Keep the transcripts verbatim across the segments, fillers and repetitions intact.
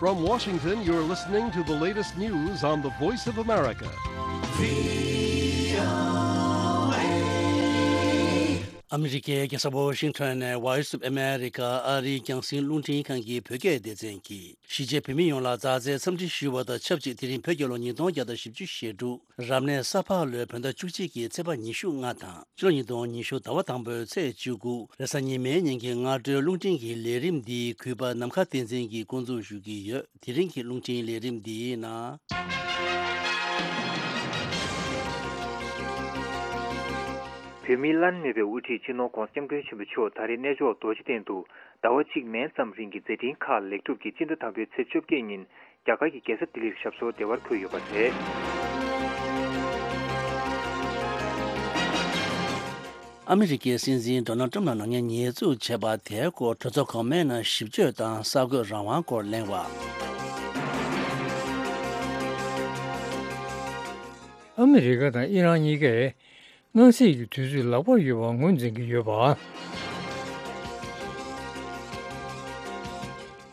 From Washington, you're listening to the latest news on the Voice of America. ཨ་མི་རི་ཀའི་རྒྱལ་ས་ཝོ་ཤིང་ཊོན་ནས་Voice of America ཨ་རིའི་རྒྱང་སྲིང་རླུང་འཕྲིན་ཁང་གི་བོད་སྐད་སྡེ་ཚན་གྱིས་གཞིས་བྱེས་བོད་མི་ཡོངས་ལ་མཛའ་བརྩེའི་འཚམས་འདྲི་ཞུ་བ་དང་ཆབས་ཅིག་དེ་རིང་བོད་རྒྱལ་ལོ་ཉིས་སྟོང་བརྒྱ་དང་བཞི་བཅུ་ཞེ་དྲུག་རབ་གནས་ས་ཕག་ལོའི་བོད་ཟླ་བཅུ་གཅིག་གི་ཚེས་པ་ཉི་ཤུ་ལྔ་དང་ཕྱི་ལོ་ཉིས་སྟོང་ཉི་ཤུ་ཟླ་བ་དང་པོའི་ཚེས་བཅུ་དགུ་རེས་གཟའ་ཉི་མའི་ཉིན་གྱི་སྔ་དྲོའི་རླུང་འཕྲིན་གྱི་ལས་རིམ་འདི་གུས་པ་ནམ་མཁའ་བསྟན་འཛིན་གྱིས་འགོ་འཛུགས་ཞུ་གི་ཡོད། དེ་རིང་གི་རླུང་འཕྲིན་ལས་རིམ་འདིའི་ནང་། བོད་མིའི་བླ་ན་མེད་པའི་དབུ་ཁྲིད་སྤྱི་ནོར་༧གོང་ས་༧སྐྱབས་མགོན་ཆེན་པོ་མཆོག་ད་རེས་གནས་མཆོག་རྡོ་རྗེ་གདན་དུ་ཟླ་བ་གཅིག་མན་ཙམ་རིང་གི་མཛད་འཕྲིན་ཁག་ལེགས་གྲུབ་ཀྱིས་སྤྱི་ཟླ་དང་པོའི་ཚེས་བཅོ་བརྒྱད་ཉིན་རྒྱ་གར་གྱི་རྒྱལ་ས་ལྡི་ལིར་ཞབས་སོར་བདེ་བར་འཁོད་ཡོད་པ་རེད། ཨ་མི་རི་ཀའི་སྲིད་འཛིན་ཌོ་ནལ་ཊམ་ལ་ནག་ཉེས་ཉེས་འཛུགས་བྱས་པ་དེའི་སྐོར་གྲོས་ཚོགས་གོང་མའི་ནང་ཞིབ་དཔྱོད་དང་གསར་འགོད་རང་དབང་སྐོར་གླེང་བ། ཨ་མི་རི་ཀ་དང་ཨི་རན་གཉིས་ཀས་གནམ་གཤིས་ཀྱི་དུས་ཚོད་ལེགས་པོ་ཡོད་པ་ངོས་འཛིན་གྱི་ཡོད་པ།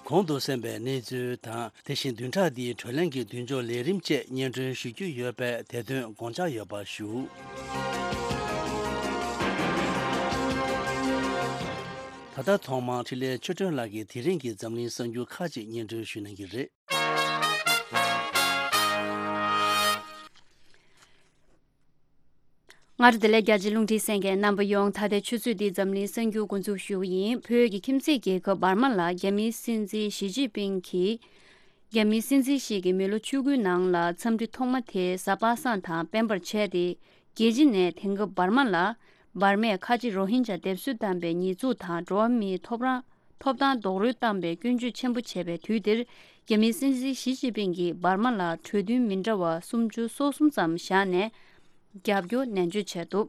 གོང་དུ་གསན་པའི་གནས་ཚུལ་དང་། དེ་བཞིན་བདུན་ཕྲག་འདིའི་བགྲོ་གླེང་གི་མདུན་ལྕོག་ལས་རིམ་བཅས་སྙན་སྒྲོན་ཞུ་རྒྱུ་ཡོད་པས་དེ་དོན་དགོངས་འཇགས་ཡོད་པ་ཞུ། ད་ལྟ་ཐོག་མར་འཕྲིན་ལས་ཆོས་སྒྲོན་ལགས་ཀྱིས་དེ་རིང་གི་འཛམ་གླིང་གསར་འགྱུར་ཁག་ཅིག་སྙན་སྒྲོན་ཞུ་གནང་གི་རེད། སྔ་དྲོ་བདེ་ལེགས། རྒྱ་ཆེའི་རླུང་འཕྲིན་གསན་མཁན་རྣམ་པ་ཡོངས། ད་ལྟའི་ཆུ་ཚོད་འདིའི་འཛམ་གླིང་གསར་འགྱུར་འགོ་འཛུགས་ཞུ་གི་ཡིན། བོད་ཀྱི་ཁྱིམ་མཚེས་རྒྱལ་ཁབ་འབར་མ་ལ་རྒྱ་མིའི་སྲིད་འཛིན་ཞི་ཅིན་ཕིང་གིས། རྒྱ་མིའི་སྲིད་འཛིན་ཞིག་གིས་མི་ལོ་བཅུ་དགུའི་ནང་ལ་འཚམས་འདྲི་ཐོག་མ་དེ་གཟའ་པ་སངས་དང་སྤེན་པར་བྱས་ཏེ། རྒྱལ་སྤྱི་ནས་དེང་སྐབས་འབར་མ་ལ། འབར་མས་ཁ་ཆེ་རོ་ཧིན་ཇཱ་སྡེབ་གསོད་བཏང་པའི་ཉེས་འཛུགས་དང་འགྲོ་བ་མིའི་ཐོབ་རང་། ཐོབ་ཐང་རྡོག་རོལ་བཏང་པའི་སྐྱོན་བརྗོད་ཆེན་པོ་བྱས་པའི་དུས་འདིར། རྒྱ་མིའི་སྲིད་འཛིན་ཞི་ཅིན་ཕིང་གིས་འབར་མ་ལ་གྲོས་མཐུན་མི་འདྲ་བ་སུམ་ཅུ་སོ་གསུམ་ཙམ་བཞག་ནས་རྒྱབ་སྐྱོར་ནན་བརྗོད་བྱས་འདུག་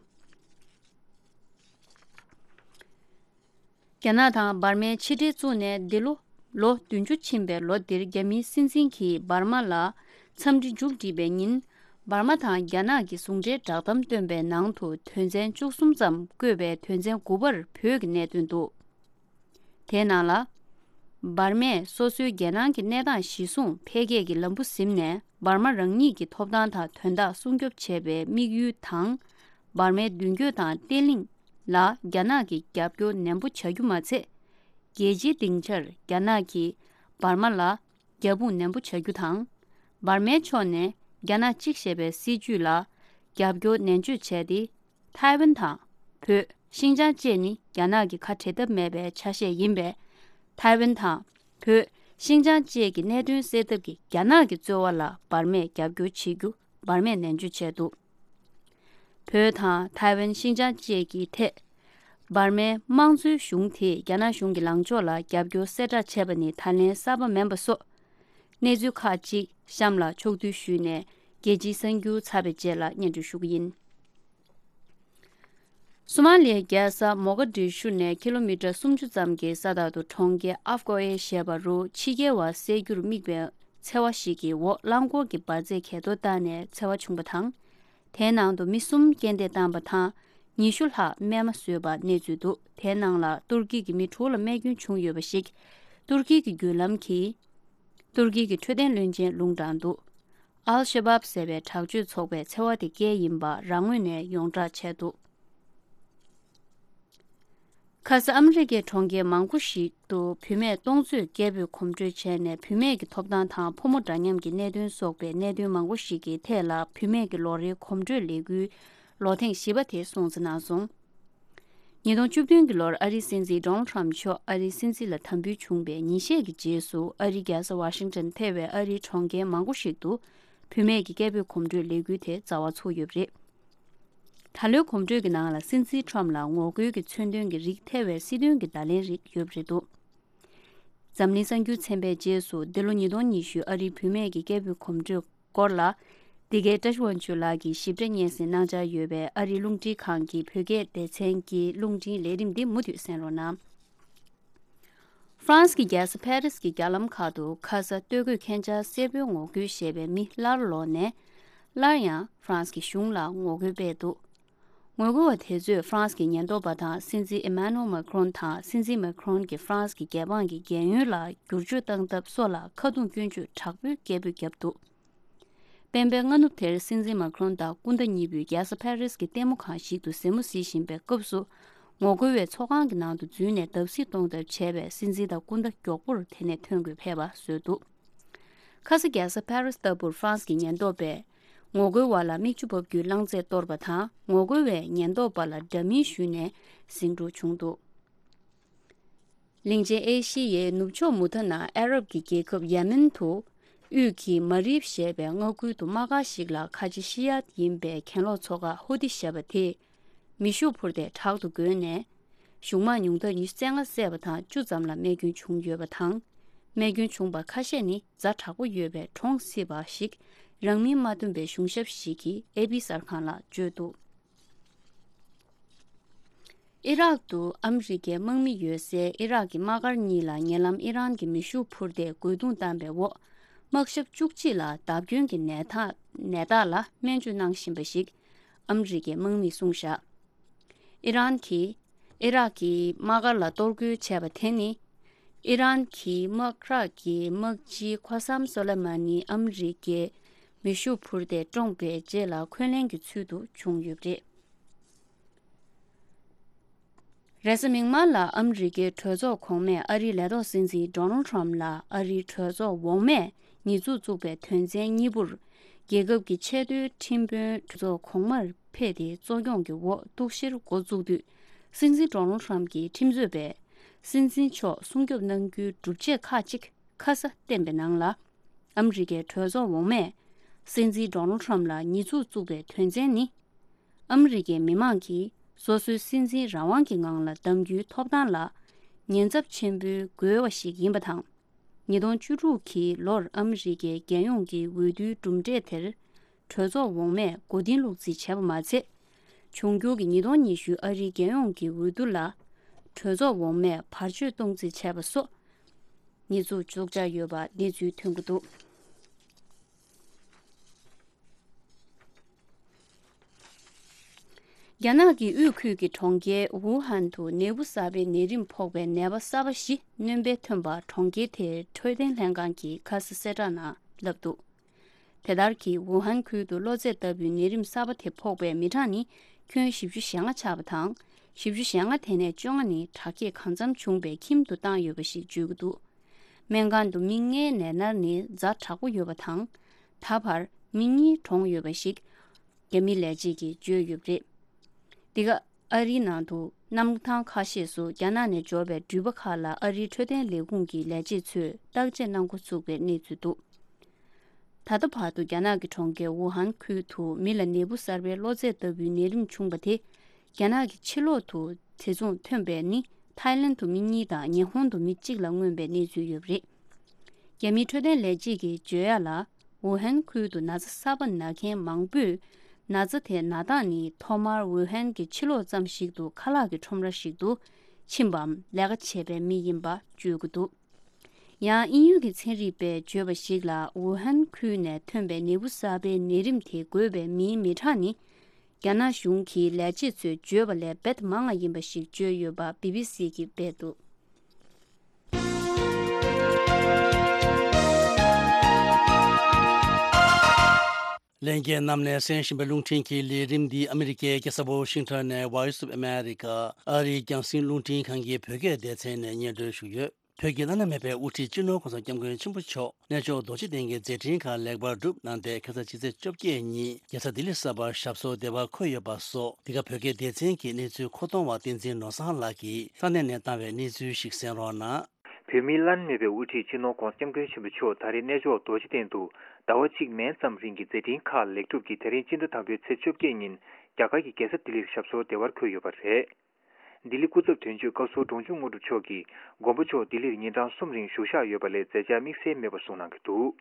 རྒྱ་ནག་དང་འབར་མའི་ཕྱི་འབྲེལ་བཙུགས་ནས་འདི་ལོ་ལོ་བདུན་ཅུ་ཕྱིན་པའི་ལོ་འདིར་རྒྱ་མིའི་སྲིད་འཛིན་གྱིས་འབར་མ་ལ་འཚམས་འདྲི་མཇུག་བསྒྲིལ་བའི་ཉིན། འབར་མ་དང་རྒྱ་ནག་གི་ཟུང་འབྲེལ་བསྒྲགས་གཏམ་བཏོན་པའི་ནང་དུ་དོན་ཚན་བཅུ་གསུམ་ཙམ་བཀོད་པའི་དོན་ཚན་དགུ་པར་བོད་ཀྱི་གནད་དོན་འདུག་དེའི་ནང་ལ། འབར་མས་སོ་སོའི་རྒྱལ་ནང་གི་གནས་སྟངས་གཞིར་བཟུང་འཕེལ་རྒྱས་ཀྱི་ལམ་བུ་ཟིན་ནས་འབར་མ་རང་ཉིད་ཀྱི་ཐོབ་ཐང་དང་དོན་དག་སྲུང་སྐྱོབ་བྱེད་པའི་དམིགས་ཡུལ་དང་། འབར་མའི་མདུན་སྐྱོད་དང་བརྟན་ལྷིང་ལ་རྒྱ་ནག་གིས་རྒྱབ་སྐྱོར་ནན་པོ་བྱ་རྒྱུ་མ་ཚད། རྒྱལ་སྤྱིའི་སྡིངས་ཆར་རྒྱ་ནག་གིས་འབར་མ་ལ་རྒྱབ་དཔུང་ནན་པོ་བྱ་རྒྱུ་དང་། འབར་མའི་ཕྱོགས་ནས་རྒྱ་ནག་གཅིག་ཞེས་པའི་སྲིད་ཇུས་ལ་རྒྱབ་སྐྱོར་ནན་བརྗོད་བྱས་ཏེ། ཐའེ་ཝན་དང་བོད། ཤིན་ཅང་བཅས་ནི་རྒྱ་ནག་གི་ཁ་བྲལ་ཐབས་མེད་པའི་ཆ་ཤས་ཡིན་པས། ཐའེ་ཝན་དང་བོད། ཤིན་ཅང་བཅས་ཀྱི་གནད་དོན་སེལ་ཐབས་ཀྱི་རྒྱ་ནག་གི་རྩོལ་བ་ལ་འབར་མས་རྒྱབ་སྐྱོར་བྱེད་རྒྱུ་འབར་མས་ནན་བརྗོད་བྱས་འདུག་བོད་དང་ཐའེ་ཝན་ཤིན་ཅང་བཅས་ཀྱི་ཐད། འབར་མའི་དམངས་གཙོའི་གཞུང་དེས་རྒྱ་ནག་གཞུང་གི་ལངས་ཕྱོགས་ལ་རྒྱབ་སྐྱོར་གསལ་བསྒྲགས་བྱས་པ་ནི་ད་ལན་གསར་པ་མིན་པ་སོགས། གནས་ཚུལ་ཁག་ཅིག་གཤམ་ལ་ཕྱོགས་བསྡུས་ཞུས་ནས་རྒྱལ་སྤྱིའི་གསར་འགྱུར་ཚར་བའི་རྗེས་ལ་སྙན་སྒྲོན་ཞུ་གི་ཡིན། སོ་མ་ལི་ཡའི་རྒྱལ་ས་མོ་ག་དི་ཤུ་ནས་ཀི་ལོ་མི་ཊར་སུམ་ཅུ་ཙམ་གྱི་ས་ཐག་ཏུ་གྲོང་ཁྱེར་ཨབ་ཀོ་ཨེ་ཞེས་པ་རུ་ཕྱི་རྒྱལ་བ་བསད་རྒྱུར་དམིགས་པའི་འཚེ་བ་ཞིག་གི་འོག་རླངས་འཁོར་གྱི་འབར་རྫས་གས་གཏོར་བཏང་ནས་འཚེ་བ་བྱུང་བ་དང་། དེའི་ནང་དུ་མི་གསུམ་རྐྱེན་འདས་བཏང་བ་དང་། ཉི་ཤུ་ལྷག་རྨས་མ་བཟོས་པ་གནས་ཚུལ་འདུག་དེའི་ནང་ལ་ཏུར་ཀི་གི་མི་དྲུག་ལ་རྨས་སྐྱོན་བྱུང་ཡོད་པ་ཞིག་ཏུར་ཀི་གི་བརྒྱུད་ལམ་གྱིས། ཏུར་ཀི་གི་འཕྲོད་བསྟེན་བློན་ཆེན་ལུང་དྲངས་འདུག་ཨལ་ཤ་བབ་ཟེར་བའི་དྲག་སྤྱོད་ཚོགས་པས་འཚེ་བ་དེ་སྐད་ཡིན་པ་རང་ངོས་ནས་ཡོངས་བསྒྲགས་བྱས་འདུག་ཁ་ས་ཨ་མི་རི་ཀའི་གྲོང་ཁྱེར་མང་པོ་ཞིག་ཏུ་བུད་མེད་སྟོང་ཚོས་སྐད་འབོད་གོམ་བགྲོད་བྱས་ནས་བུད་མེད་ཀྱི་ཐོབ་ཐང་དང་ཕོ་མོ་འདྲ་མཉམ་གྱི་གནད་དོན་སོགས་པའི་གནད་དོན་མང་པོ་ཞིག་གི་ཐད་ལ་བུད་མེད་ཀྱི་ལོ་རེའི་གོམ་བགྲོད་ལས་འགུལ་ལོ་ཐེངས་བཞི་པ་དེ་སྲུང་བརྩི་གནང་སོང་། ཉིས་སྟོང་བཅུ་བདུན་གྱི་ལོར་ཨ་རིའི་སྲིད་འཛིན་ཌོ་ནལ་ཊམ་མཆོག་ཨ་རིའི་སྲིད་འཛིན་ལ་དམ་འབུལ་བྱུང་བའི་ཉིན་ཤས་ཀྱི་རྗེས་སུ་ཨ་རིའི་རྒྱལ་ས་ཝ་ཤིང་ཊོན་ཐེ་བའི་ཨ་རིའི་གྲོང་ཁྱེར་མང་པོ་ཞིག་ཏུ་བུད་མེད་ཀྱི་སྐད་འབོད་གོམ་བགྲོད་ལས་འགུལ་དེ་རྩ་བ་ཚུགས་ཡོད་པ་རེད། ད་ལོའི་གོམ་བགྲོད་ཀྱི་ནང་ལ་སྲིད་འཛིན་ཊམ་ལ་ངོ་རྒོལ་གྱི་མཚོན་དོན་གྱི་རིགས་ཐེ་བའི་སྲིད་དོན་གྱི་བརྡ་ལན་རིགས་ཡོད་པ་རེད་འདུག་འཛམ་གླིང་གསར་འགྱུར་ཚན་པའི་རྗེས་སུ་འདི་ལོ་ཉིས་སྟོང་ཉི་ཤུ་ཨ་རིའི་བུད་མེད་ཀྱི་སྐད་འབོད་གོམ་བགྲོད་སྐོར་ལ། འདི་གའི་བཀྲ་ཤིས་དབང་ཕྱུག་ལགས་ཀྱིས་ཞིབ་ཕྲ་སྙན་སེང་གནང་འཆར་ཡོད་པས་ཨ་རིའི་རླུང་འཕྲིན་ཁང་གི་བོད་སྐད་སྡེ་ཚན་གྱི་རླུང་འཕྲིན་ལས་རིམ་འདི་མུ་མཐུད་གསན་རོགས་གནང་། ཧྥ་རན་སི་གི་རྒྱལ་ས་ཕ་རི་སི་གི་རྒྱ་ལམ་ཁག་ཏུ་ཁ་ས་སྟོད་གོས་མཁན་ཆེན་གསལ་པོའི་ངོ་རྒོལ་ཞེས་པའི་མི་སླར་ལོག་ནས་སླར་ཡང་ཧྥ་རན་སི་གི་གཞུང་ལ་ངོ་རྒོལ་སྤེལ་འདུག་ངོ་རྒོལ་བ་དེ་ཚོས་ཧྥ་རན་སི་གི་ཉེན་རྟོག་པ་དང་སྲིད་འཛིན་ཨི་མ་ནུ་ཨེལ་མཱ་ཁི་རོན་དང་སྲིད་འཛིན་མཱ་ཁི་རོན་གྱིས་ཧྥ་རན་སི་གི་རྒྱལ་འབངས་ཀྱི་རྒན་ཡོལ་ལ་བསྒྱུར་བཅོས་བཏང་ཐབས་སོགས་ལ་ཁ་རྡུང་སྐྱོན་བརྗོད་དྲག་པོའི་སྐད་འབོད་བརྒྱབ་འདུག་སྤེན་པའི་སྔ་ནུབ་དེར་སྲིད་འཛིན་མཱ་ཁི་རོན་དང་སྐུ་ཟླ་གཉིས་པོས་རྒྱལ་ས་ཕ་རིས་ཀྱི་ལྟད་མོ་ཁང་ཞིག་ཏུ་གཟིགས་མོ་གཟིགས་བཞིན་པའི་སྐབས་སུ། ངོ་རྒོལ་བས་ཚོགས་ཁང་གི་ནང་དུ་འཛུལ་ནས་བརྡབ་གསིག་གཏོང་ཐབས་བྱས་པས་སྲིད་འཛིན་དང་སྐུ་ཟླ་མགྱོགས་པོར་དེ་ནས་ཐོན་དགོས་ཕེབས་པ་བཟོས་འདུག་ཁ་ས་རྒྱལ་ས་ཕ་རིས་ལྟ་བུར་ཧྥ་རན་སི་གི་ཉེན་རྟོག་པས་ངོ་རྒོལ་བ་ལ་མིག་ཆུ་འབབ་རྒྱུའི་རླངས་རྫས་གཏོར་བ་དང་ངོ་རྒོལ་བས་ཉེན་རྟོག་པ་ལ་འདྲ་མིན་ཞུས་ནས་ཟིང་འཁྲུག་བྱུང་འདུག་གླིང་ཆེན་ཨེ་ཤི་ཡའི་ནུབ་ཕྱོགས་མུ་མཐའ་ནང་ཨ་རབ་ཀྱི་རྒྱལ་ཁབ་ཡེ་མེན་དུ་དབུས་ཀྱི་མ་རིབ་ཞེས་པའི་མངའ་ཁུལ་དུ་དམག་སྒར་ཞིག་ལ་ཁ་ཆེ་ཤི་ཡ་ཡིན་པའི་གྱེན་ལོག་ཚོགས་ཁག་ཧུ་ཏི་ཞེས་པ་དེས་མེ་ཤུགས་འཕུར་མདེལ་དྲག་ཏུ་བགོས་ནས། གཞུང་དམག་ཉུང་མཐར་ཉི་ཤུ་རྩ་ལྔ་བསད་པ་དང་བཅུ་ཙམ་ལ་རྨས་སྐྱོན་བྱུང་ཡོད་པ་དང་། རྨས་སྐྱོན་བྱུང་པ་ཁ་ཤས་ནི་ཛ་དྲག་པོ་ཡོད་པས་གྲོངས་སྲིད་པ་ཞིག་རང་མིང་མ་བཏོན་པའི་གཞུང་ཞབས་ཤིག་གིས་ཨེ་པི་གསར་ཁང་ལ་བརྗོད་འདུག་ཨི་རག་ཏུ་ཨ་མི་རི་ཀའི་དམག་མི་ཡོད་སའི་ཨི་རག་གི་དམག་སྒར་གཉིས་ལ་ཉེ་ལམ་ཨི་རན་གྱི་མེ་ཤུགས་འཕུར་མདེལ་རྒོལ་རྡུང་བཏང་པའི་འོག་དམག་ཞབས་བཅུ་གཅིག་ལ་བརྡབ་སྐྱོན་གྱི་ནད་རྟགས་ནད་རྟགས་ལ་སྨན་བཅོས་གནང་བཞིན་པ་ཞིག་ཨ་མི་རི་ཀའི་དམག་མིས་གསུངས་བཞག་ཨི་རན་གྱིས་ཨི་རག་གི་དམག་སྒར་ལ་གཏོར་རྒོལ་བྱས་པ་དེ་ནི། ཨི་རན་གྱི་དམག་རགས་ཀྱི་དམག་སྤྱི་ཁོ་སམ་སོ་ལེ་མ་ནི་ཨ་མི་རི་ཀའི་མེ་ཤུགས་འཕུར་མདེལ་བཀྲོངས་པའི་རྗེས་ལ་འཁོན་ལན་གྱི་ཚུལ་དུ་བྱུང་ཡོད་པ་རེད། རེས་གཟའ་མིག་དམར་ལ་ཨ་མི་རི་ཀའི་གྲོས་ཚོགས་གོང་མས་ཨ་རིའི་ལས་ཐོག་སྲིད་འཛིན་ཌོ་ནལ་ཊམ་ལ་ཨ་རིའི་གྲོས་ཚོགས་འོག་མས་ཉེས་འཛུགས་བཙུགས་པའི་དོན་ཚན་གཉིས་པོར། རྒྱལ་ཁབ་ཀྱི་ཆེས་མཐོའི་ཁྲིམས་དཔོན་གྲོས་ཚོགས་གོང་མར་ཕེབས་ཏེ་གཙོ་སྐྱོང་གི་འོག་གཏུག་བཤེར་འགོ་བཙུགས་དུས། སྲིད་འཛིན་ཌོ་ནལ་ཊམ་གྱིས་ཁྲིམས་རྩོད་པས། སྲིད་འཛིན་མཆོག་སྲུང་སྐྱོབ་གནང་རྒྱུའི་སྒྲུབ་བྱེད་ཁག་ཅིག་ཁ་ས་བསྟན་པའི་ནང་ལ། ཨ་མི་རི་ཀའི་གྲོས་ཚོགས་འོག་མས། སྲིད་འཛིན་ཌོ་ནལ་ཊམ་ལ་ཉེས་འཛུགས་བཙུགས་པའི་དོན་ཚན་ནི། ཨ་མི་རི་ཀའི་མི་མང་གིས་སོ་སོའི་སྲིད་འཛིན་རང་དབང་གི་ངང་ལ་གདམ་རྒྱུའི་ཐོབ་ཐང་ལ། ཉེན་ཚབས་ཆེན་པོའི་རྒོལ་བ་ཞིག་ཡིན་པ་དང་། ཉིས་སྟོང་བཅུ་དྲུག་གི་ལོར་ཨ་མི་རི་ཀའི་རྒྱལ་ཡོངས་ཀྱི་འོས་བསྡུའི་གྲུབ་འབྲས་དེར། གྲོས་ཚོགས་འོག་མས་མགོ་རྟིང་སློག་རྩིས་བྱས་པ་མ་ཚད། འབྱུང་འགྱུར་གྱི་ཉིས་སྟོང་ཉི་ཤུ་ཨ་རིའི་རྒྱལ་ཡོངས་ཀྱི་འོས་བསྡུ་ལ། གྲོས་ཚོགས་འོག་མས་བར་ཆད་གཏོང་རྩིས་བྱས་པ་སོགས། ཉེས་འཛུགས་བཙུགས་འཆར་ཡོད་པ་གནས་ཚུལ་ཐོན་གྱི་འདུག་རྒྱ་ནག་གི་དབུས་ཁུལ་གྱི་གྲོང་ཁྱེར་ཝུ་ཧན་དུ་ནད་འབུ་གསར་པའི་ནད་རིམས་ཕོག་པའི་ནད་པ་གསར་པ་བཞི་སྣོན་པ་ཐོན་པ་གྲོང་ཁྱེར་དེའི་འཕྲོད་བསྟེན་ལྷན་ཁང་གིས་ཁ་སང་གསལ་བསྒྲགས་ནང་བསླབས་འདུག་དེ་ལྟར་གྱི་ཝུ་ཧན་ཁུལ་དུ་གློ་ཚད་ལྟ་བུའི་ནད་རིམས་གསར་པ་དེ་ཕོག་པའི་མི་གྲངས་ནི་ཁྱོན་བཞི་བཅུ་ཞེ་ལྔ་ཆགས་པ་དང་། བཞི་བཅུ་ཞེ་ལྔ་དེ་ནས་བཅོ་ལྔ་ནི་དྲག་སྐྱེད་གང་འཚམ་བྱུང་བའི་ཁྱིམ་དུ་བཏང་ཡོད་པ་ཞིག་བརྗོད་ཀྱི་འདུག་སྨན་ཁང་དུ་མི་ལྔའི་ནད་མནར་ནི་ཛ་དྲག་པོ་ཡོད་པ་དང་། ད་བར་མི་གཉིས་གྲོངས་ཡོད་པ་ཞིག་རྒྱ་མི་ལས་བྱེད་ཀྱིས་བརྗོད་ཡོད་པ་རེད། འདི་ག་ཨ་རིའི་ནང་དུ་གནམ་ཐང་ཁ་ཤས་སུ་རྒྱ་ནག་ནས་འབྱོར་བའི་འགྲུལ་པ་ཁག་ལ་ཨ་རིའི་འཕྲོད་བསྟེན་ལས་ཁུངས་ཀྱི་ལས་བྱེད་ཚོས་བརྟག་དཔྱད་གནང་འགོ་ཚུགས་པའི་གནས་ཚུལ་འདུག་ད་ལྟ་བར་དུ་རྒྱ་ནག་གི་གྲོང་ཁྱེར་ཝུ་ཧན་ཁུལ་དུ་མི་ལ་ནད་འབུ་གསར་པའི་གློ་ཚད་ལྟ་བུའི་ནད་རིམས་བྱུང་བ་དེ། རྒྱ་ནག་གི་ཕྱི་ལོགས་དུ་དེ་མཚུངས་ཐོན་པའི་ནི་ཐའི་ལེན་དུ་མི་གཉིས་དང་ཉི་ཧོང་དུ་མི་གཅིག་ལ་མངོན་པའི་གནས་ཚུལ་ཡོད་པ་རེད། རྒྱ་མིའི་འཕྲོད་བསྟེན་ལས་བྱེད་ཀྱིས་བརྗོད་ཡ་ལ། ཝུ་ཧན་ཁུལ་དུ་ན་ཚ་གསར་པ་ན་མཁན་མང་པོས། ན་ཚ་དེ་ན་སྟངས་ནི་ཐོག་མར་ཝུ་ཧན་གྱི་ཕྱི་ལོགས་ཙམ་ཞིག་ཏུ་ཁ་ལག་གི་ཁྲོམ་ར་ཞིག་ཏུ་ཕྱིན་པའམ་ལས་ཀ་བྱེད་པའི་མི་ཡིན་པ་བརྗོད་ཀྱི་འདུག་ཡང་དབྱིན་ཡུལ་གྱི་ཚན་རིག་པས་བརྗོད་པ་ཞིག་ལ་ཝུ་ཧན་ཁུལ་ནས་ཐོན་པའི་ནད་འབུ་གསར་པའི་ནད་རིམས་དེ་འགོས་པའི་མིའི་མི་གྲངས་ནི། རྒྱ་ནག་གཞུང་གི་ལས་བྱེད་ཚོས་བརྗོད་པ་ལས་རྦད་མང་བ་ཡིན་པ་ཞིག་བརྗོད་ཡོད་པ་བི་བི་སི་གིས་སྤེལ་འདུག་ལྷན་རྒྱས་རྣམས་ནས་གསན་བཞིན་པའི་རླུང་འཕྲིན་གྱི་ལས་རིམ་འདི་ཨ་མི་རི་ཀའི་རྒྱལ་ས་ཝོ་ཤིང་ཊོན་ནས་Voice of America ཨ་རིའི་རྒྱང་སྲིང་རླུང་འཕྲིན་ཁང་གི་བོད་སྐད་སྡེ་ཚན་ནས་སྙན་སྒྲོན་ཞུས་ཡོད། བོད་ཀྱི་བླ་ན་མེད་པའི་དབུ་ཁྲིད་སྤྱི་ནོར་༸གོང་ས་༸སྐྱབས་མགོན་ཆེན་པོ་མཆོག་གནས་མཆོག་རྡོ་རྗེ་གདན་གྱི་མཛད་འཕྲིན་ཁག་ལེགས་པར་གྲུབ་གནང་སྟེ་ཁ་སང་ཕྱི་ཚེས་བཅོ་བརྒྱད་ཉིན་རྒྱལ་ས་ལྡི་ལི་གསར་པར་ཞབས་སོར་བདེ་བར་འཁོད་ཡོད་པ་སོགས་འདི་ག་བོད་སྐད་སྡེ་ཚན་གྱི་གནས་ཚུལ་མཁོ་གཏོང་བ་བསྟན་འཛིན་ནོར་བཟང་ལགས་ཀྱིས་ས་གནས་ནས་བཏང་བའི་གནས་ཚུལ་ཞིག་གསན་རོགས་གནང་། བོད་མིའི་བླ་ན་མེད་པའི་དབུ་ཁྲིད་སྤྱི་ནོར་༸གོང་ས་༸སྐྱབས་མགོན་ཆེན་པོ་མཆོག་ད་རེས་གནས་མཆོག་རྡོ་རྗེ་གདན་དུ་ཟླ་བ་གཅིག་མན་ཙམ་རིང་གི་མཛད་འཕྲིན་ཁག་ལེགས་གྲུབ་ཀྱིས་དེ་རིང་སྤྱི་ཟླ་དང་པོའི་ཚེས་བཅོ་བརྒྱད་ཉིན་རྒྱ་གར་གྱི་རྒྱལ་ས་ལྡི་ལིར་ཞབས་སོར་བདེ་བར་འཁོད་ཡོད་པ་རེད། ལྡི་ལི་སྐུ་ཚབ་དོན་གཅོད་བཀའ་ཟུར་འབྲོང་ཆུང་དངོས་གྲུབ་མཆོག་གིས་མགོན་པོ་མཆོག་ལྡི་ལིར་ཉིན་གྲངས་གསུམ་རིང་བཞུགས་ཞག་ཡོད་པ་ལས་མཛད་འཆར་དམིགས་བསལ་མེད་པ་གསུངས་གནང་གི་འདུག་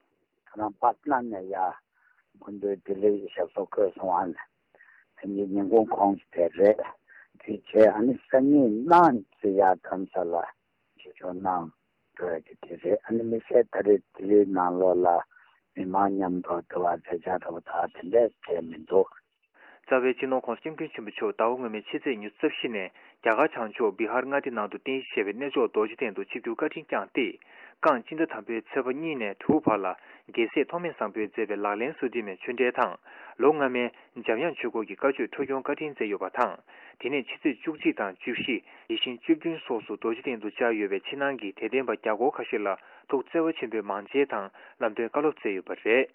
ཁྱེད་རང་པཊ་ན་ནས་ཡར་སྐུ་མདུན་ལྡི་ལིར་ཞབས་སོར་འཁོད་སོང་བ་ནས་དེ་ཉིན་ཉིན་གུང་གོང་དེ་རེད། དེ་རྗེས་ཨ་ནི་སང་ཉིན་གནངས་ཚེ་ཡར་རྡ་རམ་ས་ལ་ཆོས་ཕྱོགས་གནང་འགྲོ་ཡ་གི་དེ་རེད། ཨ་ནི་དམིགས་བསལ་ད་རེས་ལྡི་ལིའི་ནང་ལོགས་ལ་མི་མང་མཉམ་དུ་འདུ་བ་མཛད་འཆར་འདྲ་པོ་དག་དེ་འདྲས་གང་ཡང་མི་འདུག་རྩ་བའི་སྤྱི་ནོར་༸གོང་ས་༸སྐྱབས་མགོན་ཆེན་པོ་མཆོག་ཟླ་བ་སྔོན་མའི་ཕྱི་ཚེས་ཉི་ཤུ་རྩ་བཞི་ནས་རྒྱ་གར་བྱང་ཕྱོགས་བི་ཧར་མངའ་སྡེ་ནང་དུ་རྟེན་གཞི་བྱས་པའི་གནས་མཆོག་རྡོ་རྗེ་གདན་དུ་ཆིབས་བསྒྱུར་བཀའ་དྲིན་བསྐྱངས་ཏེ། རྐང་སྤྱི་ཟླ་དང་པོའི་ཚེས་པ་གཉིས་ནས་དྲུག་བར་ལ། རྒྱལ་སྲས་ཐོགས་མེད་བཟང་པོས་མཛད་པའི་ལག་ལེན་སོ་བདུན་མའི་ཆོས་འབྲེལ་དང་། ལོ་སྔ་མའི་འཇམ་དབྱངས་ཆོས་སྐོར་གྱི་བཀའ་ཆོས་འཕྲོ་སྐྱོང་བཀའ་དྲིན་སྩལ་ཡོད་པ་དང་། དེ་ནས་ཕྱི་ཚེས་བཅུ་གཅིག་དང་བཅུ་བཞི། དེ་བཞིན་བཅུ་བདུན་སོགས་སུ་རྡོ་རྗེ་གདན་དུ་བཅར་ཡོད་པའི་ཕྱི་ནང་གི་དད་ལྡན་པ་བརྒྱ་སྐོར་ཁ་ཤས་ལ་ཐུགས་བརྩེ་བ་ཆེན་པོས་མང་མཇལ་དང་ལམ་སྟོན་བཀའ་སློབ་སྩལ་ཡོད་པ་རེད།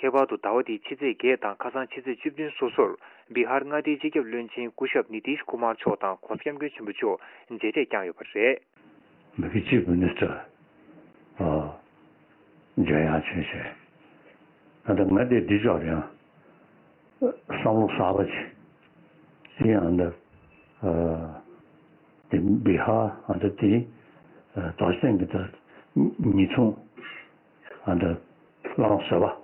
ཁྱད་པར་དུ་ཟླ་བ་འདིའི་ཕྱི་ཚེས་བརྒྱད་དང་ཁ་སང་ཕྱི་ཚེས་བཅུ་བདུན་སོ་སོར་བི་ཧར་མངའ་སྡེའི་སྤྱི་ཁྱབ་བློན་ཆེན་སྐུ་ཞབས་ནི་ཏིཤ་ཀུ་མར་མཆོག་དང་༸གོང་ས་༸སྐྱབས་མགོན་ཆེན་པོ་མཆོག་མཇལ་འཕྲད་བསྐྱངས་ཡོད་པ་རེད། མི་གི་ཅིབ་མི་ནི་སི་ཊར་ཨ་འཇམ་དབྱངས་ཆོས་ཞེས། ད་ལྟ་ང་དེ་འདི་ཅོག་རེད་ཨང་། བསམ་བློ་གསར་པ་ཅིག་དེ་ཡང་འདི་ཨ་དེ་བི་ཧར་ཨ་འདི་དེ་ཨ་རྡོ་རྗེ་གདན་གྱི་ད་ཉེ་ཚུལ། ཨ་འདྲ་བླ་མ་བཟོད་པ།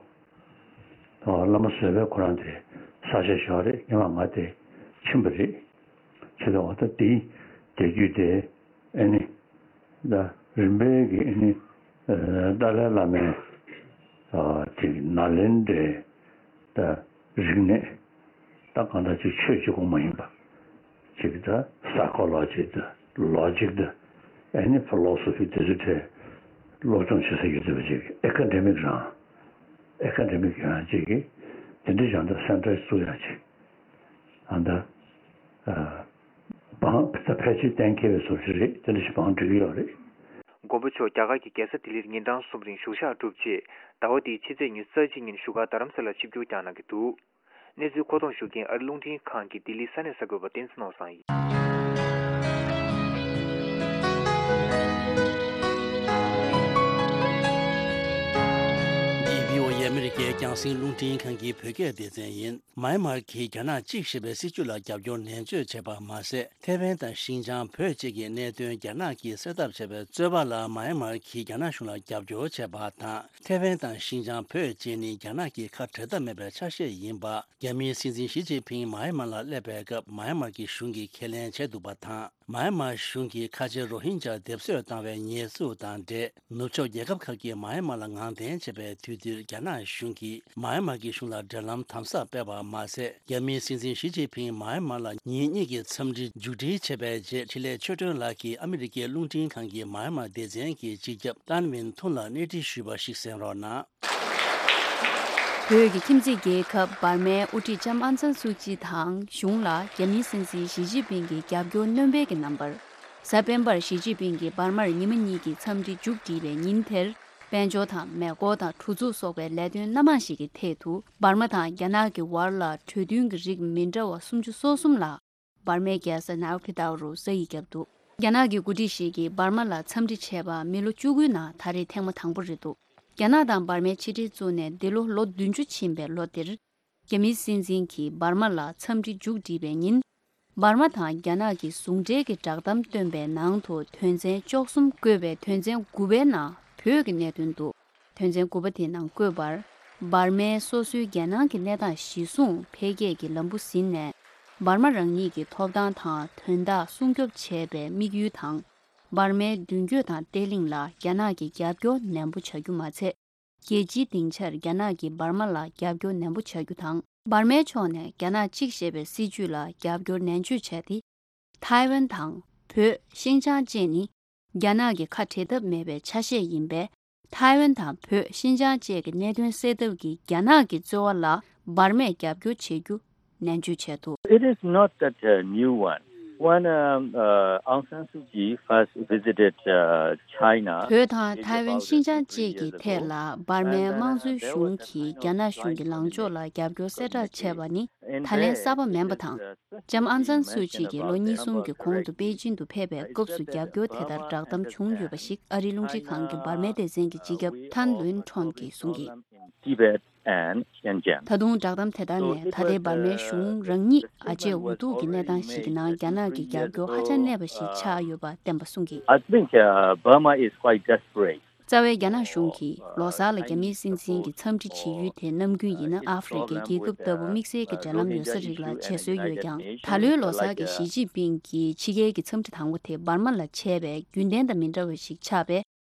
ཨོ་བླ་མ་བཟོད་པའི་ཁོ་རང་དེ་ས་ཆ་ཞོག་རེད། ཉི་མ་ང་དེ་ཕྱིན་པ་རེད། ཕྱིན་པའི་འོག་ད་དེའི་དེ་རྒྱུད་དེ་ཨ་ནི་ད་རིམ་པས་ཀྱི་ཨ་ནི་ཨ་ཏཱ་ལའི་བླ་མའི་ཨ་དེ་ནཱ་ལེནྡྲའི་ད་རིག་གནས། ད་གང་ལྟར་ཅིག་ཆོས་གཅིག་པོ་མ་ཡིན་པ། ཅིག་ད་སའི་ཀོ་ལོ་ཇི་དང་ལོ་ཇིག་དང་ཨ་ནི་ཕི་ལོ་སོ་ཕི་དེ་ཚོའི་གྲས་སློབ་སྦྱོང་བྱེད་ས་ཡོད་བསྡད་པ་ཅིག་ཨེ་ཀ་ཌེ་མིག་རང་ཨེ་ཀ་ཌེ་མིག་ཡང་ཅིག་གི་དེ་འདྲ་ཡང་ད་སེན་ཊར་བཙུགས་ཡང་ཅིག་ཨ་ད་ཨ་བང་ད་ཕལ་ཆེར་གཏན་འཁེལ་བའི་བཟོ་ཞིག་རེད། དེ་འདྲ་ཞིག་བང་སྒྲིག་གི་ཡོད་རེད། མགོན་པོ་མཆོག་རྒྱ་གར་གྱི་རྒྱལ་ས་ལྡི་ལིར་ཉིན་གྲངས་གསུམ་རིང་བཞུགས་ཞག་གྲུབ་རྗེས་ཟླ་བ་འདིའི་ཕྱི་ཚེས་ཉི་ཤུ་རྩ་གཅིག་ཉིན་བཞུགས་སྒར་རྡ་རམ་ས་ལར་ཆིབས་བསྒྱུར་བསྐྱངས་གནང་གི་འདུག་གནས་ཚུལ་མཁོ་གཏོང་ཞུ་མཁན་ཨ་རི་རླུང་འཕྲིན་ཁང་གི་ལྡི་ལི་ས་གནས་གསར་འགོད་པ་བསྟན་འཛིན་ནོར་བཟང་ཡིན། འདི་བྷི་ཨོ་ཨེ་ཨ་མི་རི་ཀའི་རྒྱང་སྲིང་རླུང་འཕྲིན་ཁང་གི་བོད་སྐད་སྡེ་ཚན་ཡིན། མཱ་ཡན་མར་གྱིས་རྒྱ་ནག་གཅིག་ཞེས་པའི་སྲིད་ཇུས་ལ་རྒྱབ་སྐྱོར་ནན་བརྗོད་བྱས་པ་མ་ཟད། ཐེ་ཝན་དང་ཤིན་ཅང་བོད་བཅས་ཀྱི་གནད་དོན་རྒྱ་ནག་གིས་སེལ་ཐབས་བྱས་པའི་རྩོད་པ་ལ་མཱ་ཡན་མར་གྱིས་རྒྱ་ནག་གཞུང་ལ་རྒྱབ་སྐྱོར་བྱས་པ་དང་། ཐེ་ཝན་དང་ཤིན་ཅང་བོད་བཅས་ནི་རྒྱ་ནག་གི་ཁ་བྲལ་ཐབས་མེད་པའི་ཆ་ཤས་ཡིན་པ། རྒྱ་མིའི་སྲིད་འཛིན་ཞི་ཅིན་ཕིང་མཱ་ཡན་མར་ལ་སླེབས་པའི་སྐབས་མཱ་ཡན་མར་གྱི་གཞུང་གིས་ཁས་ལེན་བྱས་འདུག་པ་དང་། མཱ་ཡན་མར་གཞུང་གིས་ཁ་ཆེ་རོ་ཧིན་ཇཱ་སྡེབ་གསོད་བཏང་བའི་ཉེས་འཛུགས་དང་འབྲེལ། ནུབ་ཕྱོགས་རྒྱལ་ཁབ་ཁག་གིས་མཱ་ཡན་མར་ལ་ངང་འཐེན་བྱས་པའི་དུས་འདིར་རྒྱ་ནག་གཞུང་གིས་མཱ་ཡན་མར་གྱི་གཞུང་ལ་འབྲེལ་ལམ་དམ་ཟབ་སྤེལ་བ་མ་ཟད། རྒྱ་མིའི་སྲིད་འཛིན་ཞི་ཅིན་ཕིང་མཱ་ཡན་མར་ལ་ཉིན་གཉིས་ཀྱི་འཚམས་འདྲི་མཇུག་སྒྲིལ་བྱས་པའི་རྗེས་འཕྲིན་ལས་ཆོས་སྒྲོན་ལགས་ཀྱིས་ཨ་མི་རི་ཀའི་རླུང་འཕྲིན་ཁང་གི་མཱ་ཡན་མར་སྡེ་ཚན་གྱི་སྤྱི་ཁྱབ་ཏཱན་ཝིན་ཐུན་ལ་གནས་འདྲི་ཞུས་པ་ཞིག་གསན་རོགས་གནང་། བོད་ཀྱི་ཁྱིམ་མཚེས་རྒྱལ་ཁབ་འབར་མའི་དབུ་ཁྲིད་ལྕམ་ཨང་སན་སུའུ་ཅི་དང་གཞུང་ལ་རྒྱ་མིའི་སྲིད་འཛིན་ཞི་ཅིན་ཕིང་གིས་རྒྱབ་སྐྱོར་སྣོན་སྤེལ་གྱི་རྣམ་པར། གཟའ་སྤེན་པར་ཞི་ཅིན་ཕིང་གིས་འབར་མར་ཉི་མ་གཉིས་ཀྱི་འཚམས་འདྲི་མཇུག་བསྒྲིལ་བའི་ཉིན་དེར། དཔལ་འབྱོར་དང་མེ་འཁོར་དང་གྲུ་འཛུགས་སོགས་པའི་ལས་དོན་སྣ་མང་ཞིག་གི་ཐད་དུ་འབར་མ་དང་རྒྱ་ནག་གི་བར་ལ་གྲོས་མཐུན་གྱི་རིགས་མི་འདྲ་བ་སུམ་ཅུ་སོ་གསུམ་ལ། འབར་མའི་རྒྱལ་ས་ནའོ་ཕི་ཏའུ་རུ་ས་ཡིག་བརྒྱབ་འདུག་རྒྱ་ནག་གི་འགོ་ཁྲིད་ཞིག་གིས་འབར་མ་ལ་འཚམས་འདྲི་བྱས་པ་མི་ལོ་བཅུ་དགུའི་ནང་ད་རེས་ཐེངས་མ་དང་པོ་རེད་འདུག་རྒྱ་ནག་དང་འབར་མའི་ཕྱི་འབྲེལ་བཙུགས་ནས་འདི་ལོ་ལོ་བདུན་ཅུ་ཕྱིན་པའི་ལོ་འདིར། རྒྱ་མིའི་སྲིད་འཛིན་གྱིས་འབར་མ་ལ་འཚམས་འདྲི་མཇུག་བསྒྲིལ་བའི་ཉིན། འབར་མ་དང་རྒྱ་ནག་གི་ཟུང་འབྲེལ་གྱི་བསྒྲགས་གཏམ་བཏོན་པའི་ནང་དུ་དོན་ཚན་བཅུ་གསུམ་བཀོད་པའི་དོན་ཚན་དགུ་པའི་ནང་བོད་ཀྱི་གནད་དོན་འདུག་དོན་ཚན་དགུ་པ་དེའི་ནང་བཀོད་པར། འབར་མའི་སོ་སོའི་རྒྱལ་ནང་གི་གནས་སྟངས་གཞིར་བཟུང་འཕེལ་རྒྱས་ཀྱི་ལམ་བུ་ཟིན་ནས། འབར་མ་རང་ཉིད་ཀྱི་ཐོབ་ཐང་དང་དོན་དག་སྲུང་སྐྱོབ་བྱེད་པའི་དམིགས་ཡུལ་དང་། འབར་མའི་མདུན་སྐྱོད་དང་བརྟན་ལྷིང་ལ་རྒྱ་ནག་གིས་རྒྱབ་སྐྱོར་ནན་པོ་བྱ་རྒྱུ་མ་ཚད། རྒྱལ་སྤྱིའི་སྡིངས་ཆར་རྒྱ་ནག་གིས་འབར་མ་ལ་རྒྱབ་སྐྱོར་ནན་པོ་བྱ་རྒྱུ་དང་། འབར་མའི་ཕྱོགས་ནས་རྒྱ་ནག་གཅིག་ཞེས་པའི་སྲིད་ཇུས་ལ་རྒྱབ་སྐྱོར་ནན་བརྗོད་བྱས་ཏེ། ཐའེ་ཝན་དང་བོད། ཤིན་ཅང་བཅས་ནི་རྒྱ་ནག་གི་ཁ་བྲལ་ཐབས་མེད་པའི་ཆ་ཤས་ཡིན་པས། ཐའེ་ཝན་དང་བོད། ཤིན་ཅང་བཅས་ཀྱི་གནད་དོན་སེལ་ཐབས་ཀྱི་རྒྱ་ནག་གི་རྩོལ་བ་ལ་འབར་མས་རྒྱབ་སྐྱོར་བྱེད་རྒྱུ་ནན་བརྗོད་བྱས་འདུག It is not that uh, new one. When um, uh, Aung San Suu Kyi first visited uh, China, བོད་དང་ཐའེ་ཝན། ཤིན་ཅང་བཅས་ཀྱི་ཐད་ལ་འབར་མའི་དམངས་གཙོའི་གཞུང་གིས་རྒྱ་ནག་གཞུང་གི་ལངས་ཕྱོགས་ལ་རྒྱབ་སྐྱོར་གསལ་བསྒྲགས་བྱས་པ་ནི་ད་ལན་གསར་པ་མིན་པ་དང་། ལྕམ་ཨང་སན་སུའུ་ཅི་གིས་ལོ་གཉིས་གསུམ་གྱི་གོང་དུ་པེ་ཅིན་དུ་ཕེབས་པའི་སྐབས་སུ་རྒྱབ་སྐྱོར་དེ་ལྟར་བསྒྲགས་གཏམ་བྱུང་ཡོད་པ་ཞིག་ཨ་རིའི་རླུང་འཕྲིན་ཁང་གི་འབར་མའི་སྡེ་ཚན་གྱི་སྤྱི་ཁྱབ་ཐན་ལུན་ཁྲོན་གྱིས་གསུངས་ཀྱིས། Tibet and Xinjiang. ད་དུང་བསྒྲགས་གཏམ་དེ་དག་ནས་ད་ལྟའི་འབར་མའི་གཞུང་རང་ཉིད་ཨ་ཅེ་འུ་ཐུག་གི་གནས་སྟངས་ཤིག་གི་ནང་རྒྱ་ནག་གི་རྒྱབ་སྐྱོར་ཧ་ཅང་གནས་པ་ཞིག་ཆགས་ཡོད་པ་བསྟན་པ་གསུངས་ཀྱིས། I think uh, Burma is quite desperate. རྩ་བའི་རྒྱ་ནག་གཞུང་གིས་ལོ་གསར་ལ་རྒྱ་མིའི་སྲིད་འཛིན་གྱི་འཚམས་འདྲི་བྱེད་ཡུལ་དེ་ནམ་རྒྱུན་ཡིན་ན་ཨ་ཧྥེ་རི་ཁའི་རྒྱལ་ཁབ་ལྟ་བུ་དམིགས་བསལ་གྱི་འབྲེལ་ལམ་ཡོད་ས་རིགས་ལ་བྱེད་སྲོལ་ཡོད་ཀྱང་། ད་ལོའི་ལོ་གསར་གྱི་ཞི་ཅིན་ཕིང་གི་ཕྱི་རྒྱལ་གྱི་འཚམས་འདྲི་དང་པོ་དེ་འབར་མ་ལ་བྱས་པས་རྒྱུན་ལྡན་དང་མི་འདྲ་བ་ཞིག་ཆགས་པས།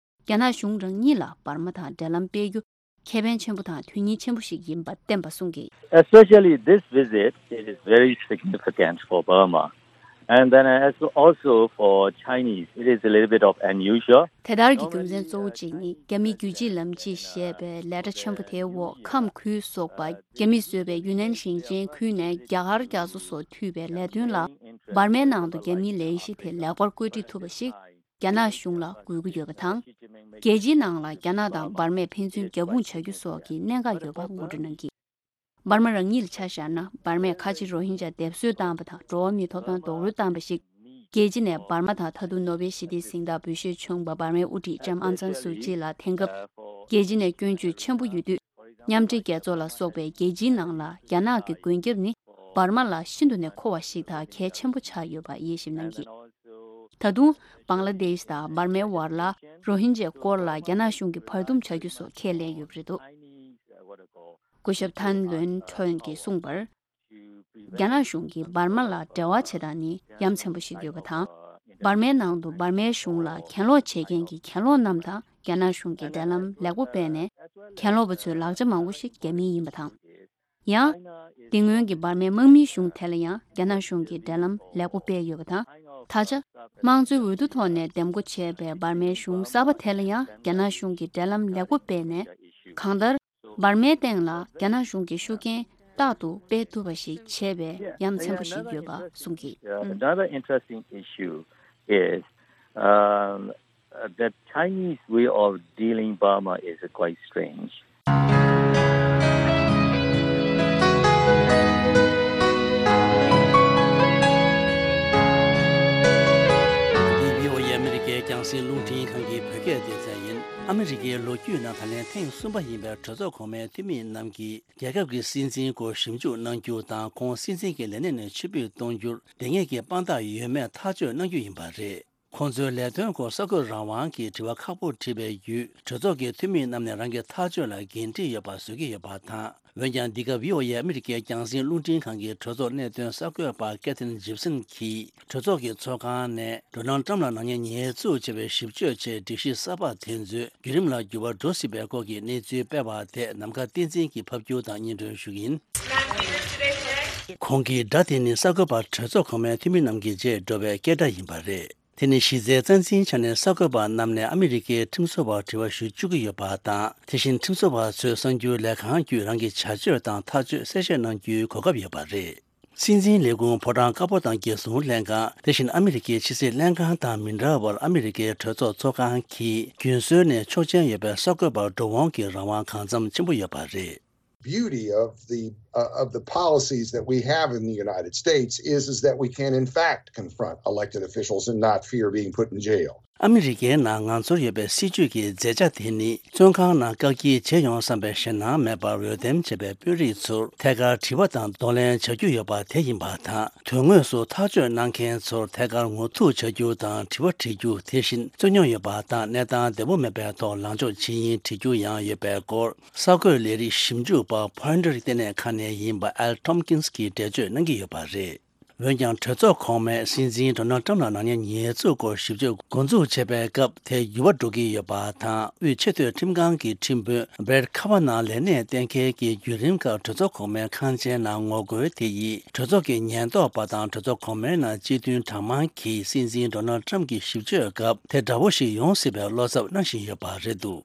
རྒྱ་ནག་གཞུང་རང་ཉིད་ལ་འབར་མ་དང་འབྲེལ་ལམ་སྤེལ་རྒྱུ། ཁེ་ཕན་ཆེན་པོ་དང་དོན་སྙིང་ཆེན་པོ་ཞིག་ཡིན་པ་བསྟན་པ་གསུངས་ཀྱིས། Especially this visit, it is very significant for Burma. And then as also for Chinese, it is a little bit of unusual. དེ་ལྟར་གྱི་རྒྱུ་མཚན་གཙོ་བོ་གཅིག་ནི་རྒྱ་མིའི་རྒྱུད་གཅིག་ལམ་གཅིག་ཞེས་པའི་ལས་གྲྭ་ཆེན་པོ་དེའི་འོག་ཁམས་ཁུལ་སོགས་པ་རྒྱ་མིས་བཟོས་པའི་ཡུན་ནན་ཞིང་ཆེན་ཁུལ་ནས་རྒྱ་གར་རྒྱ་མཚོ་སོགས་མཐུད་པའི་ལས་དོན་ལ་འབར་མའི་ནང་དུ་རྒྱ་མིའི་ལས་གཞི་དེ་ལེགས་པར་བཀོད་སྒྲིག་ཐུབ་པ་ཞིག་རྒྱ་ནག་གཞུང་ལ་དགོས་ཀྱི་ཡོད་པ་དང་། རྒྱལ་སྤྱིའི་ནང་ལ་རྒྱ་ནག་དང་འབར་མས་ཕན་ཚུན་རྒྱབ་དཔུང་བྱ་རྒྱུ་སོགས་ཀྱི་གནད་འགག་ཡོད་པ་ངོ་སྤྲོད་གནང་གིས། འབར་མ་རང་ཉིད་ལ་ཆ་བཞག་ན། འབར་མས་ཁ་ཆེ་རོ་ཧིན་ཇཱ་སྡེབ་གསོད་བཏང་བ་དང་། འགྲོ་བ་མིའི་ཐོབ་ཐང་རྡོག་རོལ་བཏང་བ་ཞིག་རྒྱལ་སྤྱི་ནས་འབར་མ་དང་མཐའ་དུང་ནོ་བེལ་ཞི་བདེའི་གཟེངས་རྟགས་འབུལ་བཞེས་བྱུང་བ་འབར་མའི་དབུ་ཁྲིད་ལྕམ་ཨང་སན་སུའུ་ཅི་ལ་དེང་སྐབས་རྒྱལ་སྤྱི་ནས་སྐྱོན་བརྗོད་ཆེན་པོ་ཡོད་དུས། མཉམ་འབྲེལ་རྒྱལ་ཚོགས་ལ་སོགས་པའི་རྒྱལ་སྤྱིའི་ནང་ལ་རྒྱ་ནག་གི་མགོན་སྐྱབས་ནི་འབར་མ་ལ་ཤིན་ཏུ་ནས་མཁོ་བ་ཞིག་དང་གལ་ཆེན་པོ་ཆགས་ཡོད་པ་དབྱེ་ཞིབ་གནང་གིས། ད་དུང་། བང་ལ་དེཤ་དང་འབར་མའི་བར་ལ་རོ་ཧིན་ཇའི་སྐོར་ལ་རྒྱ་ནག་གཞུང་གིས་བར་འདུམ་བྱ་རྒྱུ་སོགས་ཁས་ལེན་ཡོད་པ་རེད་འདུག་སྐུ་ཞབས་ཐན་ལོན་ཁྲོན་གྱིས་གསུངས་པར། རྒྱ་ནག་གཞུང་གིས་འབར་མ་ལ་འབྲེལ་བ་བྱེད་སྟངས་ནི་ཡ་མཚན་པོ་ཞིག་ཡོད་པ་དང་། འབར་མའི་ནང་དུ་འབར་མའི་གཞུང་ལ་གྱེན་ལོག་བྱེད་མཁན་གྱི་གྱེན་ལོག་རྣམས་དང་རྒྱ་ནག་གཞུང་གིས་འབྲེལ་ལམ་ལེགས་པོ་སྤེལ་ནས། གྱེན་ལོག་པ་ཚོའི་ལག་ཆ་མང་པོ་ཞིག་རྒྱ་མིའི་ཡིན་པ་དང་། ཡང་། དེ་སྔོན་གྱི་འབར་མའི་དམག་མིའི་གཞུང་དེ་ལ་ཡང་རྒྱ་ནག་གཞུང་གིས་འབྲེལ་ལམ་ལེགས་པོ་སྤེལ་ཡོད་པ་དང་། ད་ཆ། དམངས་གཙོའི་འོས་བསྡུ་ཐོག་ནས་འདེམས་བསྐོ་བྱས་པའི་འབར་མའི་གཞུང་གསར་པ་དེ་ལ་ཡང་རྒྱ་ནག་གཞུང་གིས་འབྲེལ་ལམ་ལེགས་པོ་སྤེལ་ནས། གང་ལྟར། འབར་མའི་སྟེང་ལ་རྒྱ་ནག་གཞུང་གི་ཤུགས་རྐྱེན་རྟག་ཏུ་སྤེལ་ཐུབ་པ་ཞིག་བྱས་པའི་ཡ་མཚན་པོ་ཞིག་ཡོད་པ་གསུངས་ཀྱིས། Another interesting issue is um, the Chinese way of dealing Burma is quite strange. འདི་བྷི་ཨོ་ཨེ་ཨ་མི་རི་ཀའི་རྒྱང་སྲིང་རླུང་འཕྲིན་ཁང་གི་བོད་སྐད་སྡེ་ཚན་ཡིན། ཨ་མི་རི་ཀའི་ལོ་རྒྱུས་ནང་ད་ལན་ཐེངས་གསུམ་པ་ཡིན་པའི་གྲོས་ཚོགས་གོང་མའི་འཐུས་མི་རྣམས་ཀྱིས་རྒྱལ་ཁབ་ཀྱི་སྲིད་འཛིན་སྐོར་ཞིབ་འཇུག་གནང་རྒྱུ་དང་། ཁོང་སྲིད་འཛིན་གྱི་ལས་གནས་ནས་ཕྱིར་འབུད་གཏོང་རྒྱུར་ལྡང་ངེས་ཀྱི་དཔང་རྟགས་ཡོད་མེད་ཐག་གཅོད་གནང་རྒྱུ་ཡིན་པ་རེད། ཁོང་ཚོའི་ལས་དོན་སྐོར་གསར་འགོད་རང་དབང་གི་དྲི་བ་ཁག་པོ་དྲིས་པའི་བརྒྱུད། གྲོས་ཚོགས་ཀྱི་འཐུས་མི་རྣམས་ནས་རང་གི་ཐག་གཅོད་ལ་འགན་འཁྲི་ཡོད་པ་བཟོ་གི་ཡོད་པ་དང་། འོན་ཀྱང་། འདི་ག་བྷི་ཨོ་ཨེ་ཨ་མི་རི་ཀའི་རྒྱང་སྲིང་རླུང་འཕྲིན་ཁང་གི་གྲོས་ཚོགས་གནད་དོན་གསར་འགོད་པ་ཀེ་ཐིན་ཇིབ་སན་གྱིས། གྲོས་ཚོགས་ཀྱི་ཚོགས་ཁང་ནས་ཌོ་ནལ་ཊམ་ལ་ནག་ཉེས་ཉེས་འཛུགས་བྱས་པའི་ཞིབ་དཔྱོད་ཆེད་སྒྲིག་གཞི་གསར་པ་དེ་ཚོའི་བརྒྱུད་རིམ་ལ་འགྱུར་བ་འགྲོ་སྲིད་པའི་སྐོར་གྱི་གནས་ཚུལ་སྤེལ་བ་དེ་ནམ་མཁའ་བསྟན་འཛིན་གྱིས་ཕབ་སྒྱུར་དང་སྙན་སྒྲོན་ཞུ་གི་ཡིན། ཁོང་གི་སྒྲ་དེ་ནི་གསར་འགོད་པ་གྲོས་ཚོགས་གོང་མའི་འཐུས་མི་རྣམས་ཀྱི་རྗེས་འགྲོ་བའི་སྐད་སྒྲ་ཡིན་པ་རེད། དེ་ནི་གཞི་རྩའི་རྩ་འཛིན་ཆ་ནས་གསར་འགོད་པ་རྣམས་ནས་ཨ་མི་རི་ཀའི་ཁྲིམས་བཟོ་བར་དྲི་བ་ཞུ་བཅུག་གི་ཡོད་པ་དང་། དེ་བཞིན་ཁྲིམས་བཟོ་བ་ཚོས་གསར་འགྱུར་ལས་ཁང་བརྒྱུད་རང་གི་བྱ་སྤྱོད་དང་ཐག་གཅོད་གསལ་བཤད་གནང་རྒྱུའི་གོ་སྐབས་ཡོད་པ་རེད། སྲིད་འཛིན་ལས་ཁུངས་ཕོ་བྲང་དཀར་པོ་དང་རྒྱལ་སྲུང་ལྷན་ཁང་། དེ་བཞིན་ཨ་མི་རི་ཀའི་ཕྱི་སྲིད་ལྷན་ཁང་དང་མི་འདྲ་བར། ཨ་མི་རི་ཀའི་གྲོས་ཚོགས་ཚོགས་ཁང་གིས་རྒྱུན་སྲོལ་ནས་ཆོག་མཆན་ཡོད་པའི་གསར་འགོད་པར་འགྲོ་འོང་གི་རང་དབང་གང་འཚམ་ཆེན་པོ་ཡོད་པ་རེད། Beauty of the uh, of the policies that we have in the United States is is that we can in fact confront elected officials and not fear being put in jail. ཨ་མི་རི་ཀའི་ནང་ང་ཚོར་ཡོད་པའི་སྲིད་ཇུས་ཀྱི་མཛད་འཆར་དེ་ནི། བཙོན་ཁང་ནང་བཀག་སྐྱིལ་བྱེད་ཡོང་བསམ་པའི་ཞེད་སྣང་མེད་པར། འོས་འདེམས་བྱས་པའི་དཔོན་རིགས་ཚོར་ཐད་ཀར་དྲི་བ་དང་གདོང་ལེན་བྱ་རྒྱུ་ཡོད་པ་དེ་ཡིན་པ་དང་། དོན་དངོས་སུ་ཐག་གཅོད་གནང་མཁན་ཚོར་ཐད་ཀར་ངོ་ཐུག་བྱ་རྒྱུ་དང་། དྲི་བ་དྲི་རྒྱུ། དེ་བཞིན་རྩོད་རྙོག་ཡོད་པ་དང་གནས་སྟངས་བདེ་པོ་མེད་པའི་ཐོག་ལངས་ཕྱོགས་ཇི་ཡིན་དྲི་རྒྱུ་ཡང་ཡོད་པའི་སྐོར། གསར་འགོད་ལས་རིགས་ཞིབ་འཇུག་པ། ཕོ་ཡོན་ཊར་ལྟེ་གནས་ཁང་ནས་ཡིན་པ་ཨལ་ཊོམ་ཀིན་སི་གིས་འགྲེལ་བརྗོད་གནང་གི་ཡོད་པ་རེད། འོན་ཀྱང་། གྲོས་ཚོགས་གོང་མས་སྲིད་འཛིན་ཌོ་ནལ་ཊམ་ལ་ནག་ཉེས་ཉེས་འཛུགས་སྐོར་ཞིབ་དཔྱོད་འགོ་འཛུགས་བྱས་པའི་སྐབས་དེ་འགྱུར་བ་འགྲོ་གི་ཡོད་པ་དང་། དབུས་ཆེས་མཐོའི་ཁྲིམས་ཁང་གི་ཁྲིམས་དཔོན་བྷེར་ཊི་ཁ་ཝ་ནག་ལས་གནས་གཏན་འཁེལ་གྱི་བརྒྱུད་རིམ་ཁག་གྲོས་ཚོགས་གོང་མའི་ཁང་ཆེན་ནང་ངོ་རྒོལ་དེ་ཡིས། གྲོས་ཚོགས་ཀྱི་ཉེན་རྟོག་པ་དང་གྲོས་ཚོགས་གོང་མའི་ནང་སྤྱི་མཐུན་གྲངས་མང་གིས་སྲིད་འཛིན་ཌོ་ནལ་ཊམ་གྱི་ཞིབ་དཔྱོད་སྐབས་དེ་འདྲ་བོ་ཞིག་ཡོང་སྲིད་པའི་བློ་འཚབ་གནང་བཞིན་ཡོད་པ་རེད་འདུག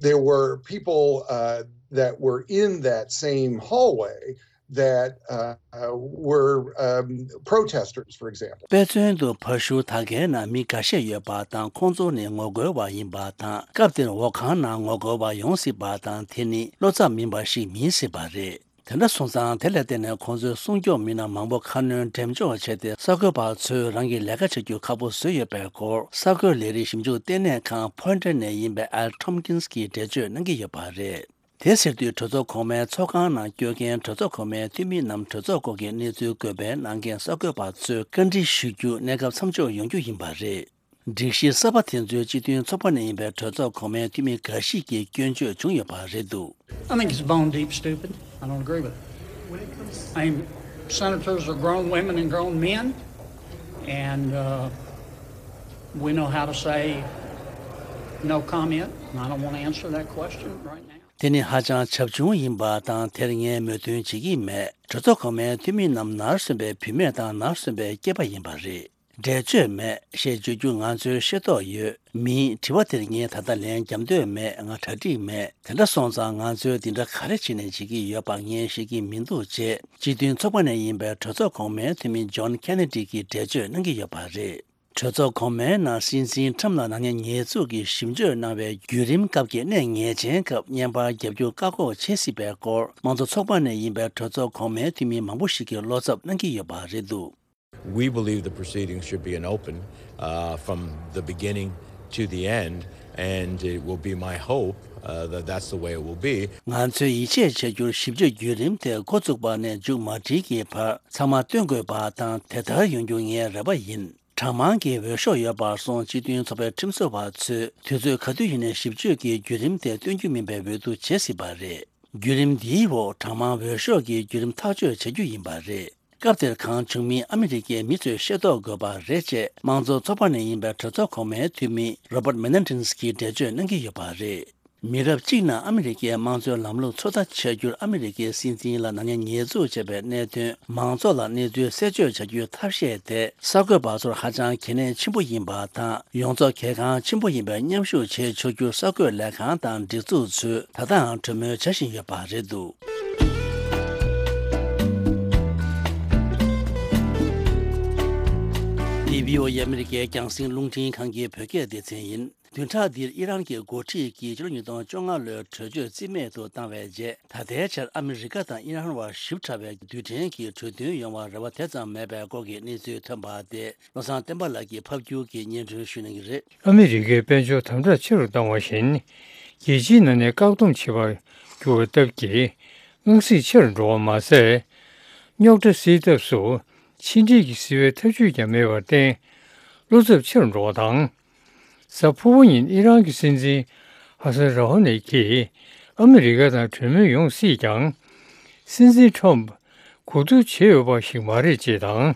There were people uh, that were in that same hallway that uh, uh, were um, protesters, for example. དཔེ་མཚོན་དུ་ཕ་ཤུལ་དག་གའི་ནང་མི་འགའ་ཤས་ཡོད་པ་དང་། ཁོང་ཚོ་ནི་ངོ་རྒོལ་བ་ཡིན་པ་དང་། སྐབས་དེར་འོག་ཁང་ནང་ངོ་རྒོལ་བ་ཡོང་སྲིད་པ་དང་། དེ་ནི་བློ་འཚབ་མིན་པ་ཞིག་མིན་སྲིད་པ་རེད། དེ་འདྲ་སོང་ཙང་། དེ་ལ་བརྟེན་ནས་ཁོང་ཚོའི་སྲུང་སྐྱོབ་མི་སྣ་མང་པོ་ཁ་སྣོན་འགྲེམས་འཇོག་བྱས་ཏེ། གསར་འགོད་པ་ཚོས་རང་གི་ལས་ཀ་བྱ་རྒྱུ་ཁག་པོ་བཟོས་ཡོད་པའི་སྐོར། གསར་འགོད་ལས་རིགས་ཞིབ་འཇུག་ལྟེ་གནས་ཁང་ཕོ་ཡོན་ཊར་ནས་ཡིན་པའི་ཨལ་ཊོམ་ཀིན་སི་གིས་འགྲེལ་བརྗོད་གནང་གི་ཡོད་པ་རེད། དེ་ཟེར་དུས། གྲོས་ཚོགས་གོང་མའི་ཚོགས་ཁང་ནང་སྐྱོད་མཁན་གྲོས་ཚོགས་གོང་མའི་འཐུས་མི་རྣམས་གྲོས་ཚོགས་སྐོར་གྱི་གནས་ཚུལ་འགོད་སྤེལ་གནང་མཁན་གསར་འགོད་པ་ཚོས་བཀའ་འདྲི་ཞུ་རྒྱུ་གནས་སྐབས་མཚམས་འཇོག་ཡོང་རྒྱུ་ཡིན་པ་རེད། སྒྲིག་གཞི་གསར་པ་དེ་ཚོའི་སྤྱི་མཐུན་ཚོགས་པ་ནས་ཡིན་པའི་གྲོས་ཚོགས་གོང་མའི་འཐུས་མི་འགའ་ཞིག་གིས་སྐྱོན་བརྗོད་བྱུང་ཡོད་པ་རེད་འདུག I think it's bone deep stupid. I don't agree with it. I mean, senators are grown women and grown men, and uh, we know how to say no comment, and I don't want to answer that question right now. དེ་ནི་ཧ་ཅང་བྱབ་ཆུང་ཡིན་པ་དང་། དེར་ངས་མོས་མཐུན་བྱེད་ཀྱི་མེད། གྲོས་ཚོགས་གོང་མའི་འཐུས་མི་རྣམས་ནར་སོན་པའི་བུད་མེད་དང་ནར་སོན་པའི་སྐྱེས་པ་ཡིན་པ་རེད། འགྲེལ་བརྗོད་མེད་ཞེས་བརྗོད་རྒྱུ་ང་ཚོའི་ཤེས་རྟོགས་ཡོད། མིན། དྲི་བ་དེར་ངས་ད་ལྟ་ལན་རྒྱབ་འདོད་མེད། ང་གྲ་སྒྲིག་མེད། དེ་འདྲ་སོང་ཙང་ང་ཚོས་འདི་འདྲ་ག་རེ་བྱེད་ནས་བྱེད་ཀྱི་ཡོད་པ་ངས་ཤེས་ཀྱི་མི་འདུག་ཅེས་སྤྱི་མཐུན་ཚོགས་པ་ནས་ཡིན་པའི་གྲོས་ཚོགས་གོང་མའི་འཐུས་མི་ཇོན་ཁེ་ནེ་ཌི་གིས་འགྲེལ་བརྗོད་གནང་གི་ཡོད་པ་རེད། གྲོས་ཚོགས་གོང་མའི་ནང་སྲིད་འཛིན་ཁྲམ་ལ་ནག་ཉེས་ཉེས་འཛུགས་ཀྱི་ཞིབ་དཔྱོད་གནང་བའི་བརྒྱུད་རིམ་སྐབས་ཀྱི་གནད་ངེས་ཅན་སྐབས་བརྙན་པར་རྒྱབ་སྐྱོར་བཀག་འགོག་བྱེད་སྲིད་པའི་སྐོར། དམངས་གཙོ་ཚོགས་པ་ནས་ཡིན་པའི་གྲོས་ཚོགས་གོང་མའི་འཐུས་མི་མང་པོ་ཞིག་གིས་བློ་འཚབ་གནང་གི་ཡོད་པ་རེད་འདུག We believe the proceedings should be an open, uh, from the beginning to the end, and it will be my hope, uh, that that's the way it will be. ང་ཚོས་ཡིད་ཆེས་བྱ་རྒྱུར་ཞིབ་དཔྱོད་བརྒྱུད་རིམ་དེ་འགོ་བཙུགས་པ་ནས་མཇུག་མ་སྒྲིལ་གྱི་བར་ཚང་མ་སྟོན་དགོས་པ་དང་། དེ་ལྟར་ཡོང་རྒྱུ་ངའི་རེ་བ་ཡིན། གྲངས་མང་གི་འོས་ཤོག་ཡོད་པར་སོང་སྤྱི་མཐུན་ཚོགས་པའི་ཁྲིམས་བཟོ་བ་ཚོས་དུས་ཚོད་ག་དུས་ཡིན་ནའི་ཞིབ་དཔྱོད་ཀྱི་བརྒྱུད་རིམ་དེ་སྟོན་རྒྱུ་མིན་པའི་འོས་བསྡུ་བྱེད་སྲིད་པ་རེད། བརྒྱུད་རིམ་འདིའི་འོག་གྲངས་མང་འོས་ཤོག་གི་བརྒྱུད་རིམ་ཐག་གཅོད་བྱ་རྒྱུ་ཡིན་པ་རེད། སྐབས་དེར་གང་བྱུང་མིན་ཨ་མི་རི་ཀའི་མི་ཚོས་ཤེས་རྟོགས་དགོས་པ་རེད་ཅེས་དམངས་གཙོ་ཚོགས་པ་ནས་ཡིན་པའི་གྲོས་ཚོགས་གོང་མའི་འཐུས་མི་Robert Menendez གྱིས་འགྲེལ་བརྗོད་གནང་གི་ཡོད་པ་རེད། མི་རབས་གཅིག་ནང་ཨ་མི་རི་ཀའི་དམངས་གཙོའི་ལམ་ལུགས་ཚོད་ལྟ་བྱ་རྒྱུར་ཨ་མི་རི་ཀའི་སྲིད་འཛིན་ལ་ནག་ཉེས་ཉེས་འཛུགས་བྱས་པའི་གནད་དོན་མང་ཚོགས་ལ་གནས་ཚུལ་གསལ་བརྗོད་བྱ་རྒྱུའི་ཐབས་ཤེས་དེ་གསར་འགོད་པ་ཚོར་ཧ་ཅང་གལ་གནད་ཆེན་པོ་ཡིན་པ་དང་། ཡོངས་རྫོགས་གལ་འགངས་ཆེན་པོ་ཡིན་པའི་མཉམ་ཞུགས་བྱེད་ཆོག་རྒྱུར་གསར་འགོད་ལས་ཁང་དང་སྒྲིག་འཛུགས་ཚོས་ད་ལྟའང་གྲོས་མོལ་བྱ་བཞིན་ཡོད་པ་རེད་འདུག་འདི་བྷི་ཨོ་ཨེ་ཨ་མི་རི་ཀའི་རྒྱང་སྲིང་རླུང་འཕྲིན་ཁང་གི་བོད་སྐད་སྡེ་ཚན་ཡིན། བདུན་ཕྲག་འདིར་ཨི་རན་གྱི་འགོ་ཁྲིད་ཀྱིས་ཕྱི་ལོ་ཉིས་སྟོང་བཅོ་ལྔ་ལོའི་གྲོས་ཆོད་རྩིས་མེད་དུ་བཏང་བའི་རྗེས། ད་ལྟའི་ཆར་ཨ་མི་རི་ཀ་དང་ཨི་རན་བར་ཞིབ་ཕྲ་བའི་རྡུལ་ཕྲན་གྱི་གྲོས་མཐུན་ཡོང་བར་རེ་བ་དེ་ཙམ་མེད་པའི་སྐོར་གྱི་གནས་ཚུལ་ཐོན་པ་དེ། བློ་བཟང་བསྟན་པ་ལགས་ཀྱིས་ཕབ་སྒྱུར་གྱིས་སྙན་སྒྲོན་ཞུ་གནང་གི་རེད། ཨ་མི་རི་ཀའི་དཔལ་འབྱོར་དམ་དྲག་ཆེ་རུ་བཏང་བ་བཞིན། རྒྱལ་སྤྱིའི་ནང་ནས་བཀག་སྡོམ་བྱེད་པར་གྱུར་བ་སྟབས་ཀྱིས། དངངས་སྲིད་ཆེ་རུ་འགྲོ་བ་མ་ཟད། རྙོག་དྲ་སེལ་ཐབས་སུ་ཕྱི་འབྲེལ་གྱི་བཟི་བའི་ཐབས་ཇུས་ཀྱང་མེད་པར་བརྟེན། བློ་འཚབ་ཆེ་རུ་འགྲོ་བ་དང་། གཟའ་ཕུར་བུ་ཉིན་ཨི་རན་གྱི་སྲིད་འཛིན་ཧ་སན་ར་ཧོ་ནེ་གྱིས་ཨ་མི་རི་ཀ་དང་གྲོས་མོལ་ཡོང་སྲིད་ཀྱང་། སྲིད་འཛིན་ཁྲོམ་གོ་བསྡུར་བྱས་ཡོད་པ་ཞིག་མ་རེད་ཅེས་དང་།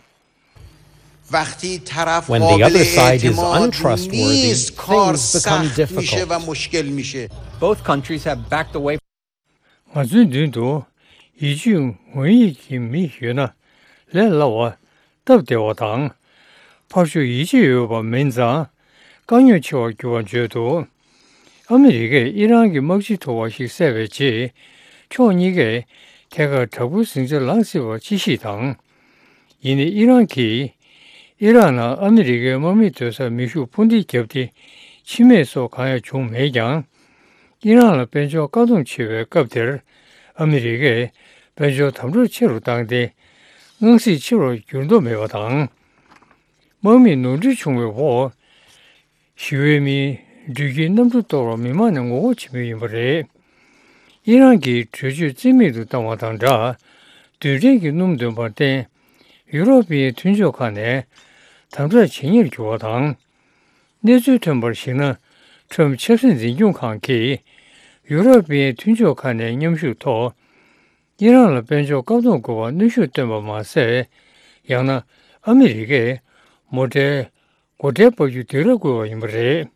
وقتی طرف When the other قابل side is اعتماد untrustworthy, نیست، کار things become سخت می‌شه و difficult. مشکل می‌شه. Both countries have backed away. ང་ཚོའི་མདུན་དུ་ཡིད་ཆེས་ངོ་ཡིད་ཀྱི་མི་ཡོད་ན་ལས་སླ་བ་སྟབས་བདེ་བ་དང་། ཕར་ཕྱོགས་ཡིད་ཆེས་ཡོད་པ་མིན་ཙང་དཀའ་རྙོག་ཆེ་བར་འགྱུར་བར་བརྗོད་འདུག་ཨ་མི་རི་ཀས་ཨི་རན་གྱི་དམག་སྤྱི་ཐུབ་པ་ཞིག་བསད་པའི་རྗེས། ཕྱོགས་གཉིས་ཀས་ཐད་ཀར་དྲག་པོའི་ཟིང་ཆ་ལངས་སྲིད་པ་ཅི་ཞིག་དང་། ཡིན་ནའི་ཨི་རན་གྱིས་ཨི་རག་ནང་ཨ་མི་རི་ཀའི་དམག་མི་སྡོད་སར་མེ་ཤུགས་འཕུར་མདེལ་བརྒྱབ་སྟེ་འཆི་རྨས་སོགས་གང་ཡང་བྱུང་མེད་ཀྱང་། ཨི་རན་ལ་དཔལ་འབྱོར་བཀག་སྡོམ་བྱེད་པའི་སྐབས་དེར་ཨ་མི་རི་ཀས་དཔལ་འབྱོར་དམ་དྲག་ཆེ་རུ་བཏང་སྟེ། དངངས་སྲིད་ཆེ་རུ་འགྱུར་མདོག་མེད་པ་དང་། དམག་མི་ནོར་འཁྲུལ་བྱུང་བའི་འོག་ཞི་བའི་མིའི་འགྲུལ་སྐྱེལ་གནམ་གྲུ་གཏོར་བར་མི་མང་ནས་ངོ་རྒོལ་བྱེད་མུས་ཡིན་པ་རེད། ཨི་རན་གྱིས་གྲོས་ཆོད་རྩིས་མེད་དུ་བཏང་བ་དང་སྦྲགས། རྡུལ་ཕྲན་གྱི་སྣུམ་འདོན་པར་བརྟེན། ཡུ་རོབ་པའི་མཐུན་ཕྱོགས་ཁག་ནས་དམ་དྲག་བྱེད་ཉེར་གྱུར་བ་དང་། གནས་ཚུལ་ཐོན་པར་གཞིགས་ན། ཁྲོམ་ཆབ་སྲིད་འཛིན་སྐྱོང་ཁང་གིས་ཡུ་རོབ་པའི་མཐུན་ཕྱོགས་ཁག་ནས་མཉམ་ཞུགས་ཐོག་ཨི་རན་ལ་དཔལ་འབྱོར་བཀག་སྡོམ་དགོས་པར་གནོན་ཤུགས་བཏོན་པ་མ་ཟད། ཡང་ན་ཨ་མི་རི་ཀས་མོ་ཊའི་སྒོ་ཁྲལ་སྤར་རྒྱུ་སྡིགས་ར་བསྐུལ་བ་ཡིན་པ་རེད།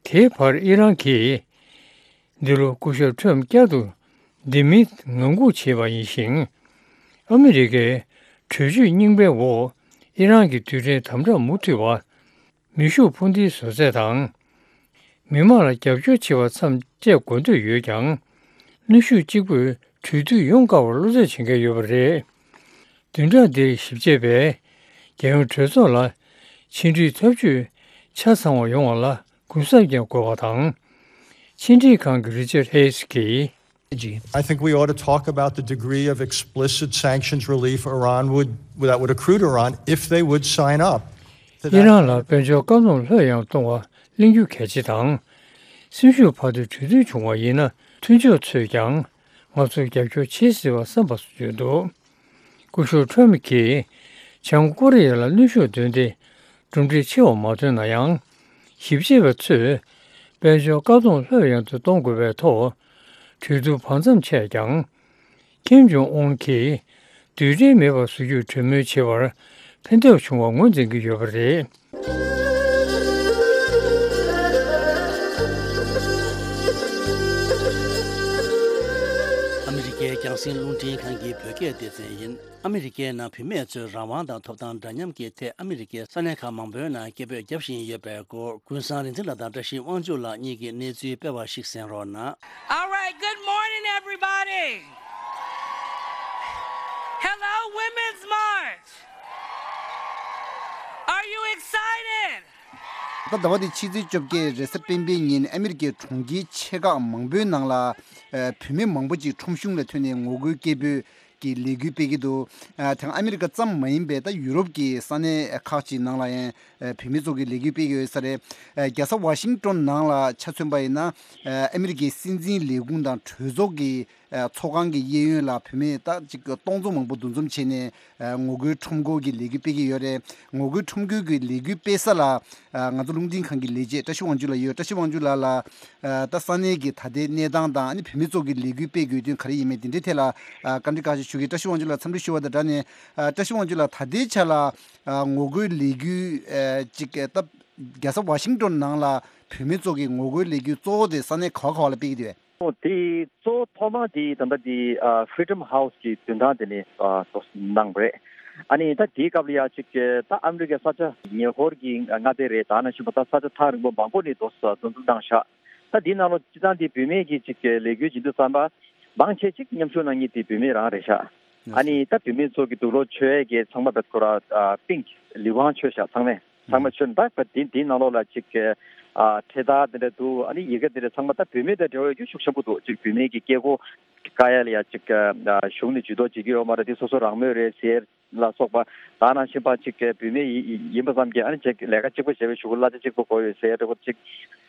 དེའི་བར་ཨི་རན་གྱིས་འདི་ལོ་སྐུ་ཞབས་ཁྲོམ་བསྐྱར་དུ་འདེམས་མིན་ངང་སྒུག་བྱས་པ་ཡིན་ཞིང་། ཨ་མི་རི་ཀའི་གྲོས་ཆོད་རྙིང་པའི་འོག་ཨི་རན་གྱི་རྡུལ་ཕྲན་དམ་དྲག་མུ་མཐུད་པ། མེ་ཤུགས་འཕུར་མདེལ་བཟོ་ཚད་དང་། མི་མང་ལ་རྒྱབ་སྐྱོར་བྱེད་པ་མཚམས་བཅད་དགོས་འདོད་ཡོད་ཀྱང་། གནོན་ཤུགས་གཅིག་པུས་གྲོས་མཐུན་ཡོང་དཀའ་བར་བློ་འཚབ་བྱེད་མཁན་ཡོད་པ་རེད། བདུན་ཕྲག་འདིར་ཞིབ་དཔྱད་པས་རྒྱལ་ཡོངས་གྲོས་ཚོགས་ལ་ཕྱི་འབྲེལ་ཐབས་ཇུས་ཆ་ཚང་བ་ཡོང་བ་ལ་གུན་གསབ་ཀྱང་དགོས་པ་དང་། ཕྱི་འབྲེལ་ཁང་གི་རི་ཅར་ཧེས་ཀྱིས། I think we ought to talk about the degree of explicit sanctions relief Iran would, that would accrue to Iran if they would sign up. ཨི་རན་ལ་དཔལ་འབྱོར་བཀག་སྡོམ་ལྷོད་ཡངས་གཏོང་བ་གླེང་རྒྱུ་གལ་ཆེ་དང་། སེམས་ཤུགས་འཕར་ཏེ་གྲོས་མཐུན་བྱུང་བ་ཡིན་ན། མཐུན་ཕྱོགས་ཚོས་ཀྱང་ང་ཚོར་རྒྱབ་སྐྱོར་བྱེད་སྲིད་པ་བསམ་པ་སོགས་བརྗོད་འདུག་སྐུ་ཞབས་ཁྲོམ་གྱིས་བྱང་ཀོ་རི་ཡ་ལ་གནོན་ཤུགས་བཏོན་ཏེ་གྲུབ་འབྲས་ཆེ་བ་མ་ཐོན་ན་ཡང་། ཞིབ་དཔྱད་པ་ཚོས་དཔལ་འབྱོར་བཀག་སྡོམ་ལྷོད་ཡངས་དུ་གཏོང་དགོས་པའི་ཐོག་གྲོས་བསྡུར་བར་མཚམས་ཆད་ཀྱང་། ཀིམ་ཇོང་ཨུན་གྱིས་རྡུལ་ཕྲན་མེད་པ་བཟོ་རྒྱུར་གྲོས་མོལ་བྱེད་པར་ཕན་ཐོགས་བྱུང་བ་ངོས་འཛིན་གྱི་ཡོད་པ་རེད། རྒྱང་སྲིང་རླུང་འཕྲིན་ཁང་གི་བོད་སྐད་སྡེ་ཚན་ཡིན། ཨ་མི་རི་ཀའི་ནང་བུད་མེད་ཚོའི་རང་དབང་དང་ཐོབ་ཐང་འདྲ་མཉམ་གྱི་ཐད་ཨ་མི་རི་ཀའི་ས་གནས་ཁག་མང་པོའི་ནང་སྐད་འབོད་བརྒྱབ་བཞིན་ཡོད་པའི་སྐོར། ཀུན་བཟང་རིག་འཛིན་ལགས་དང་བཀྲ་ཤིས་དབང་ཕྱུག་ལགས་གཉིས་ཀྱིས་གནས་ཚུལ་སྤེལ་བ་ཞིག་གསན་རོགས་གནང་། All right, good morning, everybody. Hello, Women's March. Are you excited? ད་ཟླ་བ་འདིའི་ཕྱི་ཚེས་བཅོ་བརྒྱད་རེས་གཟའ་སྤེན་པའི་ཉིན་ཨ་མི་རི་ཀའི་གྲོང་ཁྱེར་ཆེ་ཁག་མང་པོའི་ནང་ལ་ཨ་བུད་མེད་མང་པོ་ཅིག་ཁྲོམ་གཞུང་ལ་ཐོན་ནས་ངོ་རྒོལ་སྐད་འབོད་ཀྱི་ལས་འགུལ་སྤེལ་གྱི་འདུག་ཨ་དེ་སྔ་ཨ་མི་རི་ཀ་ཙམ་མ་ཡིན་པའི་ད་ཡུ་རོབ་ཀྱི་ས་གནས་ཁག་ཅིག་ནང་ལ་ཡང་ཨ་བུད་མེད་ཚོ་གིས་ལས་འགུལ་སྤེལ་གྱི་ཡོད་ས་རེད། ཨ་རྒྱལ་ས་ཝ་ཤིང་ཏོན་ནང་ལ་ཆ་མཚོན་པ་ཡིན་ན་ཨ་ཨ་མི་རི་ཀའི་སྲིད་འཛིན་ལས་ཁུངས་དང་གྲོས་ཚོགས་ཀྱི་ཨ་ཚོགས་ཁང་གི་གཡས་གཡོན་ལ་བུད་མེད་ད་ཅིག་སྟོང་ཚོ་མང་པོ་འདུ་འཛོམས་བྱས་ནས་ཨ་ངོ་རྒོལ་ཁྲོམ་སྐོར་གྱི་ལས་འགུལ་སྤེལ་གྱི་ཡོད་རེད། ངོ་རྒོལ་ཁྲོམ་སྐོར་གྱི་ལས་འགུལ་སྤེལ་ས་ལ་ཨ་ང་ཚོ་རླུང་འཕྲིན་ཁང་གི་ལས་བྱེད་བཀྲ་ཤིས་དབང་ཕྱུག་ལགས་ཡོད། བཀྲ་ཤིས་དབང་ཕྱུག་ལགས་ལ་ཨ་ད་ས་གནས་ཀྱི་ད་ལྟའི་གནས་སྟངས་དང་ཨ་ནི་བུད་མེད་ཚོ་གི་ལས་འགུལ་སྤེལ་དགོས་དོན་ག་རེ་ཡིན་མིན་དེ་འདྲའི་ཐད་ལ་ཨ་བཀའ་འདྲི་ཁག་ཅིག་ཞུ་གི། བཀྲ་ཤིས་དབང་ཕྱུག་ལགས་འཚམས་འདྲི་ཞུ་བ་དང་སྦྲགས་ནས་ཨ་བཀྲ་ཤིས་དབང་ཕྱུག་ལགས་ད་ལྟའི་ཆ་ལ་ཨ་ངོ་རྒོལ་ལས་འགུལ་ཨ་ཅིག་ཨ་ད་རྒྱལ་ས་ཝ་ཤིང་ཏོན་ནང་ལ་བུད་མེད་ཚོ་གི་ངོ་རྒོལ་ལས་འགུལ་གཙོ་བོ་དེ་ས་གནས་ག་བ་ག་བ་ལ་སྤེལ་གྱི་འདུག་གས། ཨོ་དེ་གཙོ་བོ་ཐོག་མ་དེ་ད་ལྟ་དེ་ཨ་Freedom House གི་མདུན་ཐང་དེ་ནས་ཨ་གཙོ་གནང་བ་རེད། ཨ་ནི་ད་དེའི་སྐབས་ལ་ཡ་གཅིག་ད་ཨ་མི་རི་ཀའི་ས་ཆ་ཉེ་འཁོར་གྱི་མངའ་སྡེ་རེད། ད་ནང་བཞིན་པ་ད་ས་ཆ་ཐག་རིང་པོ་མང་པོ་ནས་འདུ་འཛོམས་བཏང་ཤག་ད་དེའི་ནང་ལོགས་སྤྱིར་བཏང་དེ་བུད་མེད་ཀྱི་གཅིག་ལས་འགུལ་བྱེད་དུས་ཙམ་པ་མང་ཆེ་གཅིག་མཉམ་ཞུགས་གནང་མཁན་དེ་བུད་མེད་རང་རེད་ཤག་ཨ་ནི་ད་བུད་མེད་ཚོ་གི་དུག་ལོག་མཆོད་ཡས་ཀྱི་ཚང་མ་བེད་ཁོ་ར་ཨ་པིང་ལི་ཝང་མཆོད་ཤག་ཚང་མས། ཚང་མ་མཆོད་ད་བ་དེ་དེའི་ནང་ལོགས་ལ་ཅིག་ཨ་འཕྲེད་དར་དེ་འདྲ་འདུག་ཨ་ནི་ཡི་གེ་དེ་འདྲ་ཚང་མ་ད་བུད་མེད་དང་འབྲེལ་བ་ཡོད་རྒྱུ་ཤུགས་ཆེན་པོ་འདུག་ཅིག་བུད་མེད་ཀྱི་སྐད་གོ་བཀག་ཡ་ལ་ཡ་ཅིག་ཨ་གཞུང་ནས་ཇུས་གཏོགས་བྱེད་ཀྱི་ཡོད་མ་རེད། དེ་སོ་སོ་རང་མོས་རེད་ཟེར་ལ་སོགས་པ་ད་ནང་བཞིན་པ་ཅིག་བུད་མེད་ཡི་ཡིན་པ་ཙམ་གྱིས་ཨ་ནི་ཅིག་ལས་ཀ་གཅིག་པ་བྱས་པའི་གཞུག་གུ་གླ་ཆ་གཅིག་པ་དགོས་ཡོད་ཟེར་ཡ་འདྲ་པོ་ཅིག་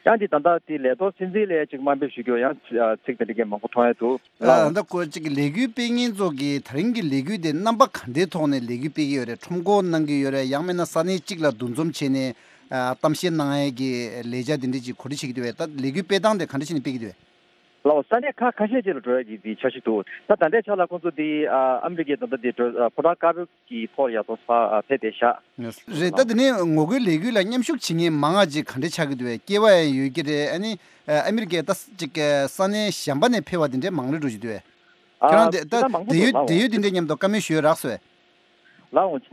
ཡང་འདི་ད་ལྟ་དེ་ལས་ཐོག་སྲིད་འཛིན་ལ་ཡ་ཅིག་དམའ་འབེབས་ཞུ་རྒྱུ་ཡང་ཚིག་དེ་འདྲ་གི་མང་པོ་མཐོང་ཡ་འདུག་ཨ་ད་ཁོ་ཅིག་གི་ལས་འགུལ་སྤེལ་མཁན་ཚོ་གི་ད་རིང་གི་ལས་འགུལ་དེ་རྣམ་པ་ག་འདྲའི་ཐོག་ནས་ལས་འགུལ་སྤེལ་གྱི་ཡོད་རེད། ཁྲོམ་སྐོར་གནང་གི་ཡོད་རེད། ཡང་མིན་ན་ས་གནས་གཅིག་ལ་འདུ་འཛོམས་བྱས་ནས་ཨ་གཏམ་བཤད་གནང་ཡས་ཀྱི་ལས་འཆར་དེ་འདྲ་ཅིག་གོ་སྒྲིག་བྱེད་ཀྱི་འདུག་བས། ད་ལས་འགུལ་སྤེལ་སྟངས་དེ་ག་འདྲ་བྱས་ནས་སྤེལ་གྱི་འདུག་བས། ལའོ་ས་གནས་ཁག་ཁ་ཤས་ཅིག་ལ་འགྲོ་ཡ་གི་དེ་འཆར་གཞི་འདུག་ད་ད་ལྟའི་ཆ་ལ་ཁོང་ཚོ་དེ་ཨ་ཨ་མི་རི་ཀའི་ད་ལྟ་དེ་འགྲོ་ཨ་ཕོ་བྲང་དཀར་པོའི་གི་ཐོག་ལ་ཡ་ཚོ་ཕ་ཨ་ཕེབས་བསྡད་ཤག་རེད། ད་དེ་ནས་ངོ་རྒོལ་ལས་འགུལ་ལ་མཉམ་ཞུགས་བྱེད་མཁན་མང་བ་ཅིག་ག་འདྲ་ཆགས་ཀྱི་འདུག་བས། སྐྱེས་པ་ཡང་ཡོད་ཀྱི་རེད། ཨ་ནི་ཨ་མི་རི་ཀའི་ད་ཅིག་ས་གནས་གཞན་པ་ནས་ཕེབས་པ་དེ་འདྲས་མང་རུ་འགྲོ་བཞིན་འདུག་བས། ཁྱེད་རང་དེ་ད་ད་མང་པོ་འདུག་ལའོ། དེ་ཡོད་དེ་ཡོད་དེ་འདྲས་མཉམ་དུ་བཀའ་མོལ་ཞུས་རག་སོང་བས། ལའོ་ད་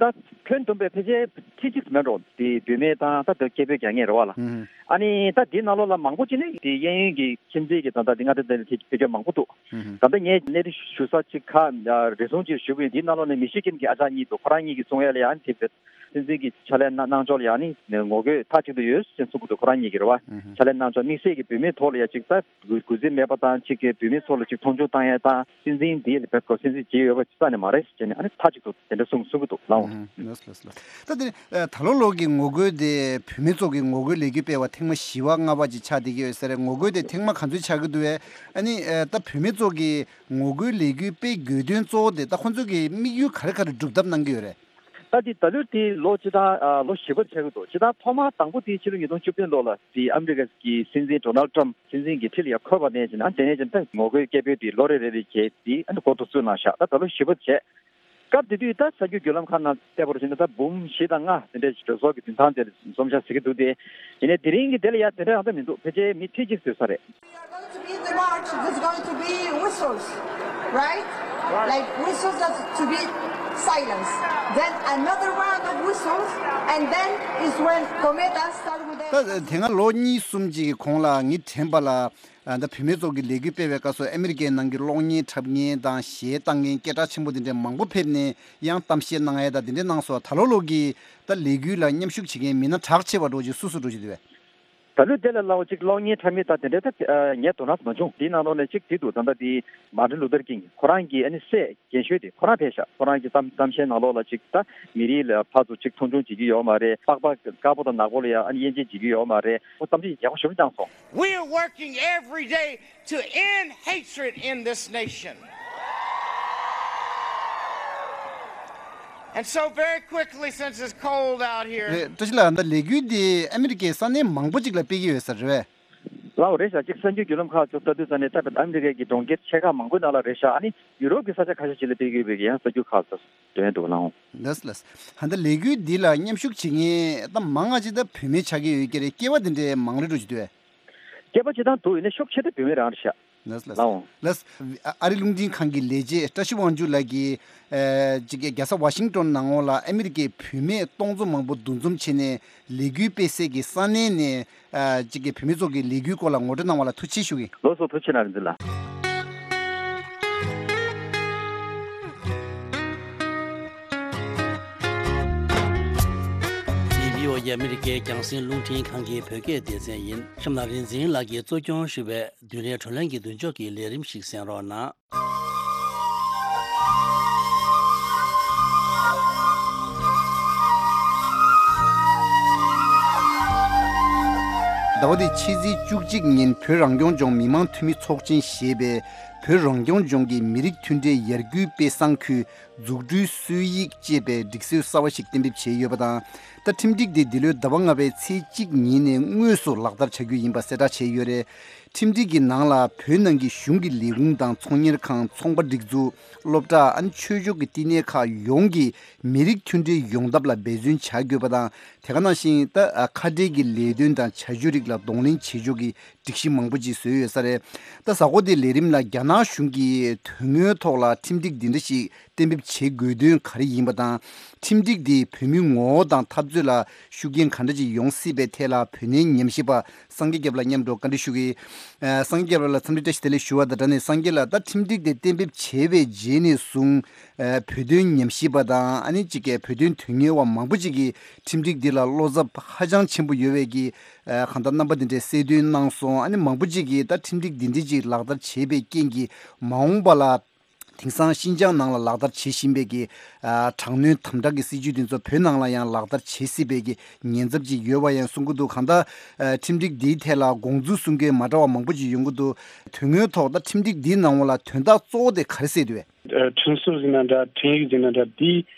ཁྱོན་བསྡོམས་པའི་ཕལ་ཆེར་ཁྲི་གཅིག་མེད་འགྲོ་དེ་བུད་མེད་དང་ད་དེ་སྐད་འབོད་རྒྱག་མཁན་རེད་བ་ལ། ཨ་ནི་ད་དེའི་ནང་ལོགས་ལ་མང་པོ་ཅིག་ནི་དེ་གཡས་གཡོན་གྱི་ཁྱིམ་མཚེས་ཀྱི་ད་ལྟ་དེ་མངའ་སྡེ་དེ་ལ་དེ་ཕེབས་མཁན་མང་པོ་འདུག་ད་ལྟ་ངས་གནས་རི་ཞུ་ས་ཅིག་ཁ་རེ་ཟུང་ཅིག་ཞུ་གི་ཡོད། དེའི་ནང་ལོགས་ནས་མི་ཤི་ཀིན་གྱི་ཨ་ཅག་གཉིས་འདུག་ཁོ་རང་གཉིས་ཀྱིས་གསུང་ཡ་ལ་ཡང་དེ་བས་སྲིད་འཛིན་གྱི་ཕྱག་ལས་གནང་གནང་ཕྱོགས་ལ་ཡང་ནི་ངོ་རྒོལ་མཐའ་གཅིག་ཏུ་ཡོད་ཅེས་གསུང་གི་འདུག་ཁོ་རང་གཉིས་ཀྱིས་རེད་བ། ཕྱག་ལས་གནང་ཕྱོགས་དམིགས་བསལ་གྱི་བུད་མེད་ཐོག་ལ་ཡ་ཅིག་ད་གུས་གུས་བརྩི་མེད་པ་དང་ཅིག་གི་བུད་མེད་ཚོ་ལ་ཅིག་མཐོང་ཆུང་བཏང་ཡ་དང་སྲིད་འཛིན་འདིའི་ལ་བེད་ཁོ་སྲིད་འཛིན་བྱེད་ཡོད་པ་རྩ་ནས་མ་རེད་ཟེར་ནས་ཨ་ནི་མཐའ་གཅིག་ཏུ་དེ་འདྲ་གསུང་གསུང་གི་འདུག་ལའོ། ལགས་ལགས་ལགས། ད་དེ་ནི་ད་ལོ་ལོ་གི་ངོ་རྒོལ་དེ་བུད་མེད་ཚོ་གི་ངོ་རྒོལ་ལས་འགུལ་སྤེལ་བ་ཐེངས་མ་བཞི་པ་ལྔ་པ་ཅིག་ཆགས་བསྡད་ཀྱི་ཡོད་ས་རེད། ངོ་རྒོལ་དེ་ཐེངས་མ་ག་ཚོད་ཆགས་ཀྱི་འདུག་བས། ཨ་ནི་ད་བུད་མེད་ཚོ་གི་ངོ་རྒོལ་ལས་འགུལ་སྤེལ་དགོས་དོན་གཙོ་བོ་དེ་ད་ཁོང་ཚོ་གི་དམིགས་ཡུལ་ག་རེ་ག་རེ་སྒྲུབ་ཐབས་གནང་གི་ཡོད་རེད། ད་དེ་ད་ལོ་དེ་ལོ་སྤྱི་བཏང་ཨ་ལོ་བཞི་པ་ཆགས་ཀྱི་འདུག་སྤྱི་བཏང་ཐོག་མ་དང་པོ་དེ་ཕྱི་ལོ་ཉིས་སྟོང་བཅུ་བདུན་ལོ་ལ་དེ་ཨ་མི་རི་ཀ་གི་སྲིད་འཛིན་ཌོ་ནལ་ཊམ་སྲིད་འཛིན་གྱི་ཁྲི་ལ་ཡར་འཁོད་པ་ནས་བྱས་ན་དེ་ནས་བྱས་ན་ད་ངོ་རྒོལ་སྐད་འབོད་དེ་ལོ་རེ་རེ་རེ་བྱས་དེ་ཨ་ནི་འགོ་ཐུག་ཚུགས་གནང་ཤག་ད་ད་ལོ་བཞི་པ་བྱས། སྐབས་དེ་དུས་ད་གསར་འགྱུར་བརྒྱུད་ལམ་ཁག་ནང་བལྟས་པར་བྱས་ན་ད་འབུམ་བཞི་དང་ལྔ་དེ་འདྲའི་གྲོས་ཚོགས་ཀྱི་མདུན་ཐང་དེར་འཛོམས་ཤག་ཟེར་གྱི་འདུག་སྟེ། ཡིན་ནའི་དེ་རིང་གི་དེ་ལ་ཡ་དེ་འདྲ་རང་ད་མི་འདུག་ཕལ་ཆེར་མི་ཁྲི་གཅིག་ཙམ་རེད། We are going to be in the march, there's going to be whistles, right? Like whistles, that's to be silence. Then another round of whistles, and then is when Kometa start with the ད་དེ་སྔ་ལོ་གཉིས་གསུམ་ཅིག་གི་གོང་ལ་ངས་དྲན་པ་ལ་ཨ་ད་བུད་མེད་ཚོ་གི་ལས་འགུལ་སྤེལ་བའི་སྐབས་སུ་ཨ་མི་རི་ཀའི་ནང་གི་གློག་བརྙན་འཁྲབ་མཁན་དང་གཞས་བཏང་མཁན་སྐད་གྲགས་ཆེན་པོ་དེ་འདྲ་མང་པོ་ཕེབས་ནས་ཡང་གཏམ་བཤད་གནང་ཡས་དང་དེ་འདྲ་གནང་སོང་། ད་ལོ་ལོ་གི་ད་ལས་འགུལ་ལ་མཉམ་ཞུགས་བྱེད་མཁན་མི་སྣ་གྲགས་ཆེ་བ་འདྲ་ཅིག་སུ་སུ་འདྲ་ཅིག་འདུག་བས། ད་ལོ་དེ་ལ་ལའོ་ཅིག་གློག་བརྙན་འཁྲབ་མི་དང་དེ་འདྲ་ད་ཨ་ངས་དོ་སྣང་མ་བྱུང་། དེའི་ནང་ལོགས་ནས་ཅིག་དེ་འདུག་ད་ལྟ་དེ་མར་ཊིན་ལུ་ཐར་ཀིང་ཁོ་རང་གི་ཨ་ནི་སྲས་རྒན་ཤོས་དེ་ཁོ་རང་ཕེབས་ཤག་ཁོ་རང་གི་གཏམ་གཏམ་བཤད་ནང་ལོགས་ལ་ཅིག་ད་མི་རིགས་ལ་ཕར་ཚུར་ཅིག་མཐོང་ཆུང་བྱེད་ཀྱི་ཡོད་མ་རེད། པགས་པ་དཀར་པོ་དང་ནག་པོ་ལ་ཡ་ཨ་ནི་དབྱེ་འབྱེད་བྱེད་ཀྱི་ཡོད་མ་རེད། ཁོ་གཏམ་བཤད་ཡག་པོ་ཞེ་པོ་བཏང་སོང་། We are working every day to end hatred in this nation. And so, very quickly, since it's cold out here, རེད། བཀྲ་ཤིས་ལགས། ད་ལས་འགུལ་འདི་ཨ་མི་རི་ཀའི་ས་གནས་མང་པོ་ཅིག་ལ་སྤེལ་གྱི་ཡོད་ས་རེད་བས། ལའོ་རེད་ཤག་ཅིག་གསར་འགྱུར་བརྒྱུད་ལམ་ཁག་ཚོ་ལྟ་དུས་ཙ་ནས་ད་ཨ་མི་རི་ཀའི་གི་གྲོང་ཁྱེར་ཆེ་ཁག་མང་པོའི་ནང་ལ་རེད་ཤག་ཨ་ནི་ཡུ་རོབ་ཀྱི་ས་ཆ་ཁ་ཤས་ཅིག་ལ་སྤེལ་གྱི་ཡོད་པའི་གི་ཡང་གསར་འགྱུར་ཁག་ཚོ་ཐོན་འདུག་ལའོ། ལགས་ལགས། ད་ལས་འགུལ་འདི་ལ་མཉམ་ཞུགས་བྱེད་མཁན་ད་མང་ང་ཅིག་ད་བུད་མེད་ཆགས་ཀྱི་ཡོད་ཀྱི་རེད། སྐྱེས་པ་འདི་འདྲའི་མང་རེད་འགྲོ་གི་འདུག་བས། སྐྱེས་པ་སྤྱི་བཏང་དུ་ཡིན་ན་ཤུགས་ཆེ་ཏེ་བུད་མེད་རང་རེད་ཤག་ལགས་ལགས་ལའོ། ལགས། ཨ་རི་རླུང་འཕྲིན་ཁང་གི་ལས་བྱེད་བཀྲ་ཤིས་དབང་ཕྱུག་ལགས་ཀྱིས་ཨ་ཅིག་རྒྱལ་ས་ཝ་ཤིང་ཏོན་ནང་ལོགས་ལ་ཨ་མི་རི་ཀའི་བུད་མེད་སྟོང་ཚོ་མང་པོ་འདུ་འཛོམས་བྱས་ནས་ལས་འགུལ་སྤེལ་སའི་གི་ས་གནས་ནས་ཨ་ཅིག་བུད་མེད་ཚོ་གི་ལས་འགུལ་སྐོར་ལ་ངོ་སྤྲོད་གནང་བ་ལ་ཐུགས་རྗེ་ཆེ་ཞུ་གི། ལགས་སོ། ཐུགས་རྗེ་གནང་། རིག་འཛིན་ལགས། འདི་བྷི་ཨོ་ཨེ་ཨ་མི་རི་ཀའི་རྒྱང་སྲིང་རླུང་འཕྲིན་ཁང་གི་བོད་སྐད་སྡེ་ཚན་ཡིན། གཤམ་ལ་རིག་འཛིན་ལགས་ཀྱིས་གཙོ་སྐྱོང་ཞུས་པའི་བདུན་རེའི་བགྲོ་གླེང་གི་མདུན་ལྕོག་གི་ལས་རིམ་ཞིག་གསན་རོགས་གནང་། ཟླ་བ་འདིའི་ཕྱི་ཚེས་བཅུ་གཅིག་ཉིན་བོད་རང་སྐྱོང་ལྗོངས་མི་དམངས་འཐུས་མི་ཚོགས་ཆེན་ཞེས་པའི་བོད་རང་སྐྱོང་ལྗོངས་ཀྱི་མི་རིགས་མཐུན་སྒྲིལ་ཡར་སྐུལ་དཔེ་བཟང་ཁུལ་འཛུགས་སྐྲུན་སྲོལ་ཡིག་ཅེས་པའི་སྒྲིག་སྲོལ་གསར་བ་ཞིག་གཏན་འབེབས་བྱས་ཡོད་པ་དང་། ད་ཁྲིམས་སྒྲིག་དེ་འདི་ལོའི་ཟླ་བ་ལྔ་པའི་ཚེས་གཅིག་ཉིན་ནས་དངོས་སུ་ལག་བསྟར་བྱ་རྒྱུ་ཡིན་པ་གསལ་བསྒྲགས་བྱས་ཡོད་རེད། ཁྲིམས་སྒྲིག་གི་ནང་ལ་བོད་ནང་གི་གཞུང་གི་ལས་ཁུངས་དང་ཚོང་གཉེར་ཁང་། ཚོང་པ་སྒྲིག་འཛུགས། སློབ་གྲྭ། ཨ་ནི་ཆོས་ཕྱོགས་ཀྱི་བསྟི་གནས་ཁག་ཡོངས་ཀྱིས་མི་རིགས་མཐུན་སྒྲིལ་ཡོང་ཐབས་ལ་འབད་བརྩོན་བྱ་དགོས་པ་དང་། དེ་ག་ནང་བཞིན་ད་ཁ་བྲལ་གྱི་ལས་དོན་དང་བྱ་སྤྱོད་རིགས་ལ་གདོང་ལེན་བྱེད་ཕྱོགས་ཀྱི་སྒྲིག་གཞི་མང་པོ་ཅིག་བཟོས་ཡོད་ས་རེད། ད་གཟའ་འཁོར་འདིའི་ལས་རིམ་ལ་རྒྱ་ནག་གཞུང་གིས་དོན་དངོས་ཐོག་ལ་ཁྲིམས་སྒྲིག་འདི་འདྲ་ཞིག་གཏན་འབེབས་བྱེད་དགོས་དོན་ག་རེ་ཡིན་པ་དང་། ཁྲིམས་སྒྲིག་འདིས་བོད་མིའི་ངོ་བོ་དང་འཐབ་རྩོད་ལ་ཤུགས་རྐྱེན་ག་འདྲ་ཅིག་ཡོང་སྲིད་པའི་ཐད་ལ་བོད་གནས་ཉམས་ཞིབ་པ་སངས་རྒྱས་སྐྱབས་ལགས་མཉམ་དུ་བཀའ་འདྲི་ཞུ་གི། ཨ་སངས་རྒྱས་སྐྱབས་ལགས་ལ་འཚམས་འདྲི་བཀྲ་ཤིས་བདེ་ལེགས་ཞུ་བ་དང་སྦྲགས་ནས། སངས་རྒྱས་ལགས། ད་ཁྲིམས་སྒྲིག་དེ་གཏན་འབེབས་བྱས་པའི་རྗེས་ནས་བཟུང་ཨ་བོད་དོན་ཉམས་ཞིབ་པ་དང་། ཨ་ནི་གཅིག་གི་བོད་དོན་དོན་གཉེར་བ་མང་པོ་ཅིག་གིས་ཁྲིམས་སྒྲིག་འདི་ལ་བློ་འཚབ་ཧ་ཅང་ཆེན་པོ་ཡོད་པའི་གི་ཨ་གང་ལྟར་རྣམ་པ་འདི་འདྲའི་གསལ་སྟོན་གནང་སོང་། ཨ་ནི་མང་པོ་ཅིག་གིས་ད་ཁྲིམས་སྒྲིག་འདི་འདྲ་ཅིག་ལག་བསྟར་བྱས་པའི་རྐྱེན་གྱིས་མ་འོངས་པ་ལ་དེང་སང་ཤིན་ཅང་ནང་ལ་ལག་བསྟར་བྱེད་བཞིན་པའི་གི་ཨ་དྲག་གནོན་དམ་དྲག་གི་སྲིད་བྱུས་དེ་ཚོ་བོད་ནང་ལ་ཡང་ལག་བསྟར་བྱེད་སྲིད་པའི་གི་ཉེན་ཚབས་ཅིག་ཡོད་པ་ཡང་གསུང་གི་འདུག། གང་ལྟར་ཨ་ཁྲིམས་སྒྲིག་འདིའི་ཐད་ལ་དགོངས་ཚུལ་གསུང་མཁན་མ་འདྲ་བ་མང་པོ་ཅིག་ཡོང་གི་འདུག། དོན་དངོས་ཐོག་ད་ཁྲིམས་སྒྲིག་འདིའི་ནང་ལ་དོན་དག་གཙོ་བོ་དེ་ག་རེ་གསལ་འདུག་བས། ཁྲིམས་སྲོལ་ཟེར་ན་འདྲ། ཁྲིམས་ཡིག་ཟེར་ན་འདྲ། འདི་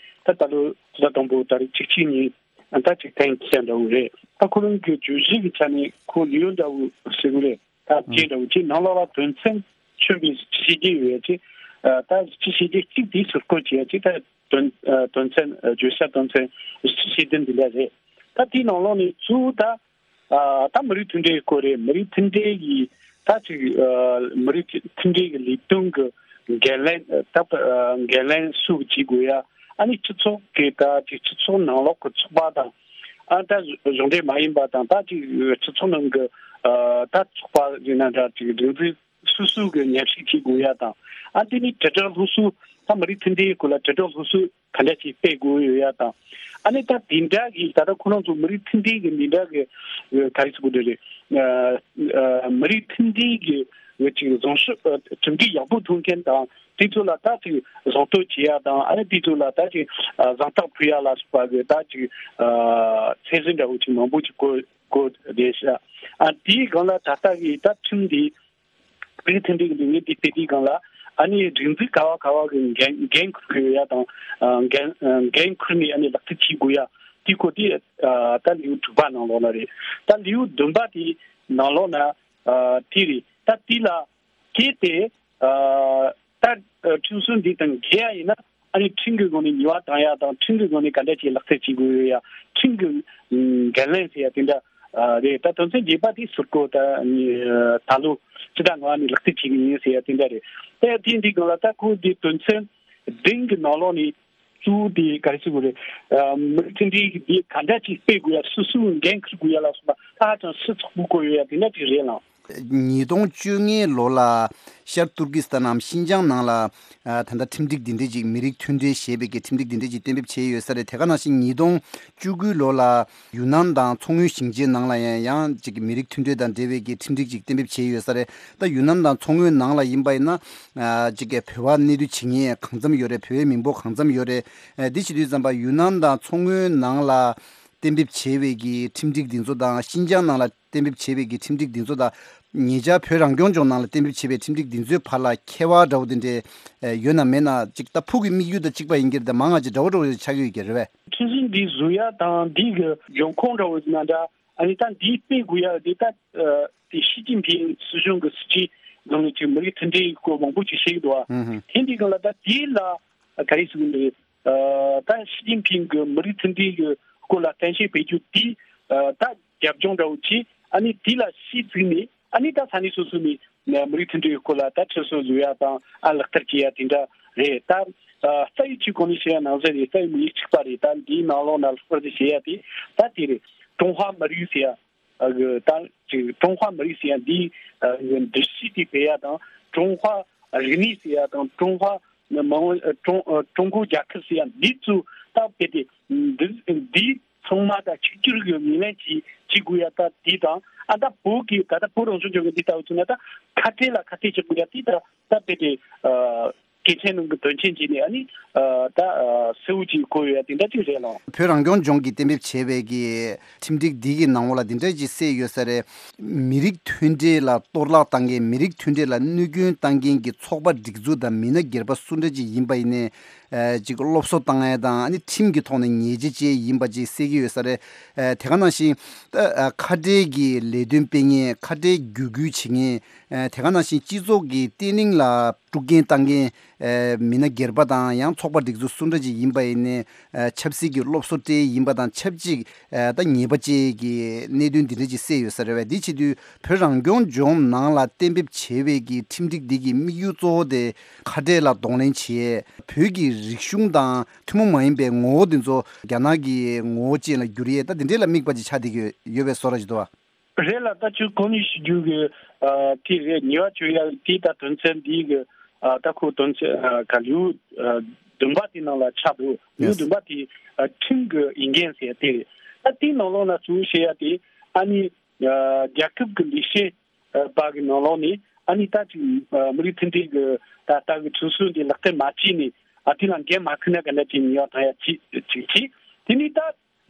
ད་ད་ལོ་ཕྱི་ཟླ་དང་པོ་ཏ་རིག་བཅུ་གཅིག་ཉིན་ད་ཅིག་གཏན་འཁེལ་འདྲ་བོ་རེད། ད་ཁོ་རང་གི་བརྗོད་གཞི་གི་ཆ་ནས་ཁོ་ལེའུ་འདྲ་བོ་ཟེར་གི་རེད། ད་ཨང་རྗེས་འདྲ་བོ་ཅིག་ནང་ལོགས་ལ་དོན་ཚན་མཚོན་པའི་བཤད་རྒྱུ་ཡོད་ཅིག། ད་བཤད་རྒྱུ་གཅིག་དེ་ཟུར་བཀོད་བྱེད་ཡ་ཅིག། ད་དོན་དོན་ཚན་བརྗོད་བྱ་དོན་ཚན་བཞི་བཅུ་ཞེ་བདུན་འདི་འདྲ་རེད། ད་དེའི་ནང་ལོགས་ནས་གཙོ་བོ་ད་ཨ་ད་མི་རིགས་མཐུན་སྒྲིལ་སྐོར་རེད། མི་རིགས་མཐུན་སྒྲིལ་གྱི་ད་ཅིག་ཨ་མི་རིགས་མཐུན་སྒྲིལ་གྱི་ལས་དོན་གྱི་འགན་ལེན་ད་ཨ་འགན་ལེན་སུ་བྱེད་དགོས་ཡ། ཨ་ནི་སྤྱི་ཚོགས་ཀྱི་ད་ཅིག་སྤྱི་ཚོགས་ནང་ལོགས་ཀྱི་ཚོགས་པ་དང་། ཨ་ད་གཞུང་འབྲེལ་མ་ཡིན་པ་དང་། ད་ཅིག་སྤྱི་ཚོགས་ནང་གི་ཨ་ད་ཚོགས་པ་ཡིན་ན་འདྲ། ཅིག་སྒྲིག་འཛུགས་སོ་སོ་གི་མཉམ་ཞུགས་བྱེད་དགོས་ཡ་དང་། ཨ་དེ་ནི་དྲིལ་བསྒྲགས་སློབ་གསོ། ད་མི་རིགས་མཐུན་སྒྲིལ་སྐོར་ལ་དྲིལ་བསྒྲགས་སློབ་གསོ་ག་འདྲ་ཞིག་སྤེལ་དགོས་ཡོད་ཡ་དང་། ཨ་ནི་ད་དེ་འདྲ་གི་ད་ལྟ་ཁོ་རང་ཚོ་མི་རིགས་མཐུན་སྒྲིལ་གི་འདི་འདྲ་གི་ཨ་ག་རེ་ཟེར་དགོས་རེད། ཨ་ཨ་མི་རིགས་མཐུན་སྒྲིལ་གི་འོ་ཅིག་བཟང་ཤོས་ཨ་གྲུབ་འབྲས་ཡག་པོ་ཐོན་མཁན་དང་། དེ་ཚོ་ལ་ད་ཅིག་གཟེངས་བསྟོད་བྱེད་ཡ་དང་། ཨ་ནི་དེ་ཚོ་ལ་ད་ཅིག་ཨ་གཟེངས་རྟགས་ཕུལ་ཡ་ལ་སོགས་པ་གི་ད་ཅིག་ཨ་ཚད་གཞི་འདྲ་བོ་ཅིག་མང་པོ་ཅིག་བཀོད་བཀོད་བསྡད་ཤག། ཨ་དེའི་སྒང་ལ་ད་ལྟ་གི་ད་ཁྲིམས་འདི། མི་རིགས་མཐུན་སྒྲིལ་གྱི་ལས་འགུལ་འདི་སྤེལ་དུས་སྒང་ལ། ཨ་ནི་སྒྲིག་འཛུགས་ག་བ་ག་བ་གི་འགན་འགན་འཁུར་དགོས་ཡ་དང་། ཨ་འགན་ཨ་འགན་འཁུར་ནས་ཨ་ནི་ལག་བསྟར་བྱེད་དགོས་ཡ་དེ་སྐོར་དེ་ཨ་ད་ལེའུ་དྲུག་པ་ནང་ལོགས་ལ་རེད། ད་ལེའུ་བདུན་པ་དེ་ནང་ལོགས་ན་ཨ་དེ་རེད། ད་དེ་ལ་གལ་ཏེ་ཨ་ད་ཨ་ཁྲིམས་སྲོལ་འདི་དང་འགལ་ཡ་ཡིན་ན། ཨ་ནི་ཁྲིམས་ཀྱི་སྒོ་ནས་ཉེས་པ་བཏང་ཡ་དང་། ཁྲིམས་ཀྱི་སྒོ་ནས་ག་འདྲ་ཅིག་ལག་བསྟར་བྱེད་དགོས་ཡོད་ཡ། ཁྲིམས་ཀྱི་འགན་ལེན་ཟེར་ཡ་དེ་འདྲ་རེད། ད་དོན་ཚན་བརྒྱད་པ་དེ་ཟུར་བཀོད་ད་ད་ལོ་ཕྱི་ཟླ་ལྔ་པ་ནས་ལག་བསྟར་བྱེད་ཀྱི་ཡིན་ཟེར་ཡ་དེ་འདྲ་རེད། ད་དེ་འདི་སྒང་ལ་ད་ཁོ་འདི་དོན་ཚན་བདུན་གྱི་ནང་ལོགས་ནས་གཙོ་བོ་དེ་ག་རེ་ཟེར་དགོས་རེད། མི་རིགས་མཐུན་སྒྲིལ་གྱི་འདི་ག་འདྲ་ཅིག་སྤེལ་དགོས་ཡ། སུ་སུ་འགན་འཁུར་དགོས་ཡ་ལ་སོགས་པ་ད་ཧ་ཅང་ཞིབ་ཚགས་པོ་བཀོད་ཡོད་ཡ་དེ་འདྲ་ཅིག་རེད་ལགས། ཉིས་སྟོང་བཅོ་ལྔའི་ལོ་ལ་ཤར་ཏུར་ཀི་སི་ཐན་ནམ་ཤིན་ཅང་ནང་ལ་ཨ་ད་ལྟ་ཁྲིམས་སྒྲིག་འདི་འདྲ་ཅིག་མི་རིགས་མཐུན་སྒྲིལ་ཞེས་པའི་གི་ཁྲིམས་སྒྲིག་འདི་འདྲ་ཅིག་གཏན་འབེབས་བྱས་ཡོད་ས་རེད། དེ་ག་ནང་བཞིན་ཉིས་སྟོང་བཅུ་དགུའི་ལོ་ལ་ཡུན་ནན་དང་མཚོ་སྔོན་ཞིང་ཆེན་ནང་ལ་ཡང་ཡང་ཅིག་མི་རིགས་མཐུན་སྒྲིལ་དང་འབྲེལ་བའི་གི་ཁྲིམས་སྒྲིག་ཅིག་གཏན་འབེབས་བྱས་ཡོད་ས་རེད། ད་ཡུན་ནན་དང་མཚོ་སྔོན་ནང་ལ་ཡིན་པ་ཡིན་ན་ཨ་ཅིག་བོད་པ་གནས་སྡོད་བྱེད་མཁན་གང་འཚམ་ཡོད་རེད། བོད་པའི་མི་འབོར་གང་འཚམ་ཡོད་རེད། ཨ་འདི་བྱེད་དུས་ཙམ་པ་ཡུན་ནན་དང་མཚོ་སྔོན་ནང་ལ་གཏན་འབེབས་བྱས་པའི་གི་ཁྲིམས་སྒྲིག་འདི་ཚོ་དང་ཤིན་ཅང་ནང་ལ་གཏན་འབེབས་བྱས་པའི་གི་ཁྲིམས་སྒྲིག་འདི་ཚོ་དང་། ཉེ་ཆར་བོད་རང་སྐྱོང་ལྗོངས་ནང་ལ་གཏན་འབེབས་བྱས་པའི་ཁྲིམས་སྒྲིག་འདི་ཚོའི་བར་ལ་ཁྱད་པར་འདྲ་བོ་དེ་འདྲ་ཡོད་ན་མེད་ན། ཅིག་ད་ཕུགས་ཀྱི་དམིགས་ཡུལ་དང་གཅིག་པ་ཡིན་གྱི་རེད། ད་མང་ང་ཅིག་འདྲ་བོ་འདྲ་བོ་ཆགས་ཀྱི་ཡོད་ཀྱི་རེད་པས། ཁྲིམས་སྒྲིག་འདི་བཟོ་ཡ་དང་འདི་གི་འབྱུང་ཁུངས་འདྲ་བོ་ཡིན་ན་འདྲ། ཨ་ནི་ད་འདི་སྤེལ་དགོས་ཡ་འདི་ད་ཨ་དེ་ཞི་ཅིན་ཕིང་སྲིད་གཞུང་གི་སྲིད་ཇུས་སྒང་ནས་ཅིག་མི་རིགས་མཐུན་སྒྲིལ་སྐོར་མང་པོ་ཅིག་བཤད་ཀྱི་འདུག་བ། ཧུམ་ཧུམ། དེ་འདི་སྒང་ལ་ད་དེ་ལ་ག་རེ་ཟེར་གྱི་འདུག། ཨ་ད་ཞི་ཅིན་ཕིང་གི་མི་རིགས་མཐུན་སྒྲིལ་གྱི་སྐོར་ལ་གཏམ་བཤད་སྤེལ་རྒྱུ་དེ་ཨ་ད་རྒྱབ་ལྗོངས་འདྲ་བོ་ཅིག། ཨ་ནི་དེ་ལ་གཞི་བཙུགས་ནས་ ཨ་ནི་ད་ས་གནས་སོ་སོ་ནས་མི་རིགས་མཐུན་སྒྲིལ་སྐོར་ལ་ད་ཁྲིམས་སྲོལ་བཟོ་ཡ་དང་ཨ་ལག་བསྟར་བྱེད་ཡ་དེ་འདྲ་རེད། ད་རྩ་བའི་ཆོས་གོང་ནས་བཤད་ཡ་ནང་བཞིན་རེད། རྩ་བའི་མི་རིགས་གཅིག་པ་རེད། ད་འདིའི་ནང་ལོགས་ན་ལྷག་པར་དུ་བྱེད་ཡ་དེ་ད་དེ་རེད། ཀྲུང་ཧྭ་མི་རིགས་ཟེར་ཡ། ཨ་གི་ད་ཅིག་ཀྲུང་ཧྭ་མི་རིགས་ཟེར་ཡ་འདིའི་ཨ་གི་འདུ་ཤེས་དེ་སྤེལ་ཡ་དང་། ཀྲུང་ཧྭ་རིག་གནས་ཟེར་ཡ་དང་། ཀྲུང་ཧྭ་མི་དམངས་ཨ་ཀྲུང་ཨ་ཀྲུང་གོ་རྒྱལ་ཁབ་ཟེར་ཡ་འདི་ཚོ་ད་སྤེལ་ཏེ་འདི་འདི་ཚང་མ་ད་གཅིག་གྱུར་གྱི་ངོས་ལེན་བྱེད་བྱེད་དགོས་ཡ་ད་དེ་དང་། ཨ་ད་བོད་ཀྱི་ད་ད་བོད་རང་སྐྱོང་ལྗོངས་ཀྱི་འདི་ལྟ་བུ་ཚོ་ན་ད་ཁ་བྲལ་ལ་ཁ་གཏད་གཅོག་དགོས་ཡ་དེ་ད་ད་སྤེལ་ཏེ་ཨ། གལ་ཆེན་ནང་གི་དོན་ཆེན་བྱས་ནས་ཨ་ནི་ཨ་ད་ཨ་གསལ་བོ་ཅིག་གོ་ཡོད་ཡ་དེ་འདྲ་ཅིག་རེད་ལགས། བོད་རང་སྐྱོང་ལྗོངས་ཀྱིས་གཏན་འབེབས་བྱས་པའི་གི་ཁྲིམས་སྒྲིག་འདི་གི་ནང་ལོགས་ལ་འདི་འདྲ་ཅིག་གསལ་ཡོད་ས་རེད། མི་རིགས་མཐུན་སྒྲིལ་ལ་གཏོར་བརླག་བཏང་མཁན། མི་རིགས་མཐུན་སྒྲིལ་ལ་གནོད་སྐྱོན་བཏང་མཁན་གྱི་ཚོགས་པ་སྒྲིག་འཛུགས་དང་མི་སྣ་སྒེར་པ་སུ་འདྲ་ཅིག་ཡིན་པ་ཡིན་ནའི་ཨ་ཅིག་སློབ་གསོ་བཏང་ཡ་དང་། ཨ་ནི་ཁྲིམས་ཀྱི་ཐོག་ནས་ཉེས་ཆད་བཅད་ཡིན་པ་ཅིག་གསལ་གྱི་ཡོད་ས་རེད། ཨ་དེ་ག་ནང་བཞིན་ད་ཨ་ཁ་བྲལ་གྱི་ལས་དོན་སྤེལ་མཁན། ཁ་བྲལ་བརྒྱུད་སྐུལ་བྱེད་མཁན། ཨ་དེ་ག་ནང་བཞིན་སྤྱི་ཚོགས་ཀྱི་བརྟན་ལྷིང་ལ་དཀྲུག་རྐྱེན་བཏང་མཁན། ཨ་མི་སྣ་སྒེར་པ་དང་ཡང་ཚོགས་པ་སྒྲིག་འཛུགས་སུ་འདྲ་ཅིག་ཡིན་པ་ཡིན་ནའི། ཨ་ཆབ་སྲིད་ཀྱི་སློབ་གསོ་སྤྲད་ཡིན་པ་དང་ཆབས་ཅིག་ཨ་ད་ཉེས་པ་བཅས་ཀྱི་གནད་དོན་འདི་འདྲ་ཅིག་གསལ་ཡོད་ས་རེད་བས། འདི་བྱེད་དུས་བོད་རང་སྐྱོང་ལྗོངས་ནང་ལ་གཏན་འབེབས་བྱས་པའི་གི་ཁྲིམས་སྒྲིག་འདི་གི་དམིགས་ཡུལ་གཙོ་བོ་དེ་ཁ་བྲལ་ལ་གདོང་ལེན་བྱེད། བོད་ཀྱི་རིག་གཞུང་དང་ཐུན་མོང་མ་ཡིན་པའི་ངོ་བོ་འདི་ཚོ་རྒྱ་ནག་གི་ངོ་བོ་ཅན་ལ་བསྒྱུར་ཡས། ད་འདི་འདྲ་ལ་དམིགས་པ་ཅིག་ཆགས་བསྡད་ཀྱི་ཡོད་པའི་བཟོ་འདྲ་ཅིག་འདུག་བ། རེད་ལགས། ད་ཁྱོད་གོང་ནས་ཞུ་རྒྱུ་གི་ཨ་དེ་རེད། ཉེས་པ་གཅོད་ཡ་དེ་ད་དོན་ཚན་འདི་གི་ཨ་ད་ཁོ་དོན་ཚན་ཨ་ག་ལེའུ་ཨ་བདུན་པ་དེ་ནང་ལ་ཆགས་འདུག་ལེའུ་བདུན་པ་དེ་ཨ་ཁྲིམས་ཀྱི་ཡིག་འགན་ཟེར་ཡ་དེ་རེད། ད་དེའི་ནང་ལོགས་ལ་གཙོ་བོ་བཤད་ཡ་དེ་ཨ་ནི་ཨ་རྒྱལ་ཁབ་ཀྱི་ལས་བྱེད་ཨ་པ་གི་ནང་ལོགས་ནས་ཨ་ནི་ད་ཅིག་ཨ་མི་རིགས་མཐུན་སྒྲིལ་གྱི་ད་ལྟ་གི་ཁྲིམས་སྲོལ་འདི་ལག་བསྟར་མ་བྱས་ནས་ཨ་དེ་ལ་འགན་མ་འཁུར་ན་ག་འདྲ་ཅིག་ཉེས་པ་བཏང་ཡ་ཅིག་ཅིག་བྱས། དེ་ནས་ད་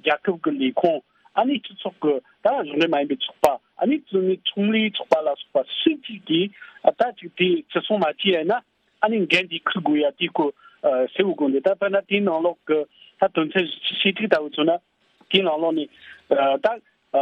རྒྱལ་ཁབ་ཀྱི་ལས་ཁུངས། ཨ་ནི་སྤྱི་ཚོགས་ཀྱི་ད་གཞུང་འབྲེལ་མ་ཡིན་པའི་ཚོགས་པ། ཨ་ནི་ཚོགས་མི་ཚོང་ལས་ཚོགས་པ་ལ་སོགས་པ་སུ་གཅིག་གིས་ཨ་ད་ཅིག་དེ་བརྩི་སྲུང་མ་བྱས་ཡ་ན་ཨ་ནི་འགན་དེ་འཁུར་དགོས་ཡ་དེ་ཁོ་ཨ་གསལ་བོ་དགོངས་ཏེ། ད་དཔེར་ན་དེའི་ནང་ལོགས་ཀྱི་ད་དོན་ཚན་བཞི་བཅུ་ཞེ་དྲུག་ལྟ་བུ་མཚོན་ན། དེའི་ནང་ལོགས་ནས་ཨ་ད་ཨ་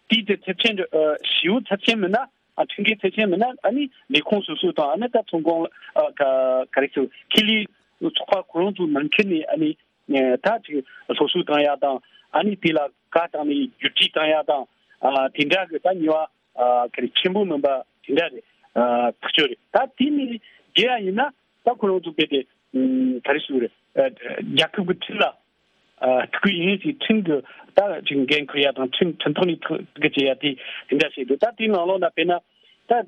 དེའི་དེ་ཚབས་ཆེན་འདྲ་ཨ་ཞེ་པོ་ཚབས་ཆེན་མིན་ན། ཨ་ཁྲིམས་འགལ་ཚབས་ཆེན་མིན་ན། ཨ་ནི་ལས་ཁུངས་སོ་སོ་དང་། ཨ་ནི་ད་ཚོང་ཁང་ཨ་ག་ག་རེ་ཟེར། ཁེ་ལས་ཚོགས་པ་ཁོ་རང་ཚོ་ནང་ཁུལ་ནས་ཨ་ནི་ཨ་ད་ཅིག་སློབ་གསོ་བཏང་ཡ་དང་། ཨ་ནི་དེ་ལ་བཀའ་བཏང་ནས་བསྒྱུར་བཅོས་བཏང་ཡ་དང་། ཨ་དེ་འདྲ་གི་ད་ཉེས་པ་ཨ་ག་རེ་ཆེན་པོ་མིན་པ་དེ་འདྲ་རེད། ཨ་ཐག་ཆོད་རེད། ད་དེ་ནས་བརྒལ་ཡ་ཡིན་ན་ད་ཁོ་རང་ཚོ་རྦད་དེ་ཨ་ག་རེ་ཞུ་རེད། ཨ་རྒྱལ་ཁབ་ཀྱི་ཁྲིམས་ལ་ཨ་ཐུག་གི་ཡིན་ཞེས་ཁྲིམས་ཀྱི་ད་ཅིག་འགན་འཁུར་ཡ་དང་། ཁྲིམས་ཁྲིམས་ཐོག་ནས་ཐུག་གི་བྱེད་ཡ་དེ་དེ་འདྲ་བྱས་འདུག་ད་དེའི་ནང་ལོགས་ན་དཔེར་ན་ད་ཨ་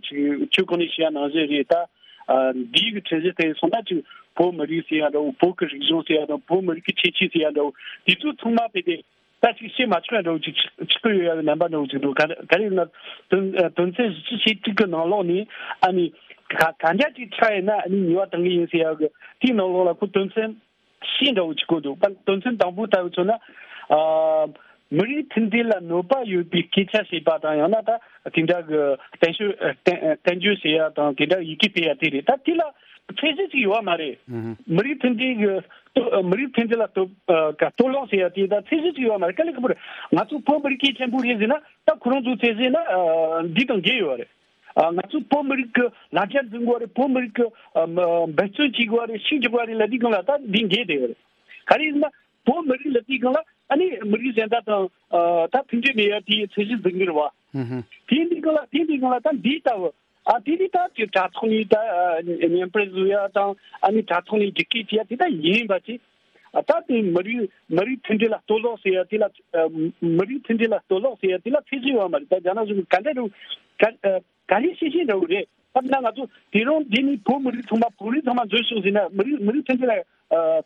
ཅིག་ཁྱོད་གོང་ནས་བཤད་ཡ་ནང་བཞིན་རེད། ད་ཨ་འདིའི་གི་ཁྲིམས་གཞི་དེ་སོང་ན་ཅིག་བོད་མི་རིགས་ཟེར་ཡ་འདྲ་བོ། བོད་ཀྱི་རིག་གཞུང་ཟེར་ཡ་འདྲ་བོ། བོད་མི་རིགས་ཀྱི་ཁྱད་ཆོས་ཟེར་ཡ་འདྲ་བོ། དེ་ཚོ་ཚང་མ་རྦད་དེ་ད་ཅིག་བཤད་མ་ཆོག་ཡ་འདྲ་བོ་ཅིག་ཆགས་ཆགས་ཀྱི་ཡོད་ཡ་གི་རྣམ་པ་འདྲ་བོ་ཅིག་འདུག་ག་ག་རེ་ཡིན་ན་དོན་ཨ་དོན་ཚན་བཞི་བཅུ་ཞེ་དྲུག་གི་ནང་ལོགས་ནས་ཨ་ནི་ག་ག་འདྲ་ཅིག་ཆགས་ཡིན་ན་ཨ་ནི་ཉེས་པ་གཏང་གི་ཡིན་ཟེར་ཡ་གི་དེའི་ནང་ལོགས་ལ་ཁོ་དོན་ཚན་བཞི་འདྲ་བོ་ཅིག་བཀོད་འདུག་ད་དོན་ཚན་དང་པོ་ལྟ་བུ་མཚོན་ན། ཨ་མི་རིགས་མཐུན་སྒྲིལ་ལ་གནོད་པ་ཡོད་པའི་སྐད་ཆ་བཤད་པ་དང་། ཡང་ན་ད་དེ་འདྲ་གི་བསྟན་བཅོས་ཨ་བསྟན་བསྟན་བཅོས་བྱེད་ཡ་དང་། དེ་འདྲ་ཡི་གེ་སྤེལ་ཡ་དེ་རེད། ད་དེ་ལ་ཚད་གཞི་ཅིག་ཡོད་མ་རེད། ཨུ་ཧུ། མི་རིགས་མཐུན་སྒྲིལ་གི་གཏོ་མི་རིགས་མཐུན་སྒྲིལ་ལ་གཏོ་ཨ་ག་གཏོར་བརླག་བྱེད་ཡ་དེ་ད་ཚད་གཞི་ཅིག་ཡོད་མ་རེད། དཀའ་ལས་ཁག་པོ་རེད། ང་ཚོ་བོད་མི་རིགས་གལ་ཆེན་པོ་རེད་ཟེར་ན། ད་ཁོ་རང་ཚོ་ཚད་གཞི་ན་ཨ་འདི་དང་འགལ་ཡོད་རེད། ཨ་ང་ཚོ་བོད་མི་རིགས་ཀྱི་ལ་རྒྱ་འཛིན་དགོས་རེད། བོད་མི་རིགས་ཀྱི་ཨ་མ་འབད་བརྩོན་བྱེད་དགོས་རེད། ཤུགས་རྒྱག་དགོས་རེད་ལབ་དུས་སྒང་ལ་ད་འདི་འགལ་བསྡད་ཡོད་རེད། ག་རེ་ཡིན་ན་བོད་མི་རིགས་ལབ་དུས་སྒང་ལ་ཨ་ནི་མི་རིགས་གཞན་དག་དང་ཨ་ད་མཐུན་སྒྲིལ་མེད་ཡ་དེའི་ཚད་གཞི་འཛིན་གྱི་རེད་བ། ཧུམ་ཧུམ། དེ་འདི་སྒང་ལ་དེ་འདི་སྒང་ལ་ད་འདི་ལྟ་བུ་ཨ་དེ་འདི་ད་ཅིག་དྲ་ཐོག་ནས་ད་ཨ་བརྙན་འཕྲིན་བཟོ་ཡ་དང་། ཨ་ནི་དྲ་ཐོག་ནས་རྒྱུག་སྐྱེལ་བྱེད་ཡ་དེ་ད་ཡིན་པ་ཅིག་ཨ་ད་དེ་མི་རིགས་མི་རིགས་མཐུན་སྒྲིལ་ལ་གཏོར་བརླག་ཟེར་ཡ་དེ་ལ། ཨ་མི་རིགས་མཐུན་སྒྲིལ་ལ་གཏོར་བརླག་ཟེར་ཡ་དེ་ལ་ཚད་གཞི་ཡོད་མ་རེད། ད་རྒྱ་ནག་གཞུང་གིས་ག་འདྲ་རུ་ག་ཨ་ག་རེ་བཤད་བཤད་འདྲ་བོ་རེད། ད་ན་ང་ཚོ་དེ་རིང་འདི་ནས་བོད་མི་རིགས་ཚང་མ་བོད་རིགས་ཚང་མ་འཛུལ་ཤོག་ཟེར་ན་མི་རིགས་མི་རིགས་མཐུན་སྒྲིལ་ལ་ཨ་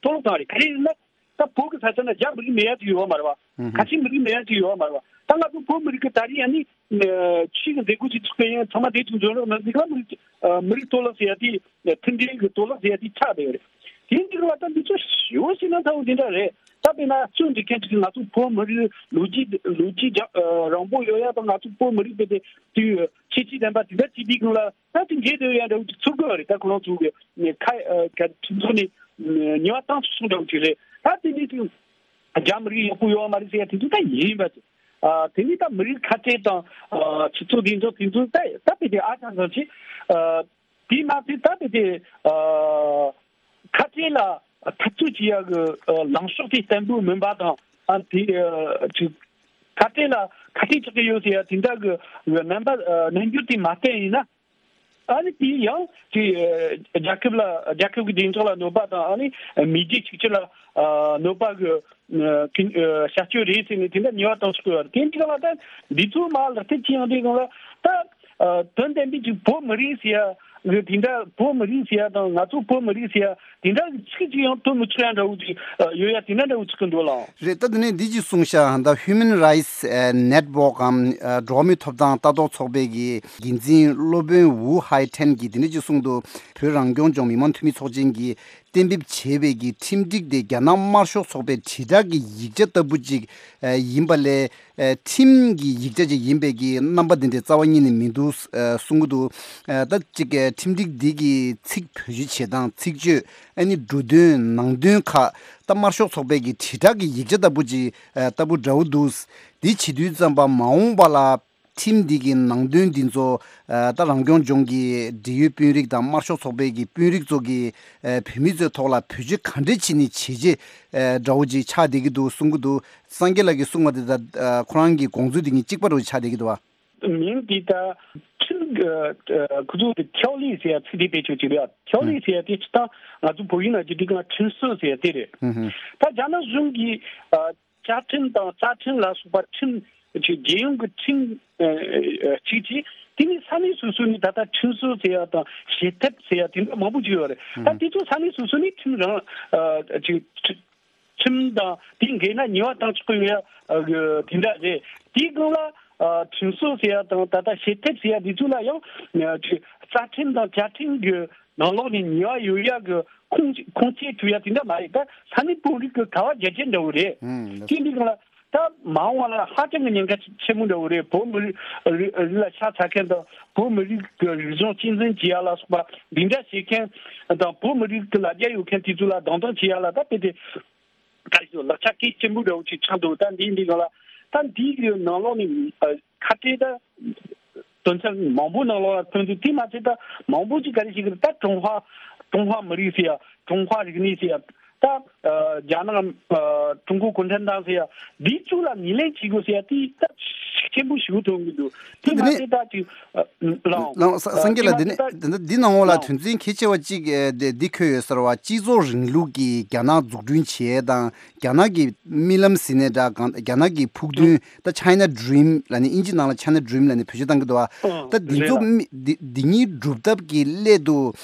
གཏོར་བརླག་བཏང་རེད། ག་རེ་ཡིན་ན་ད་བོད་ཀྱི་ས་ཆ་ན་རྒྱ་མི་རིགས་མེད་ཡ་ཅིག་ཡོད་མ་རེད་བ། ཨུ་ཧུ། ཁ་ཆེ་མི་རིགས་མེད་ཡ་ཅིག་ཡོད་མ་རེད་བ། ད་ང་ཚོ་བོད་མི་རིགས་ཀྱི་ད་རེས་ཨ་ནི་ཨ་ཆོས་ཀྱི་མཛད་སྒོ་ཅིག་ཚོགས་པའི་ཡང་ཚང་མ་དེ་ཚོ་འཛུལ་རོགས་གནང་ཟེར་ག་མི་རིགས་ཨ་མི་རིགས་གཏོར་བརླག་ཟེར་ཡ་དེ་མཐུན་སྒྲིལ་གྱི་གཏོར་བརླག་ཟེར་ཡ་དེ་ཆགས་བསྡད་ཡོད་རེད། དེ་འདི་རུ་བ་ད་འདི་ཚོ་ཞེ་པོ་ཞིག་ན་ཚ་བོ་འདི་འདྲ་རེད། ད་དཔེར་ན་རྩོད་འགྲིག་མཁན་ཅིག་ང་ཚོ་བོད་མི་རིགས་ལོ་རྒྱུས་ལོ་རྒྱུས་རྒྱ་ཨ་རིང་པོ་ཡོད་ཡ་དང་། ང་ཚོ་བོད་མི་རིགས་དེ་དེ་དུས་ཁྱད་ཆོས་ལྡན་པ་དེ་འདྲ་བྱེད་དུས་སྒང་ལ་ད་དེ་འགལ་འདུག་ཡ་འདྲ་བོ་ཅིག་ཚོར་གི་ཡོད་རེད། ད་ཁོ་རང་ཚོ་གི་ཁ་ཨ་ག་ཁྲིམས་ཐོག་ནས་ཉེས་པ་བཏང་སོང་འདྲ་བོ་ཅིག་རེད། ད་དེ་འདྲའི་དུས་རྒྱ་མི་རིགས་ཡག་པོ་ཡོད་མ་རེད་ཟེར་ཡ་དེ་ཚོ་ད་ཡིན་པ་ཅིག་ཨ་དེ་ནི་ད་མི་རིགས་ཁ་བྲལ་དང་ཨ་སྤྱི་ཚོགས་བདེ་འཇགས་དེ་ཚོ་ད་ད་དཔེ་དེ་ཨ་ཅང་ཙམ་ཅིག་ཨ་དེ་མ་ཚད་ད་དེ་དེ་ཨ་ཁ་བྲལ་ལ་འཐབ་རྩོད་བྱེད་ཡག་གི་ཨ་ལངས་ཕྱོགས་དེ་བརྟན་པོ་མིན་པ་དང་། ཨ་དེ་ཨ་ཅིག་ ཁ་བྲལ་ལ་ཁ་བྲལ་ཆགས་ཀྱི་ཡོད་ཟེར་ཡ་དེ་འདྲ་གི་རྣམ་པ་རྣམ་འགྱུར་དེ་མ་བསྟན་ཡིན་ན། ཨ་ནི་དེ་ཡང་དེ་རྒྱལ་ཁབ་ལ་རྒྱལ་ཁབ་ཀྱི་བདེ་འཇགས་ལ་གནོད་པ་དང་ཨ་ནི་མེས་རྒྱལ་གཅིག་གྱུར་ལ་གནོད་པ་གི་བྱ་སྤྱོད་རེད་ཟེར་ནས་དེ་འདྲ་ཉེས་པ་བཏང་ཆོག་གི་ཡོད་རེད། དེ་འདྲ་ལ་ད་འདི་ཚོ་མ་ལག་བསྟར་བྱེད་ཡོང་དུས་སྒང་ལ་ད་དོན་དམ་པའི་ཅིག་བོད་མི་རིགས་ཟེར་ཡ་གི་དེ་འདྲ་བོད་མི་རིགས་ཟེར་ཡ་དང་ང་ཚོ་བོད་མི་རིགས་ཟེར་ཡ་དེ་འདྲ་གི་ཚིག་ཅིག་ཡང་ཐོན་མི་ཆོག་ཡ་འདྲ་བོ་ཅིག་ཡོད་ཡ་དེ་འདྲ་འདྲ་བོ་ཆགས་ཀྱི་འདུག་ལགས། རེད། ད་དེ་ནས་འདི་ཅིག་གསུངས་ཤག་ད་Human Rights Network གམ་འགྲོ་བ་མིའི་ཐོབ་ཐང་ལྟ་རྟོག་ཚོགས་པའི་གི་འགན་འཛིན་སློབ་དཔོན་ཝུ་ཧའེ་ཁྲེན་གྱིས་དེ་འདྲ་ཅིག་གསུངས་འདུག་བོད་རང་སྐྱོང་ལྗོངས་མི་དམངས་འཐུས་མི་ཚོགས་ཆེན་གྱིས་གཏན་འབེབས་བྱས་པའི་གི་ཁྲིམས་སྒྲིག་དེ་རྒྱ་ནག་དམར་ཤོག་ཚོགས་པའི་དྲིལ་བསྒྲགས་ཀྱི་ཡིག་ཆ་ལྟ་བུ་ཅིག་ཡིན་པ་ལས། ཁྲིམས་ཀྱི་ཡིག་ཆ་ཅིག་ཡིན་པའི་གི་རྣམ་པ་འདི་འདྲའི་རྩ་བ་ཉིད་ནས་མི་འདུག་གསུང་གི་འདུག་ད་ཅིག་ཁྲིམས་སྒྲིག་འདི་གི་ཚིག་བེད་སྤྱོད་བྱེད་སྟངས་ཚིག་བརྗོད་ཨ་ནི་འབྲུ་དོན་ནང་དོན་ཁག་ད་དམར་ཤོག་ཚོགས་པའི་གི་དྲིལ་བསྒྲགས་ཀྱི་ཡིག་ཆ་ལྟ་བུ་ཅིག་ལྟ་བུ་འདྲ་བོ་འདུག་འདི་བྱེད་དུས་ཙམ་པ་མ་འོངས་པ་ལ་ཁྲིམས་འདི་གི་ནང་དོན་འདི་ཚོ་ད་རང་སྐྱོང་ལྗོངས་ཀྱི་འབྲེལ་ཡོད་དཔོན་རིགས་དང་དམར་ཤོག་ཚོགས་པའི་གི་དཔོན་རིགས་ཚོ་གི་བོད་མི་ཚོའི་ཐོག་ལ་བེད་སྤྱོད་ག་འདྲས་བྱས་ནས་བྱས་རྗེས་འདྲ་བོ་ཅིག་ཆགས་བསྡད་ཀྱི་འདུག་གསུང་གི་འདུག་སངས་རྒྱས་ལགས་ཀྱིས་གསུངས་པ་དེ་དང་ཁོ་རང་གི་དགོངས་ཚུལ་དེ་གཉིས་གཅིག་པ་རུ་ཆགས་བསྡད་ཀྱི་འདུག་བ། མིང་འདི་ད་ཁྲིམས་ཁོ་ཚོ་གི་ཐེའོ་རི་ཟེར་ཡ་ཚིག་དེ་བེད་སྤྱོད་བྱེད་རེད། ཐེའོ་རི་ཟེར་ཡ་དེ་སྤྱིར་བཏང་ང་ཚོ་བོད་ཡིག་ནང་བྲིས་དུས་སྒང་ཁྲིམས་སྲོལ་ཟེར་ཡ་དེ་རེད། ད་རྒྱ་ནག་གཞུང་གིས་བཅའ་ཁྲིམས་དང་རྩ་ཁྲིམས་ལ་སོགས་པ་ཁྲིམས་ཅིག་རྒྱལ་ཡོངས་ཀྱི་ཁྲིམས་གཅིག་བྱས། དེ་ནས་ས་གནས་སོ་སོ་ནས་ད་ལྟ་ཁྲིམས་སྲོལ་ཟེར་ཡ་དང་བྱེད་ཐབས་ཟེར་ཡ་དེ་འདྲ་མང་པོ་ཅིག་ཡོད་རེད། ད་དེ་ཚོ་ས་གནས་སོ་སོ་ནས་ཁྲིམས་རང་ཅིག་ཁྲིམས་དང་དེ་འགལ་ན་ཉེས་པ་བཏང་ཆོག་གི་ཡོད་ཡ་དེ་འདྲ་རེད། དེའི་སྒང་ལ་ཁྲིམས་སྲོལ་ཟེར་ཡ་དང་ད་ལྟ་བྱེད་ཐབས་ཟེར་ཡ་དེ་ཚོ་ལ་ཡང་ཅིག་རྩ་ཁྲིམས་དང་བཅའ་ཁྲིམས་ཀྱི་ནང་ལོགས་ནས་ཉེས་པ་ཡོད་ཡ་གི་ཁུངས་ཁུངས་སྐྱེལ་ཐུབ་ཡ་དེ་འདྲ་མ་རེད། ད་ས་གནས་དཔོན་རིགས་ཀྱི་ག་བ་རྒྱ་ཆེ་འདྲ་བོ་རེད། ཨང་། དེ་འདི་སྒང་ལ་ད་མ་འོངས་པ་ལ་ཧ་ཅང་གི་ཉེན་ཁ་ཆེན་པོ་འདྲ་བོ་རེད། བོད་མི་རིགས་རིགས་ལ་ཤ་ཚ་མཁན་དང་བོད་མི་རིགས་ཀྱི་རིག་གཞུང་གཅེས་འཛིན་བྱེད་ཡ་ལ་སོགས་པ་འདི་འདྲ་བྱེད་མཁན་དང་བོད་མི་རིགས་ཀྱི་ལ་རྒྱ་ཡོད་མཁན་དེ་ཚོ་ལ་སྡང་དོན་བྱེད་ཡ་ལ་ད་དཔེ་དེ་ག་རེ་ཞུ་ལག་ཆ་གལ་ཆེན་པོ་འདྲ་བོ་ཅིག་ཆགས་འདུག་ད་འདི་འདི་སྒང་ལ་ད་འདི་གི་ནང་ལོགས་ནས་ཁ་བྲལ་ད། དོན་ཚན་མང་པོ་ནང་ལོགས་ལ་ཐོན་དུས་དེ་མ་ཚད་ད་མང་པོ་ཅིག་ག་རེ་ཞིག་གི་ད་ཀྲུང་ཧྭ་ཀྲུང་ཧྭ་མི་རིགས་ཟེར་ཡ་ཀྲུང་ཧྭ་རིག་གནས་ཟེར་ཡ་ད་རྒྱ་ནག་ཀྲུང་གོ་གུང་ཁྲན་ཏང་ཟེར་ཡ་འདི་ཚོ་ལ་ངོས་ལེན་བྱེད་དགོས་ཟེར་ཡ་དེ་ད་ཤུགས་ཆེན་པོ་ཞིག་ཐོན་གི་འདུག་དེ་མ་ཚད་ད་ཅིག་ལའོ་ལའོ་ས་སངས་རྒྱས་ལགས། དེ་ནས་དེ་ནས་འདི་ནང་ལོགས་ལ་དོན་ཚན་གལ་ཆེ་བ་གཅིག་དེ་འདི་འཁོད་ཡོད་ཟེར་བ། སྤྱི་ཚོགས་རིང་ལུགས་ཀྱི་རྒྱ་ནག་འཛུགས་སྐྲུན་བྱེད་ཡས་དང་རྒྱ་ནག་གི་རྨི་ལམ་ཟེར་ནའི་འདྲ་གང་རྒྱ་ནག་གི་ཕུགས་འདུན། ད་China Dream ལབ་ནས་ཨིན་ཇི་ནང་ལ་China Dream ལབ་ནས་བེད་སྤྱོད་བཏང་གི་འདུག་བ། ཨང་། ད་འདི་རེད་ཚོ་ལ། མི་འདི་འདི་གཉིས་སྒྲུབ་ཐབས་ཀྱི་སླད་དུ་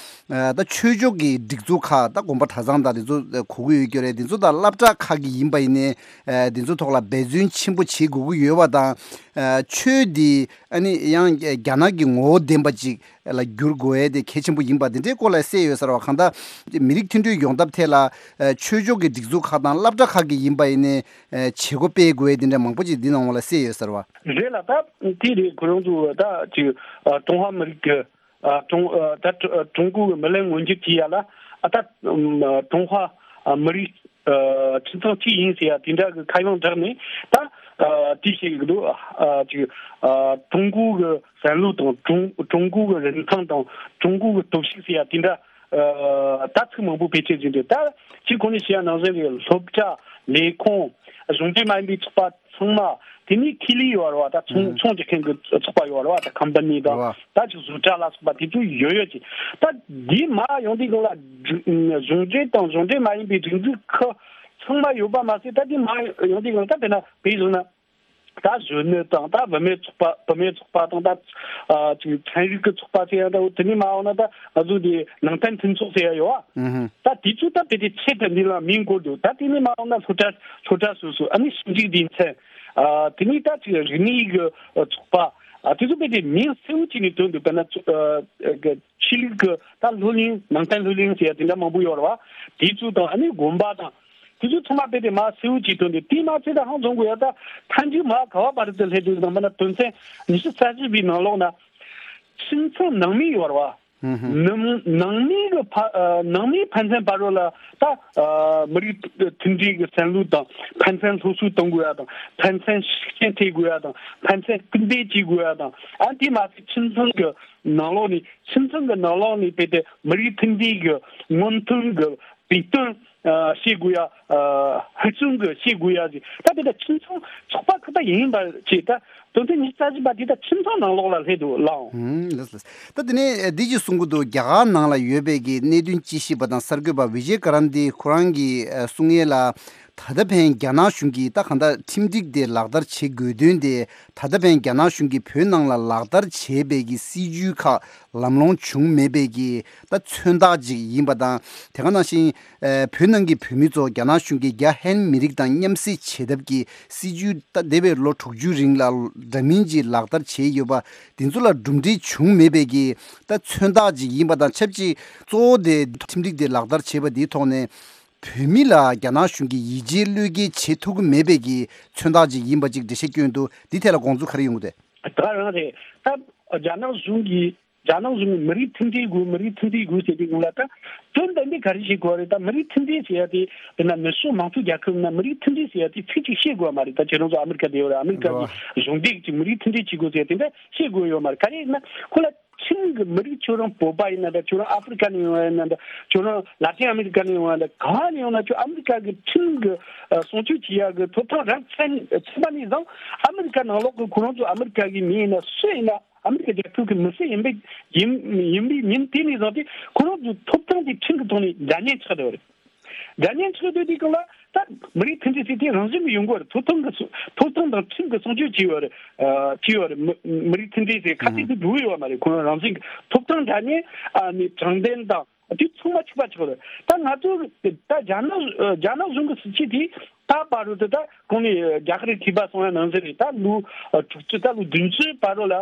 ཨ་ད་ཆོས་ཕྱོགས་ཀྱི་སྒྲིག་འཛུགས་ཁག་ད་དགོན་པ་གྲྭ་ཚང་དང་འདི་ཚོ་གོ་གི་ཡོད་ཀྱི་རེད། འདི་ཚོ་དང་སློབ་གྲྭ་ཁག་གི་ཡིན་པ་ཡིན་ནའི་ཨ་འདི་ཚོ་ཐོག་ལ་འབད་བརྩོན་ཆེན་པོ་བྱེད་དགོས་ཀྱི་ཡོད་པ་དང་། ཨ་ཆོས་འདི་ཨ་ནི་ཡང་རྒྱ་ནག་གི་ངོ་བོ་ལྡན་པ་ཅིག་ལ་བསྒྱུར་དགོས་ཡས་དེ་གལ་ཆེན་པོ་ཡིན་པ་འདི་འདྲའི་སྐོར་ལ་གསལ་ཡོད་ཟེར་བ། གང་ལྟར་མི་རིགས་མཐུན་སྒྲིལ་ཡོང་ཐབས་ཐད་ལ་ཆོས་ཕྱོགས་ཀྱི་སྒྲིག་འཛུགས་ཁག་དང་སློབ་གྲྭ་ཁག་གི་ཡིན་པ་ཡིན་ནའི་བྱེད་སྒོ་སྤེལ་དགོས་ཡས་འདི་འདྲ་མང་པོ་ཅིག་འདི་ནང་ལ་གསལ་ཡོད་ཟེར་བ། རེད་ལ་ད་དེ་རེད། ཁོ་རང་ཚོ་ད་ཅིག་ཀྲུང་ཧྭ་མི་རིགས་ཀྱི་ཀྲུང་ད་ཀྲུང་གོ་གི་མི་ལན་མངོན་འགྱུར་བྱེད་ཡ་ལ་ད་ཀྲུང་ཧྭ་མི་རིགས་ཁྱིམ་ཚང་གཅིག་ཡིན་ཟེར་ཡ་དེ་འདྲ་གི་ཁ་གཡང་བསྒྲགས་ནས་ད་དེ་བྱེད་ཀྱི་འདུག་ཅིག་ཀྲུང་གོ་གི་བསམ་བློ་དང་ཀྲུང་ཀྲུང་གོ་གི་རིན་ཐང་དང་ཀྲུང་གོ་གི་སྟོབས་ཤུགས་ཟེར་ཡ་དེ་འདྲ་ད་ཚིག་མང་པོ་བེད་སྤྱོད་བྱས་འདུག་ད་གཅིག་གོང་ནས་བཤད་ཡ་ནང་བཞིན་གྱི་སློབ་གྲྭ་ལས་ཁུངས་གཞུང་འབྲེལ་མ་ཡིན་པའི་ཚོགས་པ་ཚང་མ་དེ་ནས་ཁེ་ལས་ཡོད་རེད་བ། ད་ཚོང་ཚོང་རྒྱག་མཁན་གྱི་ཚོགས་པ་ཡོད་རེད་བ། ད་ཁམ་པ་ནི་དང་ད་ཅིག་བཟོ་གྲྭ་ལ་སོགས་པ་དེ་ཚོ་ཡོད་ཡོད་ཅིག་ད་འདི་མ་ཡོང་དུས་སྒང་ལ་གཞུང་འབྲེལ་དང་གཞུང་འབྲེལ་མ་ཡིན་པའི་སྒྲིག་འཛུགས་ཁག་ཚང་མ་ཡོད་པ་མ་ཟད། ད་འདི་མ་ཡོང་དུས་སྒང་ལ་ད་དཔེར་ན་བོད་བཟོ་ན། ད་གཞོན་ནུ་དང་ད་བུད་མེད་ཚོགས་པ་བུད་མེད་ཚོགས་པ་དང་ད་ཨ་ཅིག་ཚན་རིག་གི་ཚོགས་པ་ཟེར་ཡ་འདྲ་བོ་དེ་ནས་མ་འོངས་ན་ད་ང་ཚོ་འདི་ནང་བསྟན་མཐུན་ཚོགས་ཟེར་ཡ་ཡོད་ཨ། ཨུ་ཧུ། ད་དེ་ཚོ་ད་དཔེ་དེ་ཆེད་དུ་འདི་ལ་མིང་བཀོད་འདུག་ད་དེ་ནས་མ་འོངས་ན་སློབ་གྲྭ་སློབ་གྲྭ་སོ་སོ་ཨ་ནི་ཞིབ་འཇུག་སྡེ་ཚན་ཨ་དེ་ནས་ད་ཅིག་རིག་གནས་ཀྱི་ཚོགས་པ་ཨ་དེ་ཚོ་དཔེ་དེ་མིང་གསལ་བོ་བྱས་ནས་བཏོན་འདུག་དཔེར་ན་ཚོ་ཨ་གི་ཆོས་ལུགས་ཀྱི་ད་སློབ་གླིང་ནང་བསྟན་སློབ་གླིང་ཟེར་ཡ་དེ་འདྲ་མང་པོ་ཡོད་རེད་བ། དེ་ཚོ་དང་ཨ་ནི་དགོན་པ་དང་། དེ་ཚོ་ཚང་མ་རྦད་དེ་མར་གསལ་བོ་བྱེད་དོན་དེ་དེ་མ་ཚད་ད་ཧང་བཟུང་དགོས་ཡ། ད་མཐའ་མཇུག་མར་ག་བ་བར་དུ་སླེབས་དུས་ཙམ་པ་ན་དོན་ཚན་ཉི་ཤུ་རྩ་བཞི་པའི་ནང་ལོགས་ན་ཁྱིམ་ཚང་ནང་མི་ཡོད་རེད་བ། ཧུམ་ཧུམ། ནང་ནང་མི་གི་ཕ་ཨ་ནང་མིའི་ཕན་ཚུན་བར་ལ་ད་ཨ་མི་རིགས་མཐུན་སྒྲིལ་གྱི་བསམ་བློ་དང་ཕན་ཚུན་སློབ་གསོ་གཏོང་དགོས་ཡ་དང་ཕན་ཚུན་ཤུགས་རྐྱེན་ཐེབས་དགོས་ཡ་དང་ཕན་ཚུན་སྐུལ་འདེད་བྱེད་དགོས་ཡ་དང་ཨ་དེ་མ་ཚད་ཁྱིམ་ཚང་གི་ནང་ལོགས་ནས་ཁྱིམ་ཚང་གི་ནང་ལོགས་ནས་རྦད་དེ་མི་རིགས་མཐུན་སྒྲིལ་གྱི་སྔོན་ཐོན་གྱི་བོད་དོན། ཨ་བྱེད་དགོས་ཡ། ཨ་ཧུར་བརྩོན་གྱི་བྱེད་དགོས་ཡ་ཟིག་ད་དེ་ད་ཁྱིམ་ཚང་ཚོགས་པ་ཁག་ད་ཡིན་པ་བྱས། ད་དོན་ཚན་ཉི་ཤུ་རྩ་བཞི་པ་དེ་ད་ཁྱིམ་ཚང་ནང་ལོགས་ལ་སླེབས་འདུག་ལགས། ཨང་། ལགས་ལགས། ད་དེ་ནས་འདི་ཅིག་གསུང་གི་འདུག་རྒྱ་གར་ནང་ལ་ཡོད་པའི་གི་གནད་དོན་དཔྱད་ཞིབ་པ་དང་གསར་འགོད་པ་བི་ཇེ་ཀ་རན་ཏི་ཁོ་རང་གིས་ཨ་གསུང་ཡས་ལ། ད་ལྟ་ཕན་རྒྱ་ནག་གཞུང་གིས་ད་གང་ལྟར་ཁྲིམས་སྒྲིག་དེ་ལག་བསྟར་བྱེད་དགོས་དོན་དེ། ད་ལྟ་ཕན་རྒྱ་ནག་གཞུང་གིས་བོད་ནང་ལ་ལག་བསྟར་བྱས་པའི་གི་སྲིད་ཇུས་ཁག་ལམ་ལྷོང་བྱུང་མེད་པའི་གི་ད་མཚོན་རྟགས་ཅིག་ཡིན་པ་དང་། དེ་ག་ནང་བཞིན་ཨ་བོད་ནང་གི་བོད་མི་ཚོ་རྒྱ་ནག་གཞུང་གིས་རྒྱ་ཧན་མི་རིགས་དང་མཉམ་བསྲེས་བྱེད་ཐབས་ཀྱི་སྲིད་ཇུས་ད་འདས་པའི་ལོ་དྲུག་ཅུ་རིང་ལ་འདྲ་མིན་གྱི་ལག་བསྟར་བྱས་ཡོད་པ་འདི་ཚོ་ལ་གྲུབ་འབྲས་བྱུང་མེད་པའི་གི་ད་མཚོན་རྟགས་ཅིག་ཡིན་པ་དང་ཆབས་ཅིག་གཙོ་བོ་དེ་ཁྲིམས་སྒྲིག་དེ་ལག་བསྟར་བྱས་པ་འདིའི་ཐོག་ནས། བོད་མི་ལ་རྒྱ་ནག་གཞུང་གིས་ཡིད་ཆེས་བློས་འགེལ་བྱེད་ཐུབ་ཀྱི་མེད་པའི་གི་མཚོན་རྟགས་ཅིག་ཡིན་པ་ཅིག་འགྲེལ་བཤད་བསྐྱོན་འདུག་འདི་ཐད་ལ་དགོངས་ཚུལ་ག་རེ་ཡོང་གི་འདུག་ད་ག་རང་རེད། ད་རྒྱ་ནག་གཞུང་གིས་རྒྱ་ནག་གཞུང་གིས་མི་རིགས་མཐུན་སྒྲིལ་དགོས། མི་རིགས་མཐུན་སྒྲིལ་དགོས་ཟེར་དུས་སྒང་ལ། ད་དོན་དམ་པའི་ག་རེ་བྱེད་དགོས་རེད། ད་མི་རིགས་མཐུན་སྒྲིལ་ཟེར་ཡ་དེ་དཔེར་ན་ནུབ་ཕྱོགས་མང་གཙོ་རྒྱལ་ཁབ་ནང་མི་རིགས་མཐུན་སྒྲིལ་ཟེར་ཡ་དེ་ཚིག་གཅིག་བཤད་དགོས་པ་མ་རེད། ད་ཁྱེད་རང་ཚོ་ཨ་མི་རི་ཀ་བསྡད་ཡོད་རེད། ཨ་མི་རི་ཀ་གི་གཞུང་འབྲེལ་གྱི་མི་རིགས་མཐུན་སྒྲིལ་བྱེད་དགོས་ཟེར་ཡ་དེ་འདྲ་བཤད་དགོས་ཡོད་མ་རེད། ག་རེ་ཡིན་ན་ཁོ་ལ་ཁྲིམས་ཀྱི་མི་རིགས། ཁྱོད་རང་བོད་པ་ཡིན་ན་འདྲ། ཁྱོད་རང་ཨ་ཧྥེ་རི་ཀ་ནས་ཡོང་བ་ཡིན་ན་འདྲ། ཁྱོད་རང་ལ་ཏིན་ཨ་མི་རི་ཀ་ནས་ཡོང་བ་འདྲ། གང་ནས་ཡོང་ན་ཁྱོད་ཨ་མི་རི་ཀ་གི་ཁྲིམས་ཀྱི་ཨ་སྲུང་སྐྱོབ་བྱེད་ཡག་གི་ཐོབ་ཐང་རག་ཚར་ཚར་བ་ནས་བཟུང་ཨ་མི་རི་ཀ་ནང་ལོགས་ཀྱི་ཁོ་རང་ཚོ་ཨ་མི་རི་ཀ་གི་མི་ཡིན་ན་སུ་ཡིན་ན་ཨ་མི་རི་ཀ་རྒྱལ་ཁབ་ཀྱི་མི་སེར་ཡིན་པའི་ཡིན་ཡིན་པའི་ཉིན་དེ་ནས་བཟུང་སྟེ་ཁོ་རང་ཚོའི་ཐོབ་ཐང་དེ་ཁྲིམས་ཀྱི་ཐོག་ནས་འདྲ་མཉམ་ཆགས་བསྡད་པ་རེད། འདྲ་མཉམ་ཆགས་བསྡད་དུས་སྒང་ལ་ད་མི་རིགས་མཐུན་སྒྲིལ་ཟེར་དེ་རང་བཞིན་གྱིས་ཡོང་གི་རེད། ཐོབ་ཐང་གི་སྲུང་ཐོབ་ཐང་དང་ཁྲིམས་ཀྱི་སྲུང་སྐྱོབ་བྱས་ཡོད་རེད། ཨ་བྱས་ཡོད་རེད། མི་མི་རིགས་མཐུན་སྒྲིལ་ཟེར་ཁ་གཏད་དུ་འགྲོ་གི་ཡོད་མ་རེད། ཁོ་རང་རང་བཞིན་གྱི་ཐོབ་ཐང་འདྲ་མཉམ་ཨ་ནི་དྲང་བདེན་དང་དེ་ཚང་མ་གཅིག་པ་གཅིག་རེད། ད་ང་ཚོ་ད་རྒྱ་ནག་རྒྱ་ནག་གཞུང་གི་སྲིད་བྱུས་དེ་ད་བར་དུ་ད་གོང་ནས་རྒྱ་གར་གྱིས་ཐོས་པ་སོང་ཡ་ནང་བཞིན་རེད། ད་ལོ་དྲུག་ཅུ་ད་ལོ་བདུན་ཅུའི་བར་དུ་ལ།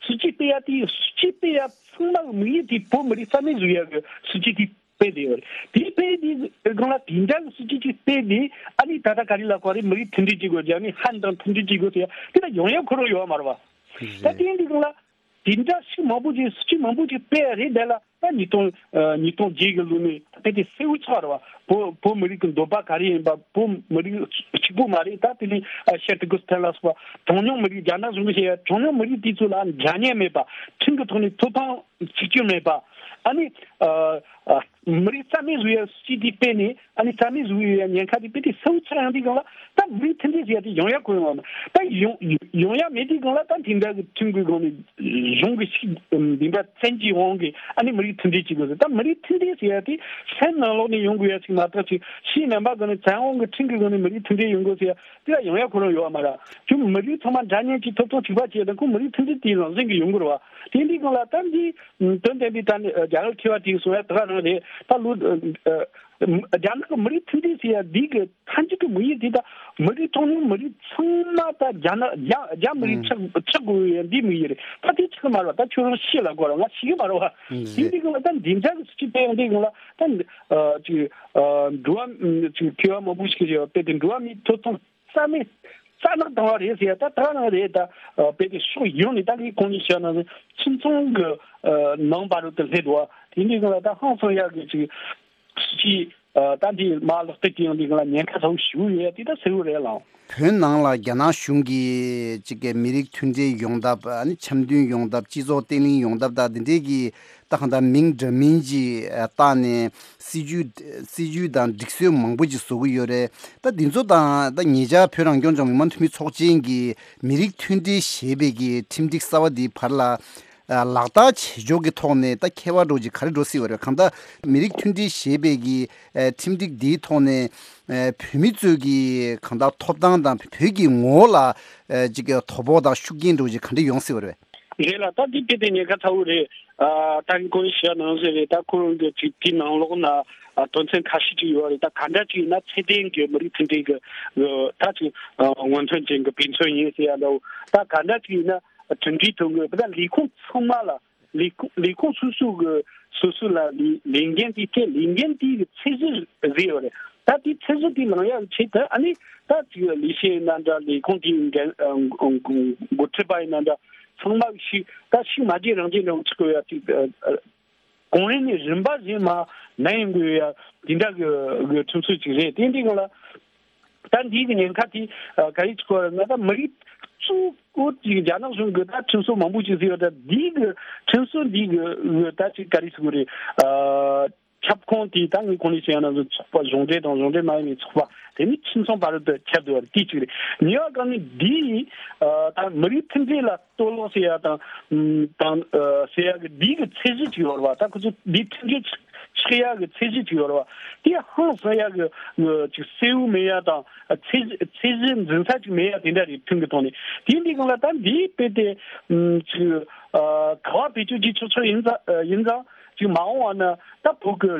སྲིད་ཇུས་སྤེལ་ཡ་དེ། སྲིད་ཇུས་སྤེལ་ཡ་ཚང་མ་གི་དམིགས་ཡུལ་དེ་བོད་མི་རིགས་རྩ་མེད་བཟོ་ཡ་གི་སྲིད་ཇུས་དེ་སྤེལ་བསྡད་ཡོད་རེད། དེ་སྤེལ་དེའི་སྒང་ལ་དེ་འདྲ་གི་སྲིད་ཇུས་ཅིག་སྤེལ་དེ། ཨ་ནི་ད་ལྟ་ག་རེ་ལབ་དགོས་རེད། མི་རིགས་མཐུན་སྒྲིལ་བྱེད་དགོས། རྒྱ་ནི་ཧན་དང་མཐུན་སྒྲིལ་བྱེད་དགོས་ཟེར་ཡ་དེ་ད་ཡོང་ཡ་ཁོ་རང་ཡོད་མ་རེད་བ། ད་དེ་འདི་སྒང་ལ་དེ་འདྲ་ཞིག་མང་པོ་ཅིག་སྲིད་ཇུས་མང་པོ་ཅིག་སྤེལ་ཡ་རེད། དེ་ལ་ད་ཉིས་སྟོང་ཨ་ཉིས་སྟོང་བརྒྱད་གི་ལོ་ནས་ད་དེ་གསལ་བོ་ཆགས་རེད་བ། བོད་བོད་མི་རིགས་ཀྱི་འདོད་པ་ག་རེ་ཡིན་པ། བོད་མི་རིགས་གཅིག་པོ་མ་རེད། ད་དེ་ནས་ཨ་ཤར་ཏུར་ཀི་སི་ཐན་ལ་སོགས་པ་གྲངས་ཉུང་མི་རིགས། རྒྱ་ནག་གཞུང་གིས་བཤད་ཡ་གྲངས་ཉུང་མི་རིགས་དེ་ཚོ་ལ་འདྲ་མཉམ་མེད་པ། ཁྲིམས་ཀྱི་ཐོག་ནས་ཐོབ་ཐང་གཅིག་གྱུར་མེད་པ། ཨ་ནི་ཨ་ཨ་མི་རིགས་རྩ་མེད་བཟོ་ཡ་སྲིད་ཇུས་དེ་སྤེལ་ནས། ཨ་ནི་རྩ་མེད་བཟོ་ཡ་ཉེན་ཁ་དེ་དཔེ་དེ་གསལ་བོ་ཆགས་ཡོང་དུས་སྒང་ལ། ད་མི་རིགས་མཐུན་སྒྲིལ་ཟེར་ཡ་དེ་ཡོང་ཡ་ཁོ་ཡོང་བ་མ། ད་ཡོང་ཡོང་ཡ་མེད་དུས་སྒང་ལ། ད་དེ་འདྲ་གི་ཁྲིམས་ཀྱི་སྒང་ནས་གཞུང་གི་ཞིག་འདི་འདྲ་བཙན་གྱིས་དབང་གིས་ཨ་ནི་མི་རིགས་མཐུན་སྒྲིལ་བྱེད་དགོས་ཟེར། ད་མི་རིགས་མཐུན་སྒྲིལ་ཟེར་ཡ་དེ་སེམས་ནང་ལོགས་ནས་ཡོང་དགོས་ཡ་ཞིག་མ་གཏོགས། ཅིག་ཕྱིའི་རྣམ་པ་སྒང་ནས་བཙན་དབང་གི་ཁྲིམས་ཀྱི་སྒང་ནས་མི་རིགས་མཐུན་སྒྲིལ་ཡོང་དགོས་ཟེར་ཡ་དེ་ལ་ཡོང་ཡ་ཁོ་རང་ཡོད་བ་མ་རེད། ཁྱོད་མི་རིགས་ཚང་མ་འདྲ་མཉམ་གྱི་ཐོབ་ཐང་གཅིག་པ་བྱས་ན་ཁོ་མི་རིགས་མཐུན་སྒྲིལ་དེ་རང་བཞིན་གྱིས་ཡོང་གི་རེད་བ། དེ་འདི་སྒང་ལ་ད་འདི་དོན་དམ་པའི་ད་ནི་རྒྱ་གར་མཁས་པ་དེས་གསུང་ཡ་ད་ག་རང་རེད། ད་ལོ་ཨ་རྒྱ་ནག་གི་མི་རིགས་མཐུན་སྒྲིལ་ཟེར་ཡ་འདི་གི་མཐའ་མཇུག་གི་དམིགས་ཡུལ་དེ་ད་མི་རིགས་གྲངས་ཉུང་མི་རིགས་ཚང་མ་ད་རྒྱ་ནག་རྒྱ་རྒྱ་མི་རིགས་ཆགས་ཆགས་དགོས་ཡ་འདི་དམིགས་ཡུལ་རེད། ད་དེ་ཆགས་མ་རེད་བ། ད་ཁྱོད་རང་ཤེས་ལ་གོ་ར། ང་ཤེས་གི་མ་རེད་བ། དེ་འདི་གི་ལ་ད་འདི་འདྲ་གི་སྲིད་ཇུས་སྤེལ་ཡོང་དུས་གི་ལ་ད་ཅིག་འགྲོ་བ་ཅིག་མཁས་པ་མང་པོ་ཞིག་གིས་བཤད་པ་དཔེ་དེ་འགྲོ་བ་མིའི་ཐོབ་ཐང་རྩ་མེད་རྩ་ནག་བཏང་བ་རེད་ཟེར་ཡ་ད་ད་ག་རང་རེད། ད་དཔེ་དེ་ཕྱོགས་ཡོངས་ནས་ད་ངས་གོང་ནས་བཤད་ན་ཁྱིམ་ཚང་གི་ནང་བར་དུ་སླེབས་འདུག་བ། དེ་འདི་གི་ལ་ད་ཧང་སང་ཡག་གི་ཅིག་སྲིད་ཇུས་ད་འདི་མ་ལག་བསྟར་གྱི་ཡོང་དུས་གི་ལ་ཉེན་ཁ་ཚ་བོ་ཞེ་པོ་ཡོད་ཡ་དེ་ད་གསལ་བོ་རེད་ལགས། བོད་ནང་ལ་རྒྱ་ནག་གཞུང་གིས་ཅིག་གི་མི་རིགས་མཐུན་སྒྲིལ་ཡོང་ཐབས། ཨ་ནི་འཆམ་མཐུན་ཡོང་ཐབས། སྤྱི་ཚོགས་བརྟན་ལྷིང་ཡོང་ཐབས་དང་འདི་འདྲའི་གི་ད་གང་ལྟར་མིང་འདྲ་མིན་ཅིག་བཏགས་ནས་སྲིད་ཇུས་སྲིད་ཇུས་དང་སྒྲིག་སྲོལ་མང་པོ་ཅིག་བཟོ་གི་ཡོད་རེད། ད་འདི་ཚོ་དང་ད་ཉེ་ཆར་བོད་རང་སྐྱོང་ལྗོངས་མི་དམངས་འཐུས་མི་ཚོགས་ཆེན་གྱིས་མི་རིགས་མཐུན་སྒྲིལ་ཞེས་པའི་གི་ཁྲིམས་སྒྲིག་གསར་བ་འདིའི་བར་ལ་ལག་བསྟར་བྱེད་ཕྱོགས་ཀྱི་ཐོག་ནས་ད་ཁྱད་པར་འདྲ་ཅིག་ག་རེ་འགྲོ་སྲིད་པ་རེད། གང་ལྟར་མི་རིགས་མཐུན་སྒྲིལ་ཞེས་པའི་གི་ཨ་ཁྲིམས་སྒྲིག་འདིའི་ཐོག་ནས་ཨ་བོད་མི་ཚོའི་གི་གང་ལྟར་ཐོབ་ཐང་དང་བོད་ཀྱི་ངོ་བོ་ལ་ཨ་ཅིག་གི་དོ་ཕོག་དང་ཤུགས་རྐྱེན་འདྲ་ཅིག་ག་འདྲ་ཡོང་སྲིད་པ་རེད། རེད་ལ། ད་འདི་དཔེ་དེ་ཉེན་ཁ་ཚ་བོ་རེད། ཨ་ད་གིན་ཁོ་རང་བཤད་ནང་བཞིན་རེད། ད་ཁོ་རང་གི་ཅིག་དེའི་ནང་ལོགས་ན་ཨ་དོན་ཚན་ཁ་ཤས་ཅིག་ཡོད་རེད། ད་ག་འདྲ་ཅིག་ཡིན་ན་ཚད་ལྡན་གྱི་མི་རིགས་མཐུན་སྒྲིལ་གྱི་ཨ་ད་ཅིག་ཨ་སྔོན་ཐོན་ཅན་གྱི་དཔེ་མཚོན་ཡིན་ཟེར་ཡ་འདྲ་བོ། ད་ག་འདྲ་ཅིག་ཡིན་ན་མཐུན་སྒྲིལ་ཐོན་དགོས། ད་ལས་ཁུངས་ཚང་མ་ལ། ལས་ཁུངས་ལས་ཁུངས་སོ་སོ་གི་སོ་སོ་ལ་ལས་ལས་འགན་དེ་སྤྲད། ལས་འགན་དེ་གི་ཚད་གཞི་བཟོས་ཡོད་རེད། ད་དེ་ཚད་གཞི་དེ་ལངས་ཡག་ཆེད་དུ་ཨ་ནི་ད་ཅིག་ལས་བྱེད་ཡིན་ན་འདྲ། ལས་ཁུངས་དེའི་འགན་འགོ་ཁྲིད་པ་ཡིན་ན་འདྲ། ཚང་མ་ཞིག་ད་ཞིག་མ་བརྗེད་རང་བརྗེད་རང་ཆགས་ཡོད་ཡ་ཅིག་གོང་རིམ་ནས་རིམ་པ་བཞིན་མར་ནན་དགོས་ཡ་དེ་འདྲ་གི་གི་ཁྲིམས་སྲོལ་ཅིག་རེད། དེ་འདི་གང་ལ། ད་འདིའི་གི་ཉེན་ཁ་དེ་ཨ་ག་རེ་ཆགས་ཡོད་རེད་ན། ད་མི་རིགས་གཙོ་བོ་ཅིག་རྒྱ་ནག་གཞུང་གི་ད་ཁྲིམས་སྲོལ་མང་པོ་ཅིག་བཟོས་ཡོད། ད་འདིའི་གི་ཁྲིམས་སྲོལ་འདིའི་གི་ད་ཅིག་ག་རེ་ཟེར་དགོས་རེད། ཨ་ ཁྱབ་ཁོངས་དེ་ད་ངས་གོང་ནས་བཤད་ཡ་ནང་བཞིན་ཚོགས་པ་གཞུང་འབྲེལ་དང་གཞུང་འབྲེལ་མ་ཡིན་པའི་ཚོགས་པ་དེ་ནི་ཁྱིམ་ཚང་བར་དུ་ཁྱབ་བསྡད་པ་དེ་གཅིག་རེད། གཉིས་པ་གང་ནི་འདིས་ད་མི་རིགས་མཐུན་སྒྲིལ་ལ་གཏོར་བརླག་བྱེད་ཡ་དང་དང་ཟེར་ཡ་གི་འདི་གི་ཚད་གཞི་གཅིག་ཡོད་རེད་བ། ད་ཁོ་ཚོ་འདི་མཐུན་སྒྲིལ་ཆགས་ཡ་གི་ཚད་གཞི་གཅིག་ཡོད་རེད་བ། དེ་ཧང་སང་ཡ་གི་ཅིག་གསལ་བོ་མེད་ཡ་དང་ཚད་ཚད་གཞི་འཛིན་ས་ཅིག་མེད་ཡ་དེ་འདྲ་རེད། ཁྲིམས་ཀྱི་ཐོག་ནས། དེ་འདི་གང་ལ་ད་འདི་དཔེ་དེ་ཅིག་ག་བ་བེད་སྤྱོད་བྱེད་ཆོག་ཆོག་ཡིན་ཙང་ཡིན་ཙང་། ཅིག་མ་འོངས་པ་ན་ད་བོད་ཀྱི་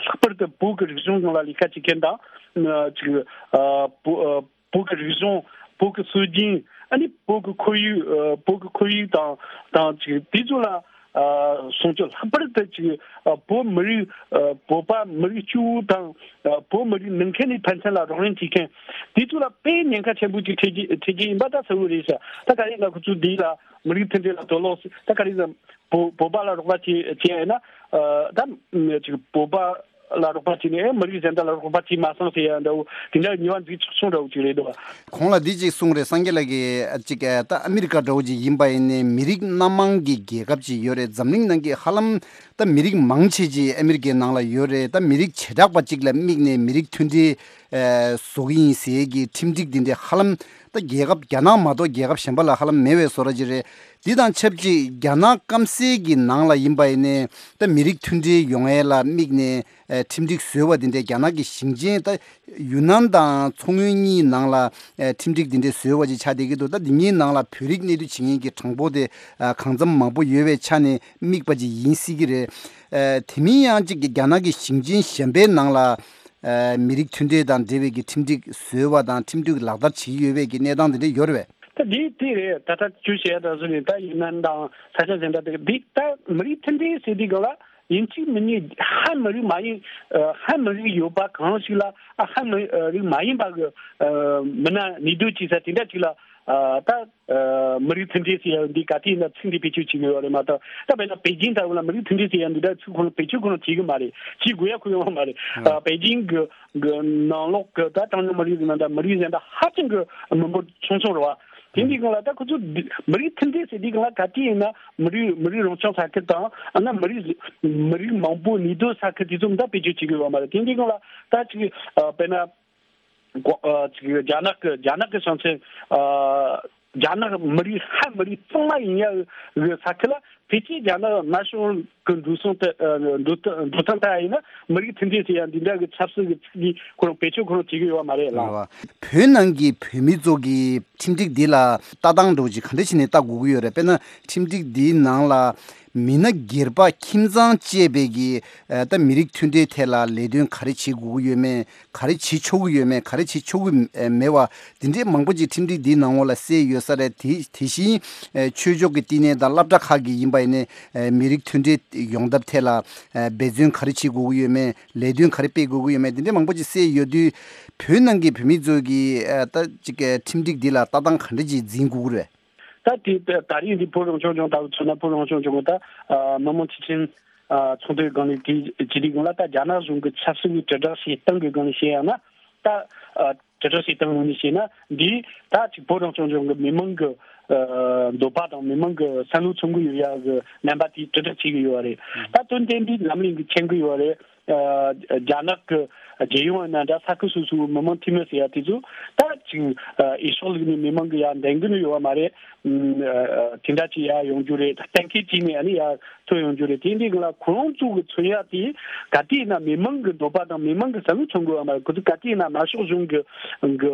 ལྷག་པར་དུ་བོད་ཀྱི་རིག་གཞུང་སྒང་ལ་ལས་ཀ་བྱེད་མཁན་དང་། ཅིག་བོད་བོད་ཀྱི་རིག་གཞུང་། བོད་ཀྱི་སྲོལ་རྒྱུན། ཨ་ནི་བོད་ཀྱི་ཁོར་ཡུག་བོད་ཀྱི་ཁོར་ཡུག་དང་དང་ཅིག་དེ་ཚོ་ལ་སྲུང་སྐྱོབ། ལྷག་པར་དུ་ཅིག་བོད་མི་རིགས་བོད་པ་མི་རིགས་སྐྱོ་བོ་དང་བོད་མི་རིགས་ནང་ཁུལ་ནས་ཕན་ཚུན་ལ་རོགས་རམ་བྱེད་མཁན་དེ་ཚོ་ལ་དཔེ་ཉེན་ཁ་ཆེན་པོ་ཅིག་འཕྲད་ཀྱི་འཕྲད་ཀྱི་ཡིན་པ་ད་གསལ་བོ་རེད་ཤག་ད་ག་རེ་ཡིན་ན་ཁོ་ཚོ་འདི་ལ་མི་རིགས་མཐུན་སྒྲིལ་ལ་གཏོར་བརླག་ད་ག་རེ་ཡིན་ན་བོད་བོད་པ་ལ་རོགས་པ་བྱེད་བྱེད་ཡ་ཡིན་ན། ད་ཅིག་བོད་པ་ལ་རོགས་པ་བྱས་ནས་མི་རིགས་གཞན་དག་ལ་རོགས་པ་བྱས་མ་སོང་ཟེར་ཡ་འདྲ་བོ་དེ་འདྲ་ཉེས་པ་འཛུགས་ཆོག་ཆོག་འདྲ་བོ་ཅིག་རེད་འདུག་གོང་ལ་འདི་ཅིག་གསུངས་རེད། སངས་རྒྱས་ལགས་ཀྱིས་ཅིག་ད་ཨ་མི་རི་ཀ་འདྲ་བོ་ཅིག་ཡིན་པ་ཡིན་ནའི་མི་རིགས་སྣ་མང་གི་རྒྱལ་ཁབ་ཅིག་ཡོད་རེད། འཛམ་གླིང་ནང་གི་ཧ་ལམ་ད་མི་རིགས་མང་ཆེ་ཅིག་ཨ་མི་རི་ཀའི་ནང་ལ་ཡོད་རེད། ད་མི་རིགས་བྱེ་བྲག་པ་ཅིག་ལ་དམིགས་ནས་མི་རིགས་མཐུན་སྒྲིལ་བཟོ་གི་ཡིན་ཟེར་གྱི་ཁྲིམས་སྒྲིག་འདི་འདྲ་ཧ་ལམ་ད་རྒྱལ་ཁབ་རྒྱ་ནག་མ་གཏོགས་རྒྱལ་ཁབ་གཞན་པ་ལ་ཧ་ལམ་མེད་པའི་བཟོ་འདྲ་ཅིག་རེད། འདི་དང་ཆབས་ཅིག་རྒྱ་ནག་སྐམ་སའི་གི་ནང་ལ་ཡིན་པ་ཡིན་ནའི་ད་མི་རིགས་མཐུན་སྒྲིལ་ཡོང་ཡས་ལ་དམིགས་ནས་ཨ་ཁྲིམས་སྒྲིག་བཟོས་པ་འདི་འདྲའི་རྒྱ་ནག་གི་ཞིང་ཆེན་ད་ཡུན་ནན་དང་མཚོ་སྔོན་གཉིས་ནང་ལ་ཨ་ཁྲིམས་སྒྲིག་འདི་འདྲའི་བཟོས་པ་ཅིག་ཆགས་བསྡད་ཀྱི་འདུག་ད་འདི་གཉིས་ནང་ལ་བོད་རིགས་གནས་སྡོད་བྱེད་མཁན་གྱི་གྲངས་འབོར་དེ་ཨ་གང་འཚམ་མང་པོ་ཡོད་པའི་ཆ་ནས་དམིགས་པ་ཅིག་ཡིན་སྲིད་ཀྱི་རེད། ཨ་དེ་མིན་ཡང་ཅིག་གི་རྒྱ་ནག་གི་ཞིང་ཆེན་གཞན་པའི་ནང་ལ་ཨ་མི་རིགས་མཐུན་སྒྲིལ་དང་འབྲེལ་བའི་གི་ཁྲིམས་སྒྲིག་བཟོས་པ་དང་ཁྲིམས་སྒྲིག་ལག་བསྟར་བྱེད་ཀྱི་ཡོད་པའི་གི་གནས་སྟངས་དེ་འདྲ་ཡོད་རེད་པས། ད་འདི་དེ་རེད། ད་ལྟ་ཁྱོད་བཤད་ཡ་ད་བཟོ་ནས་ད་ཡུན་ནན་དང་ས་ཆ་གཞན་དག་དེ་འདི་ད་མི་རིགས་མཐུན་སྒྲིལ་ཟེར་དུས་སྒང་ལ་ཡིན་གཅིག་མིན་གཉིས་ཧན་མི་རིགས་མ་ཡིན་ཧན་མི་རིགས་ཡོད་པ་གང་ཞིག་ལ་ཨ་ཧན་མི་རིགས་མ་ཡིན་པ་གི་མི་སྣ་གནས་སྡོད་བྱེད་ས་དེ་འདྲ་ཅིག་ལ་ད་མི་རིགས་མཐུན་སྒྲིལ་ཟེར་ཡ་འདི་ག་དུས་ཡིན་ན་ཚིག་འདི་བེད་སྤྱོད་བྱེད་ཀྱི་ཡོད་རེད་མ་གཏོགས། ད་དཔེར་ན་པེ་ཅིང་ལྟ་བུ་ལ་མི་རིགས་མཐུན་སྒྲིལ་ཟེར་ཡ་འདི་འདྲ་ཚིག་ཁོ་རང་བེད་སྤྱོད་ཁོ་རང་བྱེད་ཀྱི་མ་རེད། བྱེད་དགོས་ཡ་ཁོ་ཡོང་བ་མ་རེད། ཨ་པེ་ཅིང་གི་གི་ནང་ལོགས་ཀྱི་ད་གྲངས་ཉུང་མི་རིགས་ཀྱི་ནང་ད་མི་རིགས་གཞན་དག་ཧ་ཅང་གི་མི་འབོར་ཆུང་ཆུང་རེད་བ། དེ་འདི་སྒང་ལ་ད་ཁོ་ཚོ་འདི་མི་རིགས་མཐུན་སྒྲིལ་ཟེར་དུས་སྒང་ལ་ག་དུས་ཡིན་ན་མི་རིགས་མི་རིགས་རང་སྐྱོང་ས་ཁུལ་དང་ཨ་ན་མི་རིགས་མི་རིགས་མང་པོ་གནས་སྡོད་ས་ཁུལ་དེ་ཚོ་ད་བེད་སྤྱོད་བྱེད་ཀྱི་ཡོད་མ་རེད། དེ་འདི་སྒང་ལ་ད་ཅིག་ཨ་དཔེར་ན་གོ་ཨ་ཅིག་རྒྱ་ནག་གི་རྒྱ་ནག་གི་ཞིང་ཆེན་ཨ་རྒྱ་ནག་མི་རིགས་ཧན་མི་རིགས་གཙང་མ་ཡིན་ཡ་གི་ས་ཁུལ་ལ། ཕལ་ཆེར་རྒྱ་ནག་དམར་ཤོག་གི་འགྲོ་སོང་དེ་འགྲོ་སྟངས་དེ་ཡིན་ན་མི་རིགས་མཐུན་སྒྲིལ་ཟེར་ཡ་འདི་འདྲ་གི་ཆབ་སྲིད་ཀྱི་ཚིག་འདི་ཁོ་རང་བེད་སྤྱོད་ཁོ་རང་བྱེད་ཀྱི་ཡོད་མ་རེད་ལགས། བོད་ནང་གི་བོད་མི་ཚོ་གི་ཁྲིམས་སྒྲིག་འདི་ལ་ལྟ་སྟངས་འདྲ་བོ་ཅིག་ག་འདྲ་བྱས་ནས་ལྟ་དགོས་ཀྱི་ཡོད་རེད། དཔེར་ན་ཁྲིམས་སྒྲིག་འདིའི་ནང་ལ་མི་སྣ་སྒེར་པ་ཁྱིམ་ཚང་བཅས་པའི་གི་ད་མི་རིགས་མཐུན་སྒྲིལ་ཐད་ལ་ལས་དོན་ག་རེ་བྱེད་དགོས་ཀྱི་ཡོད་མེད། ག་རེ་བྱེད་ཆོག་གི་ཡོད་མེད། ག་རེ་བྱེད་ཆོག་གི་མེད་པ་དེ་འདྲའི་མང་པོ་ཅིག་ཁྲིམས་སྒྲིག་འདིའི་ནང་ལོགས་ལ་གསལ་ཡོད་ས་རེད། དེ་དེ་བཞིན་ཆོས་ཕྱོགས་ཀྱི་བསྟི་གནས་དང་སློབ་གྲྭ་ཁག་གི་ཡིན་པ་ཡིན་ནའི་མི་རིགས་མཐུན་སྒྲིལ་ཡོང་ཐབས་ཐད་ལ་འབད་བརྩོན་ག་རེ་བྱེད་དགོས་ཀྱི་ཡོད་མེད། ལས་དོན་ག་རེ་སྤེལ་དགོས་ཀྱི་ཡོད་མེད། དེ་འདྲའི་མང་པོ་ཅིག་གསལ་ཡོད་དུས་བོད་ནང་གི་བོད་མི་ཚོ་གིས་ད་ཅིག་ཁྲིམས་སྒྲིག་འདི་ལ་ལྟ་སྟངས་ག་འདྲ་ཅིག་འཛིན་དགོས་ཀྱི་རེད། ད་དེ་ད་རེས་འདི་བོད་རང་སྐྱོང་ལྗོངས་ལྟ་བུ་མཚོན་ན་བོད་རང་སྐྱོང་ལྗོངས་ཀྱི་ད་མི་དམངས་སྤྱི་ཆིངས་ཚོགས་འདུའི་སྒང་ནས་དེ་ཇི་སྟེང་སྒང་ལ་ད་རྒྱ་ནག་གཞུང་གི་ཆབ་སྲིད་ཀྱི་དྲིལ་བསྒྲགས་བྱེད་སྟངས་ཀྱི་སྒང་ནས་བཤད་ཡང་ན་ད་དྲིལ་བསྒྲགས་བྱེད་སྟངས་ངོས་ནས་བཤད་ན་འདི་ད་ཅིག་བོད་རང་སྐྱོང་ལྗོངས་ཀྱི་མི་མང་གི་འདོད་པ་དང་མི་མང་གི་བསམ་བློ་མཚོན་གྱི་ཡོད་ཡ་གི་རྣམ་པ་དེ་དྲིལ་བསྒྲགས་བྱེད་ཀྱི་ཡོད་པ་རེད། ད་དོན་དེ་འདི་ལམ་ལྷིང་གི་མཁྱེན་གྱི་ཡོད་པ་རེད། རྒྱ་ནག་གི་རྒྱལ་ཡོངས་ཡིན་ན་འདྲ་ས་ཁུལ་སོ་སོའི་མི་དམངས་འཐུས་མི་ཟེར་ཡ་དེ་ཚོ་ད་ཅིག་ཨེ་ཤོག་ལུགས་ནས་མི་མང་གི་ཡ་འདེང་གི་ནི་ཡོད་པ་མ་རེད། དེ་འདྲ་ཅིག་ཡ་ཡོང་རྒྱུ་རེད། གཏན་འཁེལ་ཅིག་ནས་ཨ་ནི་ཡ་ཐོན་ཡོང་རྒྱུ་རེད། དེ་འདི་ག་ལ་ཁོ་རང་ཚོ་གི་མཚོན་ཡ་དེ་ག་དུས་ཡིན་ན་མི་མང་གི་འདོད་པ་དང་མི་མང་གི་བསམ་བློ་མཚོན་དགོས་པ་མ་རེད། ཁོ་ཚོ་ག་དུས་ཡིན་ན་དམར་ཤོག་གཞུང་གི་གི་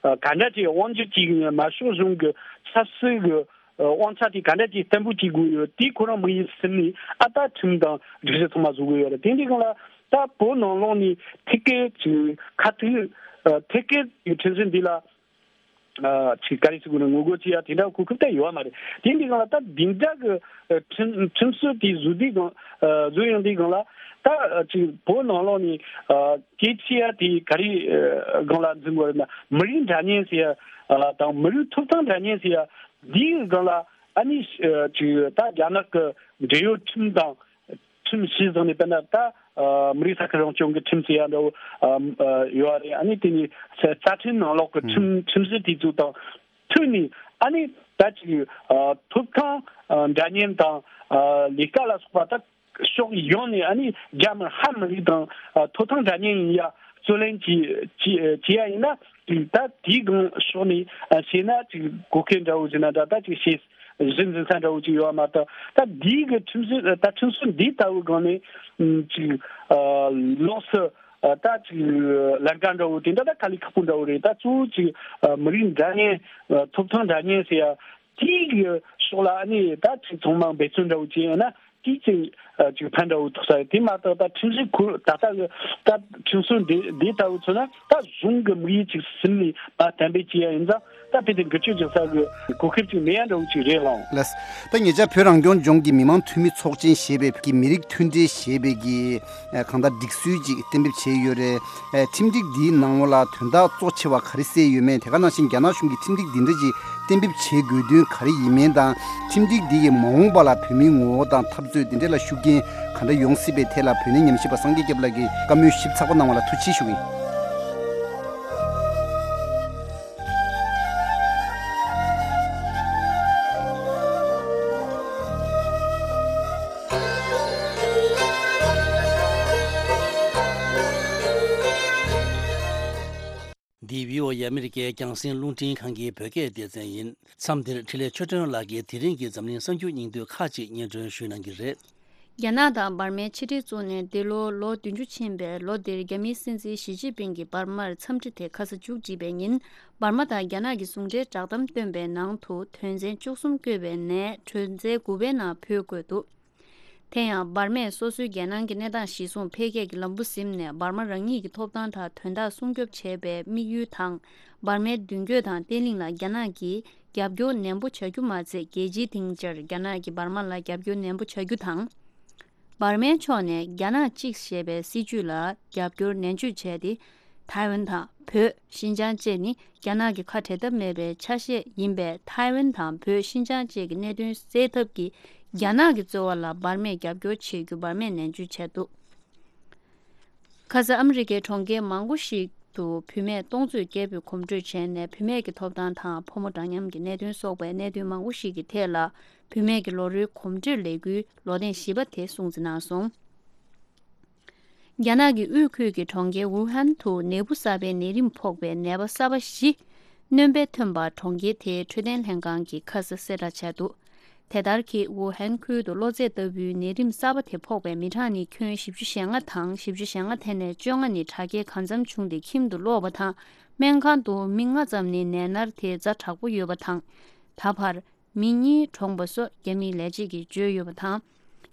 ག་འདྲ་ཅིག་དབང་སྒྱུར་ཅིག་ཡིན་ན་དམར་ཤོག་གཞུང་གི་ཆབ་སྲིད་གི་དབང་ཆ་དེ་ག་འདྲ་ཅིག་བརྟན་པོ་བྱེད་དགོས་ཡོད་དེ་ཁོ་རང་མི་ཡིན་སེམས་ནས་ཨ་ད་ཁྲིམས་དང་སྒྲིག་གཞི་ཚང་མ་བཟོ་དགོས་ཡོད་རེད། དེ་འདི་སྒང་ལ་ད་བོད་ནང་ལོགས་ནས་ཐད་ཀའི་ཅིག་ཁ་ཐུག་ཐད་ཀའི་ཁྲིམས་སྲོལ་འདི་ལ་ཅིག་ག་རེ་ཟེར་དགོས་ན་ངོ་རྒོལ་བྱེད་ཡ་དེ་འདྲ་གོ་སྐབས་ད་ཡོད་མ་རེད། དེ་འདི་སྒང་ལ་ད་འདི་འདྲ་གི་ཁྲིམས་ཁྲིམས་སྲོལ་དེ་བཟོ་དུས་སྒང་བཟོ་ཡོང་དུས་སྒང་ལ་ད་ཅིག་བོད་ནང་ལོགས་ནས་གལ་ཆེ་ཡ་དེ་ག་རེ་སྒང་ལ་འཛིན་དགོས་རེད་ན་མི་རིགས་འདྲ་མཉམ་ཟེར་ཡ་དང་མི་རིགས་ཐོབ་ཐང་འདྲ་མཉམ་ཟེར་ཡ། འདིའི་སྒང་ལ་ཨ་ནི་ཅིག་ད་རྒྱ་ནག་གི་འབྲེལ་ཡོད་ཁྲིམས་དང་ཁྲིམས་གཞི་བཟུང་ནས་དཔེར་ན་ད་མི་རིགས་ས་ཁུལ་རང་སྐྱོང་གི་ཁྲིམས་ཟེར་ཡ་འདྲ་བོ་ཡོད་རེད། ཨ་ནི་དེ་ནི་རྩ་ཁྲིམས་ནང་ལོགས་ཀྱི་ཁྲིམས་ཁྲིམས་གཞི་དེ་ཚོ་དང་མཐུན་ནས་ཨ་ནི་ད་ཅིག་ཐོབ་ཐང་འདྲ་མཉམ་དང་ལས་ཀ་ལ་སོགས་པ་ད། ཕྱོགས་ཡོངས་ནས་ཨ་ནི་རྒྱ་མི་ཧ་མི་རིགས་དང་ཐོབ་ཐང་འདྲ་མཉམ་ཡིན་ཡ་རྩོད་ལེན་བྱེད་བྱེད་བྱེད་ཡ་ཡིན་ན། ད་དེའི་སྒང་ཕྱོགས་ནས་བྱས་ན་ཅིག་གོ་སྐབས་འདྲ་བོ་ཟེར་ན་འདྲ། ད་ཅིག་བྱས་གཞི་འཛིན་ས་འདྲ་བོ་ཅིག་ཡོད་མ་གཏོགས། ད་དེའི་གི་ཁྲིམས་སྲོལ་ད་ཁྲིམས་སྲོལ་འདི་ལྟ་བུའི་སྒང་ནས་ཅིག་ལོགས་སུ་ད་ཅིག་ལན་ཀ་འདྲ་བོ་དེ་འདྲ་ད་དཀའ་ལས་ཁག་པོ་འདྲ་བོ་རེད། ད་གཙོ་བོ་ཅིག་མི་རིགས་འདྲ་མཉམ་ཐོབ་ཐང་འདྲ་མཉམ་ཟེར་ཡ་དེའི་གི་ཕྱོགས་ལ་ཨ་ནི་ད་ཅིག་ཚང་མ་འབད་བརྩོན་འདྲ་བོ་བྱས་ཡོད་ན། དེའི་ཅིག་ཅིག་ཕན་འདྲ་བོ་ཐོགས་ས་ཡོད། དེ་མ་གཏོགས་ད་ཁྲིམས་སྲོལ་ཁུར་ད་ལྟ་གི་ད་ཁྲིམས་སྲོལ་འདི་འདི་ལྟ་བུ་མཚོན་ན། ད་གཞུང་གི་དམིགས་ཡུལ་ཅིག་ཟིན་ནས་མ་གཏན་འབེབས་བྱས་ཡ་ཡིན་ཙང་། ད་དཔེ་དེ་འགུལ་སྐྱོད་རྒྱག་ས་གི་གོ་སྐབས་ཅིག་མེད་ཡ་འདྲ་བོ་ཅིག་རེད་ལགས། ལགས། ད་ཉེ་ཆར་བོད་རང་སྐྱོང་ལྗོངས་ཀྱི་མི་དམངས་འཐུས་མི་ཚོགས་ཆེན་ཞེས་པའི་གི་མི་རིགས་མཐུན་སྒྲིལ་ཞེས་པའི་གི་གང་ལྟར་སྒྲིག་སྲོལ་ཅིག་གཏན་འབེབས་བྱས་ཡོད་རེད། ཁྲིམས་སྒྲིག་འདིའི་ནང་ལོགས་ལ་དོན་དག་གཙོ་ཆེ་བ་ག་རེ་གསལ་ཡོད་མེད། དེ་ག་ནང་བཞིན་རྒྱ་ནག་གཞུང་གིས་ཁྲིམས་སྒྲིག་འདི་འདྲ་ཅིག་གཏན་འབེབས་བྱེད་དགོས་དོན་ག་རེ་ཡིན་མིན་དང་། ཁྲིམས་སྒྲིག་འདི་ཡི་མ་འོངས་པ་ལ་བོད་མིའི་ངོ་བོ་དང་འཐབ་རྩོད་འདི་འདྲ་ལ་ཤུགས་རྐྱེན་ག་འདྲ་ཡོང་སྲིད་པའི་ཐད་ལ་བོད་གནས་ཉམས་ཞིབ་པ་སངས་རྒྱས་སྐྱབས་ལགས་ཀྱིས་བཀའ་མོལ་ཞིབ་ཚགས་པོ་གནང་བ་ལ་ཐུགས་རྗེ་ཆེ་ཞུ་གི་ཡིན། འདི་བྷི་ཨོ་ཨེ་ཨ་མི་རི་ཀའི་རྒྱང་སྲིང་རླུང་འཕྲིན་ཁང་གི་བོད་སྐད་སྡེ་ཚན་ཡིན། མཚམས་འདིར་འཕྲིན་ལས་ཆོས་སྒྲོན་ལགས་ཀྱིས་དེ་རིང་གི་འཛམ་གླིང་གསར་འགྱུར་སྙིང་བསྡུས་ཁག་ཅིག་སྙན་སྒྲོན་ཞུ་གནང་གི་རེད། རྒྱ་ནག་དང་འབར་མའི་ཕྱི་འབྲེལ་བཙུགས་ནས་འདི་ལོ་ལོ་བདུན་ཅུ་ཕྱིན་པའི་ལོ་འདིར་རྒྱ་མིའི་སྲིད་འཛིན་ཞི་ཅིན་ཕིང་གིས་འབར་མར་འཚམས་འདྲི་དེ་ཁ་ས་མཇུག་བསྒྲིལ་བའི་ཉིན། འབར་མ་དང་རྒྱ་ནག་གི་ཟུང་འབྲེལ་བསྒྲགས་གཏམ་བཏོན་པའི་ནང་དུ་དོན་ཚན་བཅུ་གསུམ་བཀོད་པའི་ནས་དོན་ཚན་དགུ་པའི་ནང་བོད་བཀོད་འདུག་དེ་ཡང་འབར་མས་སོ་སོའི་རྒྱལ་ནང་གི་གནས་སྟངས་གཞིར་བཟུང་འཕེལ་རྒྱས་ཀྱི་ལམ་བུ་ཟིན་ནས། འབར་མ་རང་ཉིད་ཀྱི་ཐོབ་ཐང་དང་དོན་དག་སྲུང་སྐྱོབ་བྱེད་པའི་དམིགས་ཡུལ་དང་། འབར་མའི་མདུན་སྐྱོད་དང་བརྟན་ལྷིང་ལ་རྒྱ་ནག་གིས་རྒྱབ་སྐྱོར་ནན་པོ་བྱ་རྒྱུ་མ་ཚད། རྒྱལ་སྤྱིའི་སྡིངས་ཆར་རྒྱ་ནག་གིས་འབར་མ་ལ་རྒྱབ་སྐྱོར་ནན་པོ་བྱ་རྒྱུ་དང་། འབར་མའི་ཕྱོགས་ནས་རྒྱ་ནག་གཅིག་ཞེས་པའི་སྲིད་ཇུས་ལ་རྒྱབ་སྐྱོར་ནན་བརྗོད་བྱས་ཏེ། ཐའེ་ཝན་དང་བོད། ཤིན་ཅང་བཅས་ནི་རྒྱ་ནག་གི་ཁ་བྲལ་ཐབས་མེད་པའི་ཆ་ཤས་ཡིན་པས། ཐའེ་ཝན་དང་བོད། ཤིན་ཅང་བཅས་ཀྱི་གནད་དོན་སེལ་ཐབས་ཀྱི་རྒྱ་ནག་གི་རྩོལ་བ་ལ་འབར་མས་རྒྱབ་སྐྱོར་བྱེད་རྒྱུ་འབར་མས་ནན་བརྗོད་བྱས་འདུག་ཁ་སང་ཨ་མི་རི་ཀའི་གྲོང་ཁྱེར་མང་པོ་ཞིག་ཏུ་བུད་མེད་སྟོང་ཚོས་སྐད་འབོད་གོམ་བགྲོད་བྱས་ནས། བུད་མེད་ཀྱི་ཐོབ་ཐང་དང་ཕོ་མོ་འདྲ་མཉམ་གྱི་གནད་དོན་སོགས་པའི་གནད་དོན་མང་པོ་ཞིག་གི་ཐད་ལ་བུད་མེད་ཀྱི་ལོ་རེའི་གོམ་བགྲོད་ལས་འགུལ་ལོ་ཐེངས་བཞི་པ་དེ་སྲུང་བརྩི་གནང་སོང་། རྒྱ་ནག་གི་དབུས་ཁུལ་གྱི་གྲོང་ཁྱེར་ཝུ་ཧན་དུ་ནད་འབུ་གསར་པའི་ནད་རིམས་ཕོག་པའི་ནད་པ་གསར་པ་བཞི་སྣོན་པས་ཐོན་པ། གྲོང་ཁྱེར་དེའི་འཕྲོད་བསྟེན་ལྷན་ཁང་གིས་ཁ་སང་གསལ་བསྒྲགས་བྱས་འདུག་དེ་ལྟར་གྱི་ཝུ་ཧན་ཁུལ་དུ་གློ་ཚད་ལྟ་བུའི་ནད་རིམས་གསར་པ་དེ་ཕོག་པའི་མི་གྲངས་ནི་ཁྱོན་བཞི་བཅུ་ཞེ་ལྔ་དང་། བཞི་བཅུ་ཞེ་ལྔ་དེ་ནས་བཅོ་ལྔ་ནི་དྲག་སྐྱེད་གང་འཚམ་བྱུང་སྟེ་ཁྱིམ་དུ་ལོག་པ་དང་། སྨན་ཁང་དུ་མི་ལྔ་ཙམ་ནི་ནད་མནར་དེ་ཛ་དྲག་པོ་ཡོད་པ་དང་། ད་བར་མི་གཉིས་གྲོངས་པ་སོགས་རྒྱ་མིའི་ལས་བྱེད་ཀྱིས་བརྗོད་ཡོད་པ་དང་།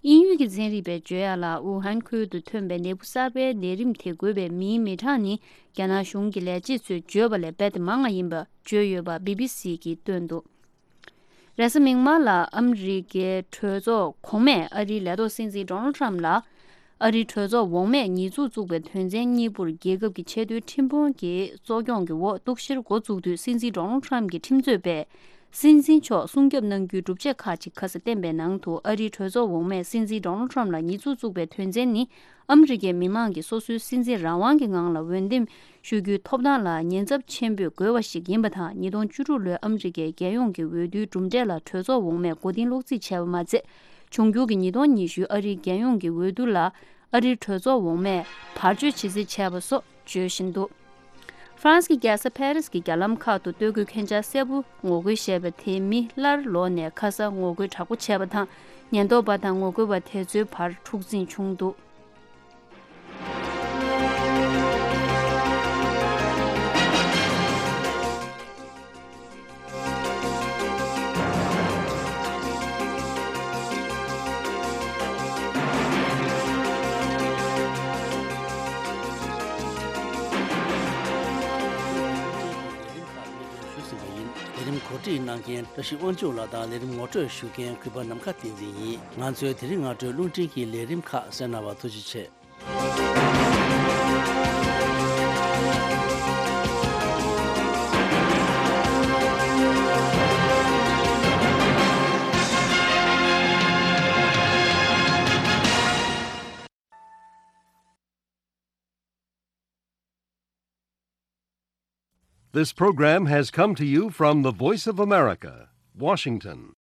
དབྱིན་ཡུལ་གྱི་ཚན་རིག་པས་བརྗོད་ཡ་ལ། ཝུ་ཧན་ཁུལ་དུ་ཐོན་པའི་ནད་འབུ་གསར་པའི་ནད་རིམས་དེ་འགོས་པའི་མིའི་མི་གྲངས་ནི་རྒྱ་ནག་གཞུང་གི་ལས་བྱེད་ཚོས་བརྗོད་པ་ལས་རྦད་དེ་མང་བ་ཡིན་པ་བརྗོད་ཡོད་པ་བི་བི་སི་གིས་བཏོན་འདུག་རེས་གཟའ་མིག་དམར་ལ་ཨ་མི་རི་ཀའི་གྲོས་ཚོགས་གོང་མས་ཨ་རིའི་ལས་ཐོག་སྲིད་འཛིན་ཌོ་ནལ་ཊམ་ལ། ཨ་རིའི་གྲོས་ཚོགས་འོག་མས་ཉེས་འཛུགས་བཙུགས་པའི་དོན་ཚན་གཉིས་པོར་རྒྱལ་ཁབ་ཀྱི་ཆེས་མཐོའི་ཁྲིམས་དཔོན་གྱི་གཙོ་སྐྱོང་གི་འོག་གཏུག་བཤེར་འགོ་བཙུགས་དུས། སྲིད་འཛིན་ཌོ་ནལ་ཊམ་གྱི་ཁྲིམས་རྩོད་པས་སྲིད་འཛིན་མཆོག་སྲུང་སྐྱོབ་གནང་རྒྱུའི་སྒྲུབ་བྱེད་ཁག་ཅིག་ཁ་སང་བསྟན་པའི་ནང་དུ། ཨ་རིའི་གྲོས་ཚོགས་འོག་མས་སྲིད་འཛིན་ཌོ་ནལ་ཊམ་ལ་ཉེས་འཛུགས་བཙུགས་པའི་དོན་ཚན་ནི། ཨ་མི་རི་ཀའི་མི་མང་གིས་སོ་སོའི་སྲིད་འཛིན་རང་དབང་གི་ངང་ལ་འོས་འདེམས་ཞུ་རྒྱུའི་ཐོབ་ཐང་ལ་ཉེན་ཚབས་ཆེན་པོས་རྒོལ་བ་ཞིག་ཡིན་པ་དང་། ཉིས་སྟོང་བཅུ་དྲུག་ལོའི་ཨ་མི་རི་ཀའི་རྒྱལ་ཡོངས་ཀྱི་འོས་བསྡུའི་གྲུབ་འབྲས་ལ་གྲོས་ཚོགས་འོག་མས་མགོ་རྟིང་སློག་རྩིས་བྱས་པ་མ་ཚད། འབྱུང་འགྱུར་གྱི་ཉིས་སྟོང་ཉི་ཤུ་ཨ་རིའི་རྒྱལ་ཡོངས་ཀྱི་འོས་བསྡུ་ལ་ཨ་རིའི་གྲོས་ཚོགས་འོག་མས་བར་གཅོད་བྱེད་རྩིས་བྱས་པ་སོགས་བརྗོད་བཞིན་འདུག་ཧྥ་རན་སི་གི་རྒྱལ་ས་ཕ་རི་སི་གི་རྒྱ་ལམ་ཁག་ཏུ་སྟོད་གོས་མཁན་ཆ་སེར་པོ་ངོ་རྒོལ་བྱས་པ་དེ་མི་སླར་ལོག་ནས་ཁ་སང་ངོ་རྒོལ་དྲག་པོ་བྱས་པ་དང་། ཉེན་རྟོག་པ་དང་ངོ་རྒོལ་བ་དེ་ཚོའི་བར་འཁྲུག་འཛིང་བྱུང་འདུག་ལས་རིམ་གོ་སྒྲིག་གནང་མཁན་བཀྲ་ཤིས་དབང་ཕྱུག་ལགས་དང་ལས་རིམ་ངོ་སྤྲོད་ཞུ་མཁན་གུས་པ་ནམ་མཁའ་བསྟན་འཛིན་ཡིན། ང་ཚོའི་དེ་རིང་སྔ་དྲོའི་རླུང་འཕྲིན་གྱི་ལས་རིམ་ཁག་གསན་གནང་བར་ཐུགས་རྗེ་ཆེ། This program has come to you from the Voice of America, Washington.